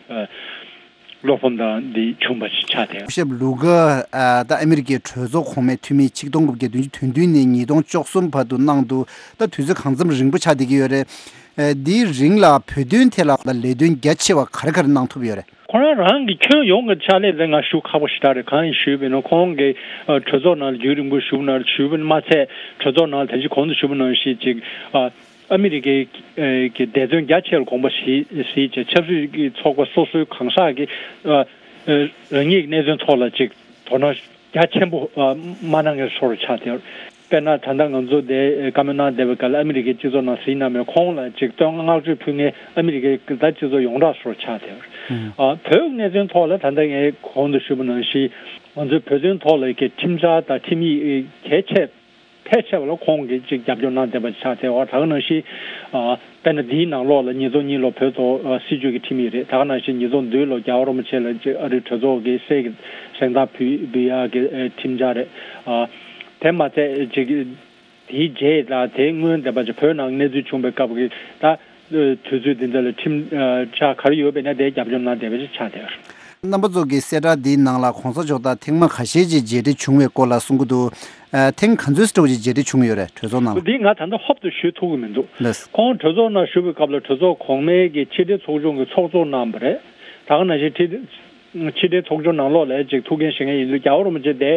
བློ་ཕམ་དང་འདི་བྱུང་བ་ཞིག་ཆགས་བསྡད་ཡོད། སྐུ་ཞབས་ལུ་ག་ཨ་ད་ཨ་མི་རི་ཀའི་གྲོས་ཚོགས་གོང་མའི་འཐུས་མི་ཆིག་སྟོང་དགུ་བརྒྱ་བདུན་ཅུ་དོན་བདུན་ནས་ཉིས་སྟོང་བཅུ་གསུམ་བར་དུ་གནང་འདུག་ད་དུས་ཚོད་གང་འཚམ་རིང་པོ་ཆགས་བསྡད་ཀྱི་ཡོད་རེད། ཨ་འདིའི་རིང་ལ་བོད་དོན་ཐད་ལ་ལས་དོན་རྒྱ་ཆེ་བ་ག་རེ་ག་རེ་གནང་ཐུབ་ཡོད་རེད། ཁོ་རང་རང་གི་ཁྱོན་ཡོངས་ཀྱི་ཕྱག་ལས་དེ་ང་ཞུ་ཁག་པོ་ཞེ་དྲག་རེད། གང་ཡིན་ཞུས་པ་ཡིན་ན་ཁོང་གི་ཨ་གྲོས་ཚོགས་ནང་ལ་རྒྱུན་རིང་པོ་བཞུགས་ན་བཞུགས་པ་མ་ཚད་གྲོས་ཚོགས་ནང་ལ་ད་ཅི་གོང་དུ་ཞུས་པ་ནང་བཞིན་ཅིག་ཨ་ཨ་མི་རི་ཀའི་ཨ་གི་འབད་བརྩོན་རྒྱ་ཆེ་ལ་དགོངས་པ་བཞེས་བཞེས་བྱས་ཆབ་སྲིད་ཀྱི་ཚོགས་པ་སོ་སོའི་གང་ཟག་གི་ཨ་ཨ་རང་ཉིད་ཀྱི་གནད་དོན་ཐོག་ལ་ཅིག་དོ་སྣང་རྒྱ་ཆེན་པོ་ཨ་མ་གནང་མཁན་བཟོ་འདྲ་ཆགས་བསྡད་ཡོད། དཔེར་ན་ད་ལྟ་ང་ཚོ་དེ་བཀའ་མོལ་གནང་བསྡད་པའི་སྐབས་ལ་ཨ་མི་རི་ཀའི་སྤྱི་ཚོགས་ནང་གཟིགས་གནང་མེད། ཁོང་ལ་ཅིག་བསྟོད་བསྔགས་བརྗོད་ཕུལ་མཁན་ཨ་མི་རི་ཀའི་ད་སྤྱི་ཚོགས་ཡོངས་གྲགས་བཟོ་འདྲ་ཆགས་བསྡད་ཡོད། ཨ་བོད་ཀྱི་གནད་དོན་ཐོག་ལ་ད་ལྟ་ངས་གོང་དུ་ཞུས་པ་ནང་བཞིན་ང་ཚོའི་བོད་དོན་ཐོག་ལ་ཁྲིམས་འཆར་དང་ཁྲིམས་ཡིག་གལ་ཆེ་ཕལ་ཆེ་བ་ལ་ཁོང་གིས་ཅིག་རྒྱབ་སྐྱོར་གནང་བསྡད་པ་ཆགས་བསྡད་ཡོད། ད་ག་ནང་བཞིན་ཨ་དཔེར་ན་འདིའི་ནང་ལོགས་ལ་ཉིས་སྟོང་གཉིས་ལོ་བོད་ཐོག་ཨ་སྲིད་བྱུས་ཀྱི་ཁྲིམས་ཡིག་རེད། ད་ག་ནང་བཞིན་ཉིས་སྟོང་བདུན་ལོ་རྒྱལ་བ་རིན་པོ་ཆེ་ལ་ཅིག་ཨ་རིའི་གྲོས་ཚོགས་ཀྱི་གསེར་གྱི་གཟེངས་རྟགས་ཕུལ་ཕུལ་ཡག་གི་ཨ་ཁྲིམས་འཆར་རེད། ཨ་དེ་མ་ཚད་ཅིག་དེའི་རྗེས་དང་དེའི་སྔོན་བསྡད་པ་ཅིག་བོད་ནང་གནས་ཚུལ་བྱུང་བའི་སྐབས་ཀྱི་ད་དུས་ཚོད་འདི་འདྲ་ལ་ཁྲིམས་ཨ་འཆར་ག་རེ་ཡོད་པ་ཡིན་ན་དེ་རྒྱབ་སྐྱོར་གནང་བསྡད་པ་ཞིག་ཆགས་བསྡད་ཡོད། རྣམ་པ་ཚོ་གི་གསལ་བསྒྲགས་འདིའི་ནང་ལ་གོང་ས་མཆོག་དང་ཐེངས་མ་ཁ་ཤས་ཅིག་མཇལ་འཕྲད་བྱུང་བའི་སྐོར་ལ་གསུང་གི་འདུག་ཨ་ཐེངས་ག་ཚོད་ཙམ་ཅིག་མཇལ་འཕྲད་བྱུང་ཡོད་རེད་གྲོས་ཚོགས་ནང་ལ། འདི་ང་ད་ལྟ་ཧོབ་ཏེ་ཞུ་ཐུབ་ཀྱི་མི་འདུག་ལགས། ཁོང་གྲོས་ཚོགས་ནང་བཞུགས་པའི་སྐབས་ལ་གྲོས་ཚོགས་གོང་མའི་གི་ཕྱི་དྲིལ་ཚོགས་ཆུང་གི་ཚོགས་གཙོ་གནང་བ་རེད། ད་ག་ནང་བཞིན་ཕྱི་དྲིལ་ཕྱི་དྲིལ་ཚོགས་ཆུང་ནང་ལོགས་ལ་ཅིག་ཐུགས་འགན་བཞེས་མཁན་ཡིན་དུས་རྒྱལ་བ་རིན་པོ་ཆེ་དེ་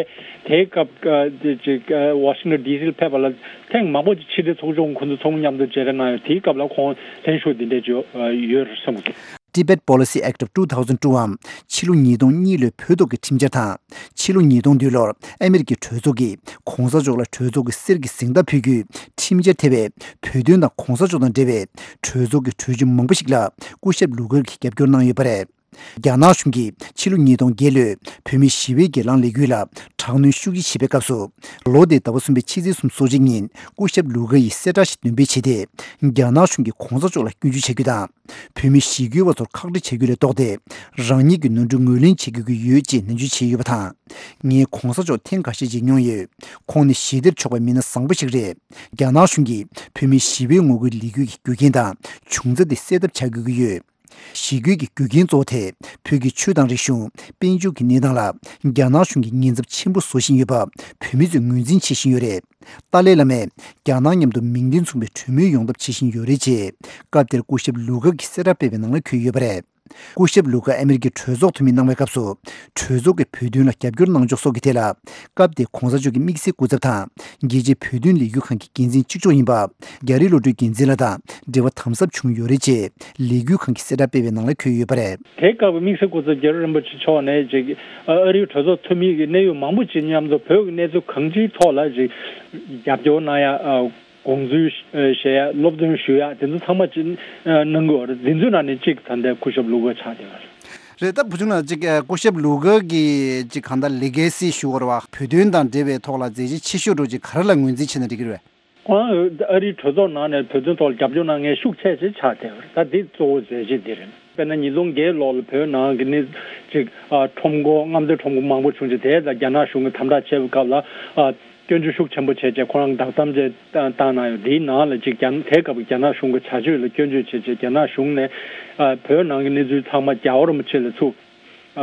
དེའི་སྐབས་ཨ་དེ་ཅིག་ཨ་ཝ་ཤིང་ཊོན་ཌི་སི་ལ་ཕེབས་པ་ལ་ཐེངས་མང་པོ་ཅིག་ཕྱི་དྲིལ་ཚོགས་ཆུང་ཁོང་ཚོ་ཚང་མ་མཉམ་དུ་མཇལ་འཕྲད་གནང་ཡོད། དེའི་སྐབས་ལ་ཁོང་ལྷན་ཞུགས་འདི་འདྲས་ཅིག་ཡོད་རེད་བསམ་གི་འདུག Tibet Policy Act of two thousand two འམ་ཕྱི་ལོ་ཉིས་སྟོང་གཉིས་ལོའི་བོད་ཐོག་གི་ཁྲིམས་འཆར་དང་ཕྱི་ལོ་ཉིས་སྟོང་བདུན་ལོར་ཨ་མེ་རི་ཀའི་གྲོས་ཚོགས་ཀྱིས་གོང་ས་མཆོག་ལ་གྲོས་ཚོགས་ཀྱི་གསེར་གྱི་གཟེངས་རྟགས་ཕུལ་རྒྱུའི་ཁྲིམས་འཆར་ཐེ་བའི་བོད་དོན་དང་གོང་ས་མཆོག་དང་འབྲེལ་བའི་གྲོས་ཚོགས་ཀྱི་གྲོས་ཆོད་མང་པོ་ཞིག་ལ་སྐུ་ཞབས་ལུ་གར་གྱིས་རྒྱབ་སྐྱོར་གནང་ཡོད་པ་རེད། རྒྱ་ནག་གཞུང་གིས་ཕྱི་ལོ་ཉིས་སྟོང་བརྒྱད་ལོའི་བོད་མིའི་ཞི་བའི་སྒེར་ལངས་ལས་འགུལ་ལ་དྲག་གནོན་ཤུགས་ཆེ་བྱེད་པའི་སྐབས་སུ། ལོ་དེའི་ཟླ་བ་གསུམ་པའི་ཕྱི་ཚེས་སོ་གཅིག་ཉིན་སྐུ་ཞབས་ལུ་གར་ཡིས་གསལ་བསྒྲགས་ཤིག་འདོན་སྤེལ་བྱས་ཏེ། རྒྱ་ནག་གཞུང་གིས་གོང་ས་མཆོག་ལ་སྐྱོན་བརྗོད་བྱ་རྒྱུ་དང་། བོད་མི་ཞི་རྒོལ་བ་ཚོར་ཁག་དཀྲི་བྱ་རྒྱུ་ལས་ལྡོག་སྟེ། རང་ཉིད་ཀྱི་ནོར་འཁྲུལ་ངོས་ལེན་བྱེད་དགོས་ཀྱི་ཡོད་ཅེས་ནན་བརྗོད་བྱས་ཡོད་པ་དང་། ངས་གོང་ས་མཆོག་ཐེངས་འགའ་ཤས་མཇལ་མྱོང་ཡོད། ཁོང་ནི་ཞི་བདེར་ཕྱོགས་པའི་མི་སྣ་བཟང་པོ་ཞིག་རེད། རྒྱ་ནག་གཞུང་གིས་བོད་མིའི་ཞི་བའི་ངོ་རྒོལ་ལས་འགུལ་གྱི་རྒྱུ་རྐྱེན་དང་བྱུང་རྩ་དེ་སེལ་ཐབས་བྱ་དགོས་ཀྱི་ཡོད། ཞི་རྒོལ་གྱི་རྒྱུ་རྐྱེན་གཙོ་བོ་དེ་བོད་ཀྱི་ཆོས་དང་རིག་གཞུང་། དཔལ་འབྱོར་གྱི་གནས་སྟངས་ལ་རྒྱ་ནག་གཞུང་གིས་ཉེན་ཚབས་ཆེན་པོ་བཟོ་བཞིན་ཡོད་པ་བོད་མི་ཚོས་ངོས་འཛིན་བྱེད་བཞིན་ཡོད་རེད། ཏཱ་ལའི་བླ་མས་རྒྱ་ནག་མཉམ་དུ་མིང་དོན་མཚུངས་པའི་གྲོས་མོལ་ཡོང་ཐབས་བྱེད་བཞིན་ཡོད་རེད་ཅེས་སྐབས་དེར་སྐུ་ཞབས་ལུ་གར་གྱིས་གསལ་བསྒྲགས་སྤེལ་བའི་ནང་ལ་འཁོད་ཡོད་པ་རེད། སྐུ་ཞབས་ལུ་གར་ཨ་མེ་རི་ཀའི་གྲོས་ཚོགས་འཐུས་མི་གནང་བའི་སྐབས་སུ་གྲོས་ཚོགས་ཀྱི་བོད་དོན་ལ་རྒྱབ་སྐྱོར་གནང་ཕྱོགས་སོགས་ཀྱི་ཐད་ལ་སྐབས་དེའི་གོང་ས་མཆོག་གི་དམིགས་བསལ་སྐུ་ཚབ་དང་རྒྱལ་སྤྱིའི་བོད་དོན་ལས་འགུལ་ཁང་གི་འགན་འཛིན་གཅིག་ལྕོགས་ཡིན་པ་རྒྱ་རི་བློ་གྲོས་འགན་འཛིན་ལགས་དང་འབྲེལ་བ་དམ་ཟབ་བྱུང་ཡོད་རེད་ཅེས་ལས་འགུལ་ཁང་གི་གསལ་བསྒྲགས་སྤེལ་བའི་ནང་ལ་འཁོད་ཡོད་པ་རེད། དེའི་སྐབས་དམིགས་བསལ་སྐུ་ཚབ་རྒྱལ་བ་རིན་པོ་ཆེ་མཆོག་ནས་ཅིག་ཨ་རིའི་གྲོས་ཚོགས་འཐུས་མི་གི་གནད་ཡོད་མང་པོ་ཅིག་མཉམ་དུ་བོད་ཀྱི་གནས་ཚུལ་གང་ཅིའི་ཐོག་ལ་ཅིག་རྒྱབ་སྐྱོར་གནང་ཡ། དགོངས་ཚུལ་བཞེས་ཡ། སློབ་སྟོན་ཞུ་ཡ་དེ་ཚོ་ཚང་མ་ཅིག་གནང་གི་ཡོད་རེད། དེ་ཚོའི་ནང་ནས་གཅིག་ད་ལྟའི་སྐུ་ཞབས་ལུ་གར་ཆགས་བསྡད་ཡོད་རེད། རེད། ད་བུ་ཆུང་ལགས་ཅིག་སྐུ་ཞབས་ལུ་གར་གྱི་ཅིག་གང་ལྟར་ལི་གེ་སི་ཞུ་བར་བ་བོད་དོན་དང་འབྲེལ་བའི་ཐོག་ལ་མཛད་རྗེས་ཆེ་ཤོས་འདྲ་ཅིག་ག་རེ་ལ་ངོས་འཛིན་བྱས་ན་འགྲིག་གི་རེད། ཁོང་ཨ་རིའི་གྲོས་ཚོགས་ནང་ནས་བོད་དོན་ཐོག་ལ་རྒྱབ་སྐྱོར་གནང་མཁན་ཤུགས་ཆེ་ཆེ་ཆགས་བསྡད་ཡོད་རེད། ད་འདི་གཙོ་བོ་མཛད་རྗེས་འདི་རེད། དཔེར་ན་ཉིས་སྟོང་བརྒྱད་ལོ་ལ་བོད་ནང་གི་ནི་ཅིག་ཨ་ཁྲོམ་སྐོར་རྔམ་སྟོན་ཁྲོམ་སྐོར་མང་པོ་བྱུང་རྗེས་དེ་ལ་རྒྱ་ནག་གཞུང་གིས་དམ་དྲག་བྱས་པའི་སྐབས་ལ་ཨ་སྐྱོན་བརྗོད་ཤུགས་ཆེན་པོ་བྱས་རྗེས་ཁོ་རང་བདག་དམ་བཅས་བཏང་གནང་ཡོད། དེའི་ནང་ལ་ཅིག་རྒྱ་དེའི་སྐབས་རྒྱ་ནག་གཞུང་གི་བྱ་སྤྱོད་ལ་སྐྱོན་བརྗོད་བྱས་རྗེས་རྒྱ་ནག་གཞུང་ནས་ཨ་བོད་ནང་གི་གནས་ཚུལ་ཚང་མ་རྒྱལ་བ་རིན་པོ་ཆེ་ལ་ཚུར་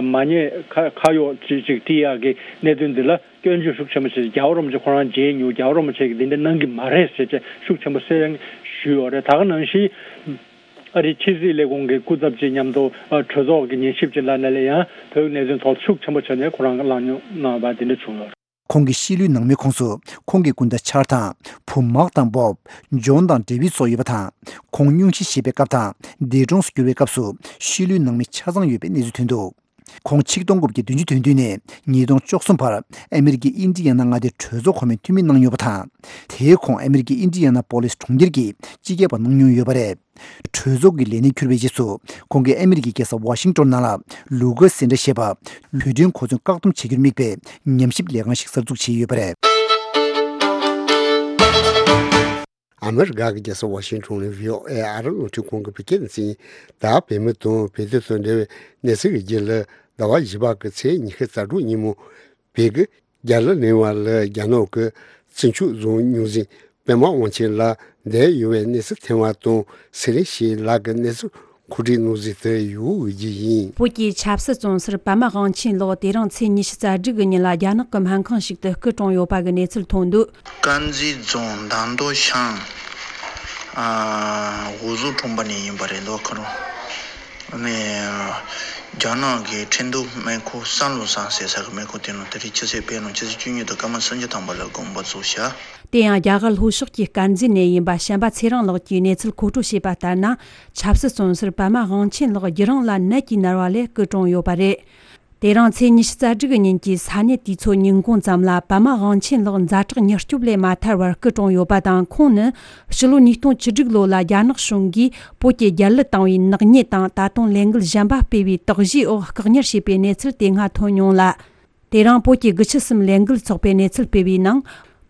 མ་ཉེས་ཁ་ཁ་གཡོགས་ཅིག་ཅིག་སྤྲད་ཡག་གི་གནད་དོན་འདི་ལ་སྐྱོན་བརྗོད་ཤུགས་ཆེན་པོ་བྱས་རྒྱལ་བ་རིན་པོ་ཆེ་ཁོ་རང་མཇལ་མྱོང་། རྒྱལ་བ་རིན་པོ་ཆེ་གིས་འདི་འདྲ་གནང་གི་མ་རེད་ཟེར་བྱས་ཤུགས་ཆེན་པོ་གསལ་ཞུས་ཡོད་རེད། ད་ག་ནང་བཞིན་ཨ་རིའི་ཕྱི་སྲིད་ལས་ཁུངས་ཀྱི་སྐུ་ཚབ་ཅིག་མཉམ་དུ་ཨ་གྲོས་ཚོགས་ཀྱི་ཉན་ཞིབ་ཅིག་ལ་ནས་ལ་ཡང་བོད་ཀྱི་གནད་དོན་ཐོག་ཤུགས་ཆེན་པོ་བྱས་ནས་ཁོ་རང་གིས་གླེང་སློང་གནང་བ་འདི་འདྲ་བྱུང་ཡོད་རེད། ཁོང་གི་ཤི་ལོའི་ནང་མིའི་ཁོངས་སུ་ཁོང་གི་སྐུ་ཟླ་ཆར་དང་བུ་མག་དང་བོབ། ཇོན་དང་ཌེ་བིད་སོགས་ཡོད་པ་དང་། ཁོང་སྙུང་གཞི་བཞེས་པའི་སྐབས་དང་འདས་གྲོངས་སུ་གྱུར་བའི་སྐབས་སུ་ཤི་ལོའི་ནང་མི་ཆ་ཚང་ཡོད་པའི་གནས་ཚུལ་ཐོན་འདུག་ཁོང་ཆིག་སྟོང་དགུ་བརྒྱ་བདུན་ཅུ་དོན་བདུན་ནས་ཉིས་སྟོང་བཅུ་གསུམ་བར་ཨ་མེ་རི་ཀའི་ཨིན་ཌི་ཡ་ན་མངའ་སྡེའི་གྲོས་ཚོགས་གོང་མའི་འཐུས་མི་གནང་མྱོང་བ་དང་། དེའི་གོང་ཨ་མེ་རི་ཀའི་ཨིན་ཌི་ཡ་ན་པོ་ལིས་གྲོང་ཁྱེར་གྱི་སྤྱི་ཁྱབ་པ་གནང་མྱོང་ཡོད་པ་རེད། གྲོས་ཚོགས་ཀྱི་ལས་གནས་འཁྱུར་བའི་རྗེས་སུ་ཁོང་གིས་ཨ་མེ་རི་ཀའི་རྒྱལ་ས་ཝ་ཤིང་ཏོན་ནང་ལ་ལུ་གར་སེན་ཊར་ཞེས་པ་བོད་དོན་གོ་མཚོན་བཀག་སྡོམ་བྱ་རྒྱུར་དམིགས་པའི་ཉམས་ཞིབ་ལས་ཁང་ཞིག་གསར་འཛུགས་བྱས་ཡོད་པ་རེད། ཨ་མེ་རི་ཀ་གི་རྒྱལ་ས་ཝ་ཤིང་ཊོན་ནས་བྷི་ཨོ་ཨེ་ཨ་རི་རླུང་འཕྲིན་ཁང་གི་བོད་སྐད་སྡེ་ཚན་ཡིན། ད་བོད་མི་དང་བོད་དོན་དང་འབྲེལ་བའི་གནས་ཚུལ་གྱི་རྒྱུད་ལ་ཟླ་བ་བཞི་པ་གི་ཚེས་ཉི་ཤུ་རྩ་དྲུག་ཉིན་མོ་བོད་ཀྱི་རྒྱ་ལ་གླིང་བ་ལ་རྒྱ་ནག་གི་བཙུན་ཆུ་རྫོང་རྙོག་འཛིང་པད་མ་དབང་ཆེན་ལགས་བསྡད་ཡོད་པའི་གནས་ཚུལ་ཐོན་པ་དང་། ཚེ་རིང་སྐྱིད་ལགས་ཀྱི་གནས་ཚུལ་ གོ་སྒྲིག་གནང་ཟིན་དུ་ཡོད་ཀྱི་ཡིན། བོད་ཀྱི་ཆབ་སྲིད་བཙོན་ཟུར་པདྨ་དབང་ཆེན་ལགས་དེ་རིང་ཚེས་ཉི་ཤུ་རྩ་དྲུག་གི་ཉིན་ལ་རྒྱ་ནག་གི་སྨན་ཁང་ཞིག་ཏུ་སྐུ་གྲོངས་ཡོད་པ་གི་གནས་ཚུལ་ཐོན་འདུག། དཀར་མཛེས་རྫོང་དར་མདོ་ཤང་། ཨ། འོ་ཟོ་གྲོང་པ་ནས་ཡིན་པ་རེད་འདུག་ཁོ་རང་། ནས་རྒྱ་ནག་གི་ཁྲིན་ཏུའུ་སྨན་ཁང་སན་ལུ་སང་ཟེར་ས་གི་སྨན་ཁང་དེ་ནང་དེ་རིང་ཕྱི་ཚེས་དཔེ་ནང་ཕྱི་ཚེས་བཅུ་གཉིས་དང་སྐར་མ་སུམ་ཅུ་ཐམ་པ་ལ་དགོངས་པ་རྫོགས་ཤག། དེ་ཡང་རྒྱ་གར་ལྷོ་ཕྱོགས་ཀྱི་དཀར་མཛེས་ནས་ཡིན་པ་བྱམས་པ་ཚེ་རིང་ལགས་ཀྱིས་གནས་ཚུལ་མཁོ་སྤྲོད་བྱས་པ་ལྟར་ན། ཆབ་སྲིད་བཙོན་ཟུར་པདྨ་དབང་ཆེན་ལགས་རྒྱུ་རང་ལ་ནད་ཀྱིས་མནར་བ་ལས་སྐུ་གྲོངས་ཡོད་པ་རེད། དེ་རིང་ཚེས་ཉི་ཤུ་རྩ་དྲུག་གི་ཉིན་གྱི་ས་གནས་དུས་ཚོད་ཉིན་གུང་ཙམ་ལ་པདྨ་དབང་ཆེན་ལགས་ཛ་དྲག་མྱུར་སྐྱོབ་ལས་མ་ཐར་བར་སྐུ་གྲོངས་ཡོད་པ་དང་། ཁོང་ནི་ཕྱི་ལོ་ཉིས་སྟོང་བཅུ་དྲུག་ལོ་ལ་རྒྱ་ནག་གཞུང་གིས་བོད་ཀྱི་རྒྱལ་གླུ་བཏང་བའི་ནག་ཉེས་དང་ད་དུང་ལས་འགུལ་གཞན་པ་སྤེལ་བའི་དོགས་གཞིའི་འོག་བཀག་ཉར་བྱས་པའི་གནས་ཚུལ་དེ་སྔ་ཐོན་མྱོང་ལ། དེ་རིང་བོད་ཀྱི་དགུ་བཅུ་གསུམ་ལས་འགུལ་ཚོགས་པས་གནས་ཚུལ་སྤེལ་བའི་ནང་།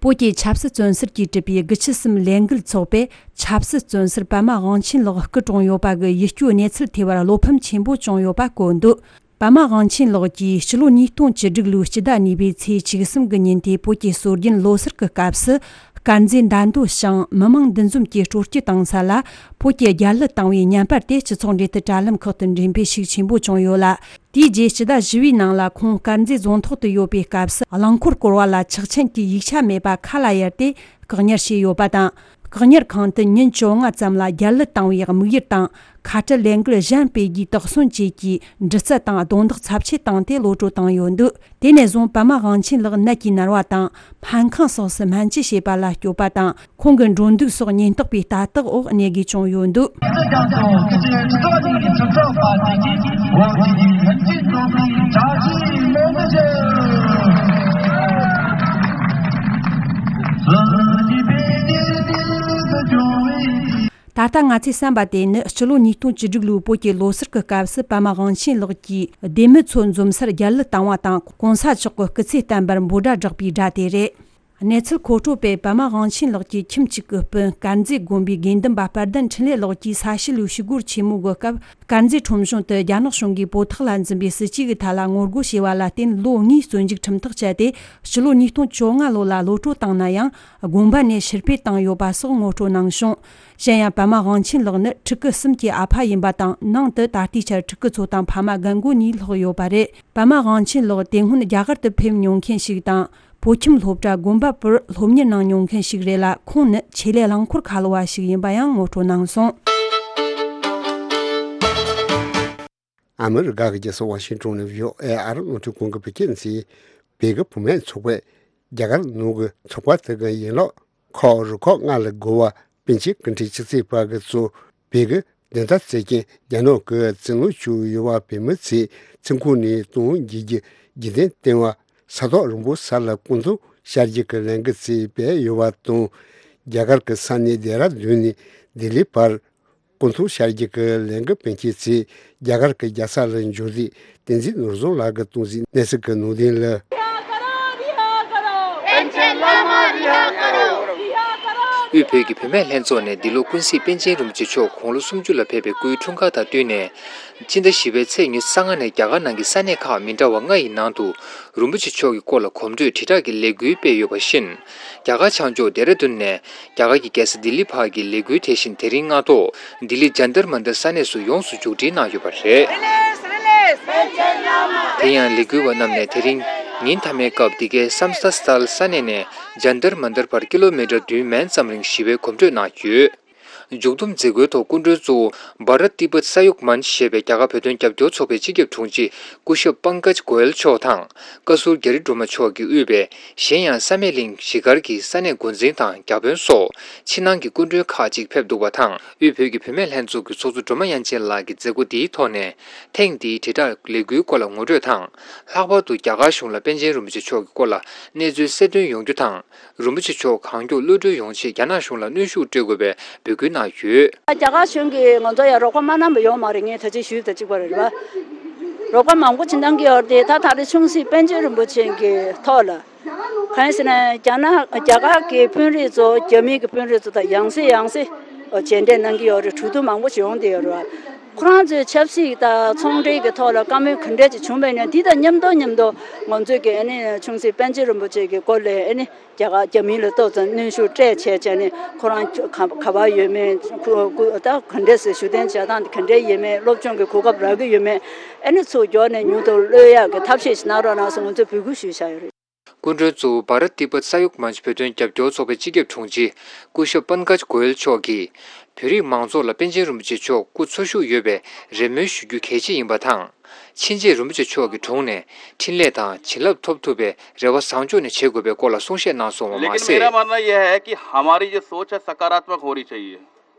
བོད་ཀྱི་ཆབ་སྲིད་བཙོན་ཟུར་གྱིས་གྲུབ་པའི་དགུ་བཅུ་གསུམ་ལས་འགུལ་ཚོགས་པས་ཆབ་སྲིད་བཙོན་ཟུར་པདྨ་དབང་ཆེན་ལགས་སྐུ་གྲོངས་ཡོད་པ་གི་ཡིད་སྐྱོའི་གནས་ཚུལ་ཐེབས་པར་བློ་ཕམ་ཆེན་པོ་བྱུང་ཡོད་པ་བཀོད་འདུག། པདྨ་དབང་ཆེན་ལགས་ཀྱིས་ཕྱི་ལོ་ཉིས་སྟོང་བཅུ་དྲུག་ལོའི་སྤྱི་ཟླ་གཉིས་པའི་ཚེས་བཅུ་གསུམ་གྱི་ཉིན་དེ་བོད་ཀྱི་སྲོལ་རྒྱུན་ལོ་གསར་གྱི་སྐབས་སུ། དཀར་མཛེས་མདའ་མདོ་ཞང་མི་མང་འདུ་འཛོམས་ཀྱི་སྤྲོ་སྐྱིད་བཏང་ས་ལ་བོད་ཀྱི་རྒྱལ་གླུ་བཏང་བའི་བརྙན་པར་དེ་སྤྱི་ཚོགས་འབྲེལ་མཐུད་དྲ་ལམ་ཁག་ཏུ་འགྲེམས་སྤེལ་ཤུགས་ཆེན་པོ་བྱུང་ཡོད་ལ། དེའི་རྗེས་སྤྱི་ཟླ་བཞི་པའི་ནང་ལ་ཁོང་དཀར་མཛེས་རྫོང་ཐོག་ཏུ་ཡོད་པའི་སྐབས་སུ་རླངས་འཁོར་བསྐོར་བ་ལ་ཆག་ཆེན་གྱི་ཡིག་ཆ་མེད་པ་ཁ་ལ་གཡར་ཏེ་བཀག་ཉར་བྱས་ཡོད་པ་དང་། བཀག་ཉར་ཁང་དུ་ཉིན་བཅོ་ལྔ་ཙམ་ལ་རྒྱལ་གླུ་བཏང་བའི་དམིགས་ཡུལ་དང་ཁ་བྲལ་ལས་འགུལ་གཞན་སྤེལ་རྒྱུའི་དོགས་ཟོན་བཅས་ཀྱི་འདྲི་རྩད་དང་རྡུང་རྡེག་ཚབས་ཆེ་བཏང་སྟེ་གློད་བཀྲོལ་བཏང་ཡོད་འདུག། དེ་ནས་བཟུང་པདྨ་དབང་ཆེན་ལགས་ནད་ཀྱིས་མནར་བ་དང་། སྨན་ཁང་སོགས་སུ་སྨན་བཅོས་བྱེད་པ་ལ་སྐྱོབ་པ་དང་། ཁོང་གི་འགྲོ་འདུག་སོགས་ཉེན་རྟོག་པའི་ལྟ་རྟོག་འོག་གནས་དགོས་བྱུང་ཡོད་འདུག། ད་ལྟ་ང་ཚོས་བསམ་པ་དེ་ནི་སྤྱི་ལོ་ཉིས་སྟོང་བཅུ་དྲུག་ལོའི་བོད་ཀྱི་ལོ་གསར་གྱི་སྐབས་སུ་པདྨ་དབང་ཆེན་ལགས་ཀྱིས་སྡེ་མི་ཚོ་འཛོམས་སར་རྒྱལ་གླུ་བཏང་བ་དང་གོང་ས་མཆོག་གི་སྐུ་ཚེ་བརྟན་པར་འབོད་སྒྲ་བསྒྲགས་པའི་སྒྲ་དེ་རེད། གནས་ཚུལ་མཁོ་སྤྲོད་པས་པདྨ་དབང་ཆེན་ལགས་ཀྱི་ཁྱིམ་གཅིག་གི་སྤུན་དཀར་མཛེས་དགོན་པའི་དགེ་འདུན་པ་དཔལ་ལྡན་འཕྲིན་ལས་ལགས་ཀྱིས་ས་གཤིས་ལུའི་ཞི་རྒོལ་ཆེན་མོའི་གོ་སྐབས་དཀར་མཛེས་ཁྲོམ་གཞུང་དུ་རྒྱ་ནག་གཞུང་གིས་བོད་ཐོག་ལ་འཛིན་པའི་སྲིད་བྱུས་ཀྱི་ཐད་ལ་ངོ་རྒོལ་བྱས་པ་ལ་བརྟེན་ལོ་ལྔའི་བཙོན་འཇུག་ཁྲིམས་ཐག་བཅད་དེ་ཕྱི་ལོ་ཉིས་སྟོང་བཅོ་ལྔ་ལོ་ལ་གློད་བཀྲོལ་བཏང་ན་ཡང་དགོན་པ་ནས་ཕྱིར་ཕུད་བཏང་ཡོད་པ་སོགས་ངོ་སྤྲོད་གནང་བྱུང་། གཞན་ཡང་པདྨ་དབང་ཆེན་ལགས་ནི་ཕྲུ་གུ་གསུམ་གྱི་ཨ་ཕ་ཡིན་པ་དང་ནང་དུ་ད་ལྟའི་ཆར་ཕྲུ་གུ་ཚོ་དང་ཕ་མ་རྒན་རྒོན་གཉིས་ལྷག་ཡོད་པ་རེད། པདྨ་དབང་ཆེན་ལགས་དེ་སྔོན་རྒྱ་གར་དུ་ཕེབས་མྱོང་མཁན་ཞིག་དང་། བོད་ཁྱིམ་སློབ་གྲྭ་དགོན་པ་པུར་སློབ་གཉེར་གནང་མྱོང་མཁན་ཞིག་རེད་ལ། ཁོང་ནི་ཆེད་ལས་རླངས་འཁོར་ཁ་ལོ་བ་ཞིག་ཡིན་པ་ཡང་ངོ་སྤྲོད་གནང་སོང་། ཨ་མི་རི་ཀ་གི་རྒྱལ་ས་ཝ་ཤིང་ཏོན་ནས་བྷི་ཨོ་ཨེ་ཨར་རླུང་འཕྲིན་ཁང་གི་བོད་སྐད་སྡེ་ཚན། བོད་ཀྱི་བུད་མེད་ཚོགས་པས་རྒྱ་གར་ནང་གི་ཚོགས་པ་དེ་གི་ཡན་ལག་ཁག་རུ་ཁག་ལྔ་ལས་བརྒལ་བ་པཎ་ཆེན་སྐུ་ཕྲེང་བཅུ་གཅིག་པ་གི་གཙོས་བོད་ཀྱི་བདེན་མཐའ་རྩོད་མཁན་རྒྱ་ནག་གི་བཙན་གནོན་བྱས་ཡོད་པ་བོད་མི་ཚོའི་ཚེ་ཁོངས་ནས་གཏོང་རྒྱུའི་རྒྱུ་རྐྱེན་བསྟན་པ་ས་ཐག་རིང་པོ་ས་ལ་སྐུ་འཚོ་བྱ་རྒྱུ་གི་ལས་འགུལ་ཚོ་སྤེལ་ཡོད་པ་དང་། རྒྱ་གར་གྱི་ས་གནས་ལྡེ་ར་ལྡུན་ནས་ལྡི་ལིའི་བར་སྐུ་འཚོ་བྱ་རྒྱུ་གི་ལས་འགུལ་སྤེལ་མཁན་ཚོས་རྒྱ་གར་གྱི་རྒྱལ་ས་ལ་འབྱོར་རྗེས་བསྟན་འཛིན་ནོར་བཟང་ལགས་ཀྱིས་གཏོང་གཟིགས་གནས་ཚུལ་གྱི་ནང་དོན་ལ། དབུས་བོད་ཀྱི་བུད་མེད་ལྷན་ཚོགས་ནས་འདི་ལོ་ཀུན་གཟིགས་པཎ་ཆེན་རིན་པོ་ཆེ་མཆོག་དགུང་ལོ་སུམ་ཅུ་ལ་ཕེབས་པའི་སྐུའི་འཁྲུངས་སྐར་དང་བསྟུན་ནས། སྤྱི་ཟླ་བཞི་པའི་ཚེས་ཉི་ཤུ་རྩ་ལྔ་ནས་རྒྱ་གར་ནང་གི་ས་གནས་ཁག་མི་འདྲ་བ་ལྔ་ཡི་ནང་དུ་རིན་པོ་ཆེ་མཆོག་གི་སྐོར་ལ་གོམ་བགྲོད་དྲིལ་བསྒྲགས་ཀྱི་ལས་འགུལ་སྤེལ་ཡོད་པ་བཞིན། རྒྱ་གར་བྱང་ཕྱོགས་ལྡེ་ར་ལྡུན་ནས་རྒྱ་གར་གྱི་རྒྱལ་ས་ལྡི་ལི་བར་གྱི་ལས་འགུལ་དེ་བཞིན་དེ་རིང་སྔ་དྲོ་ལྡི་ལི་ཇན་ཏར་མན་ཏར་ས་གནས་སུ་ཡོངས་སུ་མཇུག་སྒྲིལ་གནང་ཡོད་པ་རེད། དེ་ཡང་ལས་འགུལ་བ་རྣམས་ནས་དེ་རིང་ཉིན་མཐའ་མའི་སྐབས་འདི་གའི་སམ་སྟ་སི་ཐལ་ས་གནས་ནས་ཇན་ཏར་མན་ཏར་བར་ཀི་ལོ་མི་ཊར་བདུན་མན་ཙམ་རིང་ཞི་བའི་གོམ་བགྲོད་གནང་ཡོད། མཇུག་བསྡོམས་མཛད་སྒོའི་ཐོག་སྐུ་མགྲོན་གཙོ་བོ་བྷ་རཏ་ཏི་པད་ས་ཡོག་མན་ཞེས་པའི་རྒྱ་གར་བོད་དོན་རྒྱབ་སྐྱོར་ཚོགས་པའི་སྤྱི་ཁྱབ་དྲུང་ཆེ་སྐུ་ཞབས་པང་ཀཇ་གོ་ཡལ་མཆོག་དང་། བཀའ་ཟུར་རྒྱ་རི་སྒྲོལ་མ་མཆོག་གིས་དབུས་པའི་གཞན་ཡང་བསམ་ཡས་གླིང་གཞིས་སྒར་གྱི་ས་གནས་འགོ་འཛིན་དང་བརྒྱ་དཔོན་སོགས་ཕྱི་ནང་གི་སྐུ་མགྲོན་ཁག་ཅིག་ཕེབས་འདུག་པ་དང་། དབུས་བོད་ཀྱི་བུད་མེད་ལྷན་ཚོགས་ཀྱི་ཚོགས་གཙོ་སྒྲོལ་མ་དབྱངས་ཅན་ལགས་ཀྱིས་མཛད་སྒོ་འདིའི་ཐོག་ནས་ཐེངས་འདིའི་དྲིལ་བསྒྲགས་ལས་འགུལ་སྐོར་ལ་ངོ་སྤྲོད་དང་། ལྷག་པར་དུ་རྒྱ་གར་གཞུང་ལ་པཎ་ཆེན་རིན་པོ་ཆེ་མཆོག་གི་སྐོར་ལ་གནས་ཚུལ་གསལ་སྟོན་ཡོང་རྒྱུ་དང་། རིན་པོ་ཆེ་མཆོག་གང་མགྱོགས་གློད་གྲོལ་ཡོང་ཆེད་རྒྱ་ནག་གཞུང་ལ་གནོན་ཤུགས་སྤྲོད་དགོས་པའི་འབོད་སྐུལ་གནང་ཡོད། རྒྱ་གར་གཞུང་གིས་ང་ཚོ་ཡང་རོགས་པ་མ་གནང་བ་ཡོད་མ་རེད། ངས་ད་ཅི་ཞུས་དང་གཅིག་པ་རེད་བ། རོགས་པ་མང་པོ་ཅིག་གནང་གི་ཡོད་རེད་དེ། ད་ད་རེས་ཆུང་སྲིད་པཎ་ཆེན་རིན་པོ་ཆེ་གི་ཐོག་ལ། གང་ཡིན་ཟེར་ན་རྒྱ་ནག་རྒྱ་གར་གྱི་དཔོན་རིགས་ཚོ་རྒྱ་མི་གི་དཔོན་རིགས་ཚོ་དང་ཡང་སེ་ཡང་སེ་མཇལ་འཕྲད་གནང་གི་ཡོད་རེད། གྲོས་བསྡུར་མང་པོ་ཞིག་ཡོང་བསྡད་ཡོད་རེད་བ། ཁོ་རང་ཚོའི་ཆབ་སྲིད་དང་ཚོང་འབྲེལ་གྱི་ཐོག་ལ་བཀའ་མོལ་ག་འདྲས་ཅིག་བྱུང་བ་ཡིན་ན། འདི་དང་མཉམ་དུ་མཉམ་དུ་ང་ཚོས་ཀྱི་ཨ་ནི་ཆུང་སྲིད་པཎ་ཆེན་རིན་པོ་ཆེ་གི་སྐོར་ལ་ཨ་ནི་རྒྱ་གར་རྒྱ་མི་ལ་ཏོག་ཙམ་གནོན་ཤུགས་སྤྲད་བྱས་བྱས་ནས། ཁོ་རང་ག་ག་པར་ཡོད་མེད། ཁོ་ཁོ་ད་ག་འདྲས་སེ་བཞུགས་གདན་འཇགས་སྟངས་དེ་ག་འདྲས་ཡིན་མེད། སློབ་སྦྱོང་གི་གོ་སྐབས་རག་གི་ཡོད་མེད། ཨ་ནི་ཚུར་མགྱོགས་ནས་མྱུར་དུ་གློད་ཡག་གི་ཐབས་ཤེས་ཤིག་གནང་རོགས་གནང་ཟེར་ང་ཚོས་འབོད་སྐུལ་ཞུས་བཞག་ཡོད་རེད། སྐུ་མགྲོན་གཙོ་བོ་བྷ་རཏ་ཏི་པད་ས་ཡོག་མཉཅ་བོད་དོན་རྒྱབ་སྐྱོར་ཚོགས་པའི་སྤྱི་ཁྱབ་དྲུང་ཆེ་སྐུ་ཞབས་པན་ཀཇ་གོ་ཡལ་མཆོག་གིས། བོད་རིགས་མང་ཚོགས་ལ་པཎ་ཆེན་རིན་པོ་ཆེ་མཆོག་སྐུ་འཚོ་བཞུགས་ཡོད་པའི་རེ་སྨོན་ཞུ་རྒྱུ་གལ་ཆེ་ཡིན་པ་དང་། ཕྱིན་ཆད་རིན་པོ་ཆེ་མཆོག་གི་དྲུང་ནས་འཕྲིན་ལས་དང་བྱིན་རླབས་ཐོབ་ཐུབ་པའི་རེ་བ་བཟང་ཕྱོགས་ནས་བྱེད་དགོས་པའི་སྐོར་ལ་གསུང་བཤད་གནང་སོང་བ་མ་ཟད། लेकिन मेरा मानना यह है कि हमारी जो सोच है सकारात्मक होनी चाहिए।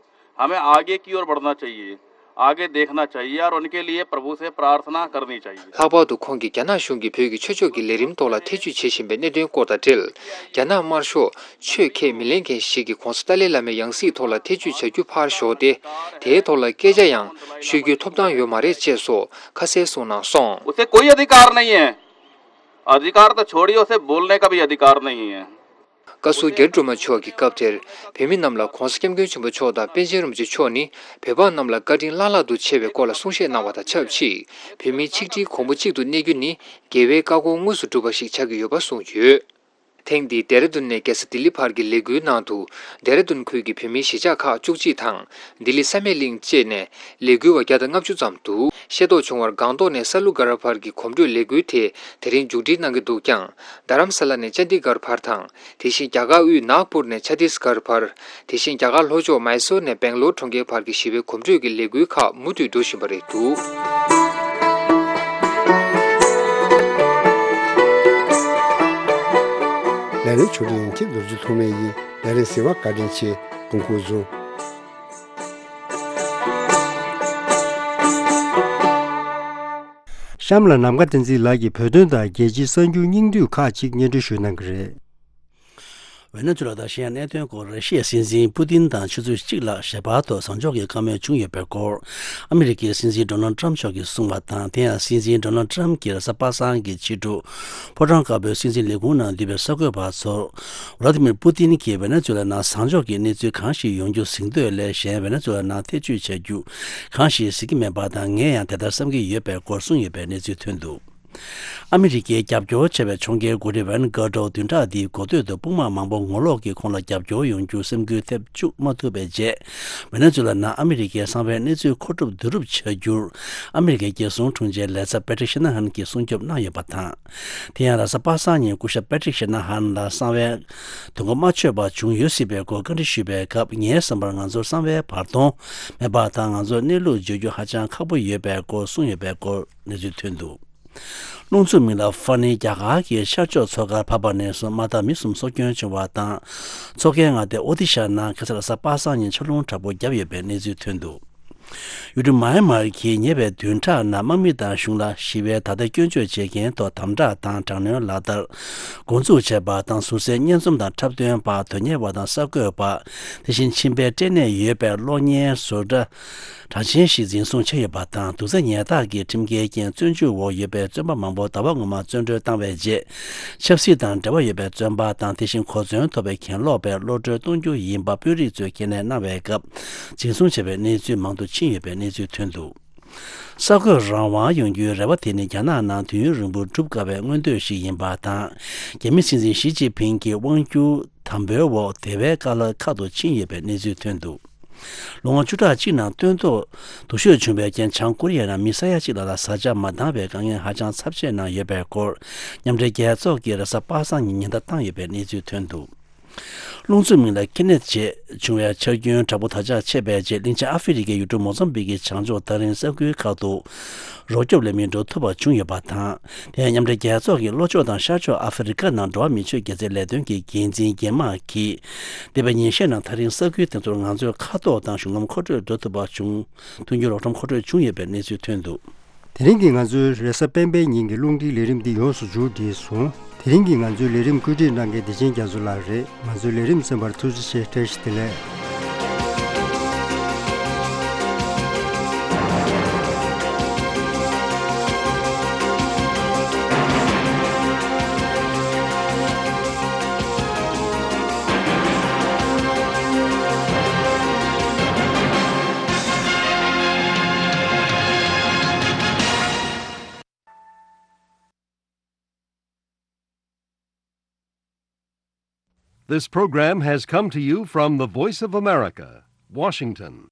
हमें आगे की ओर बढ़ना चाहिए, आगे देखना चाहिए और उनके लिए प्रभु से प्रार्थना करनी चाहिए। ལྷག་པར་དུ་ཁོང་གིས་རྒྱ་ནག་གཞུང་གིས་བོད་ཀྱི་ཆོས་ཕྱོགས་ཀྱི་ལས་རིམ་ཐོག་ལ་ཐེ་ཇུས་བྱེད་བཞིན་པའི་གནད་དོན་སྐོར་དང་འབྲེལ། རྒྱ་ནག་དམར་ཤོག་ཆོས་ཁས་མི་ལེན་མཁན་ཞིག་གིས་༧གོང་ས་ཏཱ་ལའི་བླ་མའི་ཡང་སྲིད་ཐོག་ལ་ཐེ་ཇུས་བྱ་རྒྱུ་ཕར་ཞོག་སྟེ། དེའི་ཐོག་ལ་སྐད་ཆ་ཡང་ཤོད་རྒྱུའི་ཐོབ་ཐང་ཡོད་མ་རེད་ཅེས་སོགས་ཁ་གསལ་གསུངས་གནང་སོང་། उसे कोई अधिकार नहीं है। अधिकार तो छोड़िए, उसे बोलने का भी अधिकार नहीं है। བཀའ་ཟུར་རྒྱ་རི་སྒྲོལ་མ་མཆོག་གིས་སྐབས་དེར་བོད་མི་རྣམས་ལ་༧གོང་ས་༧སྐྱབས་མགོན་ཆེན་པོ་མཆོག་དང་པཎ་ཆེན་རིན་པོ་ཆེ་མཆོག་ནི་བོད་འབངས་རྣམས་ལ་བཀའ་དྲིན་བླ་ལྷག་ཏུ་ཆེ་བའི་སྐོར་ལ་གསུང་བཤད་གནང་བ་དང་ཆབས་ཅིག་བོད་མི་ཆིག་སྒྲིལ་གོང་བུ་གཅིག་ཏུ་གནས་རྒྱུ་ནི་རྒྱལ་བའི་བཀའ་དགོངས་དངོས་སུ་སྒྲུབ་པ་ཞིག་ཆགས་ཀྱི་ཡོད་པ་གསུངས་ཡོད། ཐེངས་འདིའི་ལྡེ་ར་ལྡུན་ནས་རྒྱལ་ས་ལྡི་ལི་བར་གྱི་ལས་འགུལ་ནང་དུ། ལྡེ་ར་ལྡུན་ཁུལ་གྱི་བོད་མིའི་གཞིས་ཆགས་ཁག་བཅུ་གཅིག་དང་། ལྡི་ལི་བསམ་ཡས་གླིང་བཅས་ནས་ལས་འགུལ་བ་བརྒྱ་དང་ལྔ་བཅུ་ཙམ་འདུག་ཤེས་རྟོགས་བྱུང་བར་སྒང་ཏོག་ནས་ས་ལུ་སྒར་བར་གྱི་གོམ་བགྲོད་ལས་འགུལ་དེ་དེ་རིང་མཇུག་སྒྲིལ་གནང་གི་འདུག་ཀྱང་། རྡ་རམ་ས་ལ་ནས་ཅན་དི་སྒར་བར་དང་། དེ་བཞིན་རྒྱ་གར་དབུས་ནཱག་པུར་ནས་ཆ་ཏིས་སྒར་བར། དེ་བཞིན་རྒྱ་གར་ལྷོ་ཕྱོགས་མཱི་སོར་ནས་སྦེང་ལོར་གྲོང་ཁྱེར་བར་གྱི་ཞི་བའི་གོམ་བགྲོད་ཀྱི་ལས་འགུལ་ཁག་མུ་མཐུད་འགྲོ་བཞིན་པ་རེད་འདུག་ལས་རིམ་ཆུང་འདི་ཡིན་གཅིག་རྡོ་རྗེ་ཐོགས་མེད་ཡིན། ལས་རིམ་གཟིགས་པར་བཀའ་དྲིན་ཆེ། སྐུ་འཁོར་བཟུང་། གཤམ་ལ་ནམ་མཁའ་བསྟན་འཛིན་ལགས་ཀྱིས་བོད་དོན་དང་རྒྱལ་སྤྱིའི་གསར་འགྱུར་སྙིང་བསྡུས་ཁག་ཅིག་སྙན་སྒྲོན་ཞུ་གནང་གི་རེད། ཝེ་ནེ་ཛུ་ལ་དང་ཤི་ཡ་གནད་དོན་སྐོར་ར་ཤི་ཡའི་སྲིད་འཛིན་པུ་ཏིན་དང་ཆུ་ཚོད་གཅིག་ལྷག་ཞལ་པར་ཐོག་གཟའ་འཇོག་གི་བཀའ་མོལ་བྱུང་ཡོད་པའི་སྐོར། ཨ་མི་རི་ཀའི་སྲིད་འཛིན་ཌོ་ནལ་ཏྲམ་མཆོག་གིས་གསུངས་པ་དང་། དེ་ཡང་སྲིད་འཛིན་ཌོ་ནལ་ཏྲམ་གྱིས་རེས་གཟའ་པ་སངས་ཀྱི་ཕྱི་དྲོ། ཕོ་བྲང་དཀར་པོའི་སྲིད་འཛིན་ལས་ཁུངས་ནང་འདུས་པའི་གསར་འགོད་པ་ཚོར། ཝ་ལ་ཏི་མིར་པུ་ཏིན་གྱིས་ཝེ་ནེ་ཛུ་ལ་ནང་གཟའ་འཇོག་གི་གནས་ཚུལ་གང་ཞིག་ཡོང་རྒྱུ་གཟིགས་འདོད་ལས་གཞན་ཝེ་ནེ་ཛུ་ལ་ནང་ཐེ་བྱུས་བྱ་རྒྱུ་གང་ཞིག་གཟིགས་ཀྱི་མེད་པ་དང་། ངས་ཡང་དེ་ལྟར་བསམ་གྱི་ཡོད་པའི་སྐོར་གསུངས་ཡོད་པའི་གནས་ཚུལ་ཐོན་འདུག་ཨ་མི་རི་ཀའི་རྒྱབ་སྐྱོར་ཆེ་བའི་ཕྱོགས་འགལ་འགོ་ཁྲིད་ཝན་གྷ་ཏོ་བདུན་ཕྲག་འདིའི་འགོ་སྟོད་དུ་དཔུང་དམག་མང་པོ་ངོ་ལོག་གིས་ཁོང་ལ་རྒྱབ་སྐྱོར་ཡོང་རྒྱུ་སེམས་འགུལ་ཐེབས་བཅུག་མ་ཐུབ་པའི་རྗེས། ཝེ་ནེ་ཛུ་ལ་ནང་ཨ་མི་རི་ཀའི་གསང་བའི་གནས་ཚུལ་མཁོ་སྒྲུབ་བསྡུ་རུབ་བྱ་རྒྱུར། ཨ་མི་རི་ཀའི་རྒྱལ་སྲུང་དྲུང་ཆེ་ལས་ཚབ་པེ་ཏྲིག་ཤི་ན་ཧན་གྱིས་སྲུང་སྐྱོབ་གནང་ཡོད་པ་དང་། དེ་ཡང་རེས་གཟའ་པ་སངས་ཉིན་སྐུ་ཞབས་པེ་ཏྲིག་ཤི་ན་ཧན་ལ་གསང་བའི་དོན་གོ་མ་ཆོད་པ་བྱུང་ཡོད་སྲིད་པའི་སྐོར་བཀའ་འདྲི་ཞུས་པའི་སྐབས། ངའི་བསམ་པར་ང་ཚོར་གསང་བའི་བར་སྟོང་མེད་པ་དང་། ང་ཚོར་གནས་ལུགས་བརྗོད་རྒྱུ་ཧ་ཅང་ཁག་པོ་ཡོད་པའི་སྐོར་གསུངས་ཡོད་པའི་སྐོར་གནས་ཚུལ་ཐོན་འདུག་རླུང་འཚུབ་མིང་ལ་ཧྥ་ནི་རྒྱ་གར་གྱི་ཤར་ཕྱོགས་མཚོ་ཁར་བབས་པ་ནས་བཟུང་མ་མཐའ་མི་གསུམ་སྲོག་སྐྱོན་བྱུང་བ་དང་། མཚོ་ཁའི་མངའ་སྡེ་ཨོ་ཏི་ཤ་ནང་ཁ་སང་རེས་གཟའ་པ་སངས་ཉིན་ཆར་རླུང་དྲག་པོ་བརྒྱབ་ཡོད་པའི་གནས་ཚུལ་ཐོན་འདུག་ཡུལ་གྲུ་མཱ་ཡན་མར་གྱིས་ཉེ་བའི་བདུན་ཕྲག་ནང་དམག་མི་དང་གཞུང་ལ་ཞི་བའི་དར་རྒྱས་སྐྱོན་བརྗོད་བྱེད་མཁན་ཐོག་དམ་དྲག་དང་དྲག་གནོན་ལག་བསྟར་འགོ་འཛུགས་བྱས་པ་དང་། ཟུར་སའི་སྙན་རྩོམ་དང་འཁྲབ་སྟོན་པ། དོན་གཉེར་བ་དང་གསར་འགོད་པ། དེ་བཞིན་མཆིན་པའི་སྐྲན་ནད་ཡོད་པའི་གློག་བརྙན་བཟོ་གྲྭ་གྲགས་ཅན་ཞིག་འཛིན་བཟུང་བྱས་ཡོད་པ་དང་། དུག་རྫས་ཉལ་ཐག་གི་ཁྲིམས་འགལ་རྐྱེན་བཙོན་འཇུག་འོག་ཡོད་པའི་བཙོན་པ་མང་པོ་ཟླ་བ་སྔོན་མ་བཙོན་གྲོལ་བཏང་བའི་རྗེས། ཆབ་སྲིད་དང་འབྲེལ་བ་ཡོད་པའི་བཙོན་པ་དང་། དེ་བཞིན་གོ་མཚོན་ཐོབ་པའི་གྱེན་ལོག་པའི་གློད་གྲོལ་གཏོང་རྒྱུ་ཡིན་པ་དཔོན་རིགས་ཚོས་ཁས་ལེན་གནང་བའི་སྐབས། འཛིན་བཟུང་བྱས་པའི་གནས་ཚུལ་མང་དུ་ཕྱིན་ཡོད་པའི་གནས་ཚུལ་ཐོན་འདུག་གསར་འགོད་རང་དབང་ཡོང་རྒྱུའི་རེ་བ་དེ་ནི་རྒྱ་ནག་ནང་དུས་ཡུན་རིང་པོར་སྒྲུབ་དཀའ་བའི་མངོན་འདོད་ཞིག་ཡིན་པ་དང་། རྒྱ་མི་སྲིད་འཛིན་ཞི་ཅིན་ཕིང་གི་དབང་སྒྱུར་དམ་པོའི་འོག་དེ་བས་དཀའ་ལས་ཁག་ཏུ་ཕྱིན་ཡོད་པའི་གནས་ཚུལ་ཐོན་འདུག་ལོ་ངོ་བཅུ་ཕྲག་གཅིག་ནང་སྟོན་ཐོག་སྡུག་ཤོས་བྱུང་བའི་རྐྱེན། བྱང་ཀོ་རི་ཡ་ནང་མི་ས་ཡ་གཅིག་ལྷག་ལ་བཟའ་བཅའ་མ་འདང་བའི་དཀའ་ངལ་ཧ་ཅང་ཚབས་ཆེ་གནང་ཡོད་པའི་སྐོར། མཉམ་འབྲེལ་རྒྱལ་ཚོགས་ཀྱིས་རེས་གཟའ་པ་སངས་ཉིན་ཉེན་བརྡ་བཏང་ཡོད་པའི་གནས་ཚུལ་ཐོན་འདུག་རླུང་འཚུབ་མིང་ལ་ཁི་ནེད་ཅེས་བྱུང་བའི་ཆར་རྒྱུན་དྲག་པོ་དར་ཁྱབ་ཆེ་བའི་རྗེས། གླིང་ཆེན་ཨ་ཧྥེ་རི་ཁའི་ཡུལ་གྲུ་མོ་ཛམ་བིག་གི་བྱང་ཕྱོགས་ཐག་རིང་ས་ཁུལ་ཁག་ཏུ་རོགས་སྐྱོབ་ལས་མི་འགྲོ་ཐུབ་པ་བྱུང་ཡོད་པ་དང་། དེ་ཡང་མཉམ་འབྲེལ་རྒྱལ་ཚོགས་ཀྱི་ལྷོ་ཕྱོགས་དང་ཤར་ཕྱོགས་ཨ་ཧྥེ་རི་ཁ་ནང་འགྲོ་བ་མིའི་ཆོས་དགེ་རྩའི་ལས་དོན་གྱི་འགན་འཛིན་རྒྱ་དམག་གིས། འདས་པའི་ཉིན་ཤས་ནང་ཐག་རིང་ས་ཁུལ་དེ་ཚོར་ང་ཚོའི་མཁའ་ཐོག་དང་གཞུང་ལམ་མཁོ་སྤྲོད་འགྲོ་ཐུབ་པ་བྱུང་། མཐུན་འགྱུར་རོགས་རམ་མཁོ་སྤྲོད་བྱུང་ཡོད་པའི་གནས་ཚུལ་ཐོན་འདུག་དེ་རིང་གི་ང་ཚོའི་རེས་གཟའ་སྤེན་པའི་ཉིན་གྱི་རླུང་འཕྲིན་ལས་རིམ་འདི་ཡོངས་སུ་མཇུག་བསྒྲིལ་སོང་། དེ་རིང་གི་ང་ཚོའི་ལས་རིམ་བཀོད་སྒྲིག་གནང་མཁན་བདེ་ཆེན་རྒྱ་མཚོ་ལགས་རེད། ང་ཚོའི་ལས་རིམ་གསན་པར་ཐུགས་རྗེ་ཆེ། བཀྲ་ཤིས་བདེ་ལེགས། This program has come to you from the Voice of America, Washington.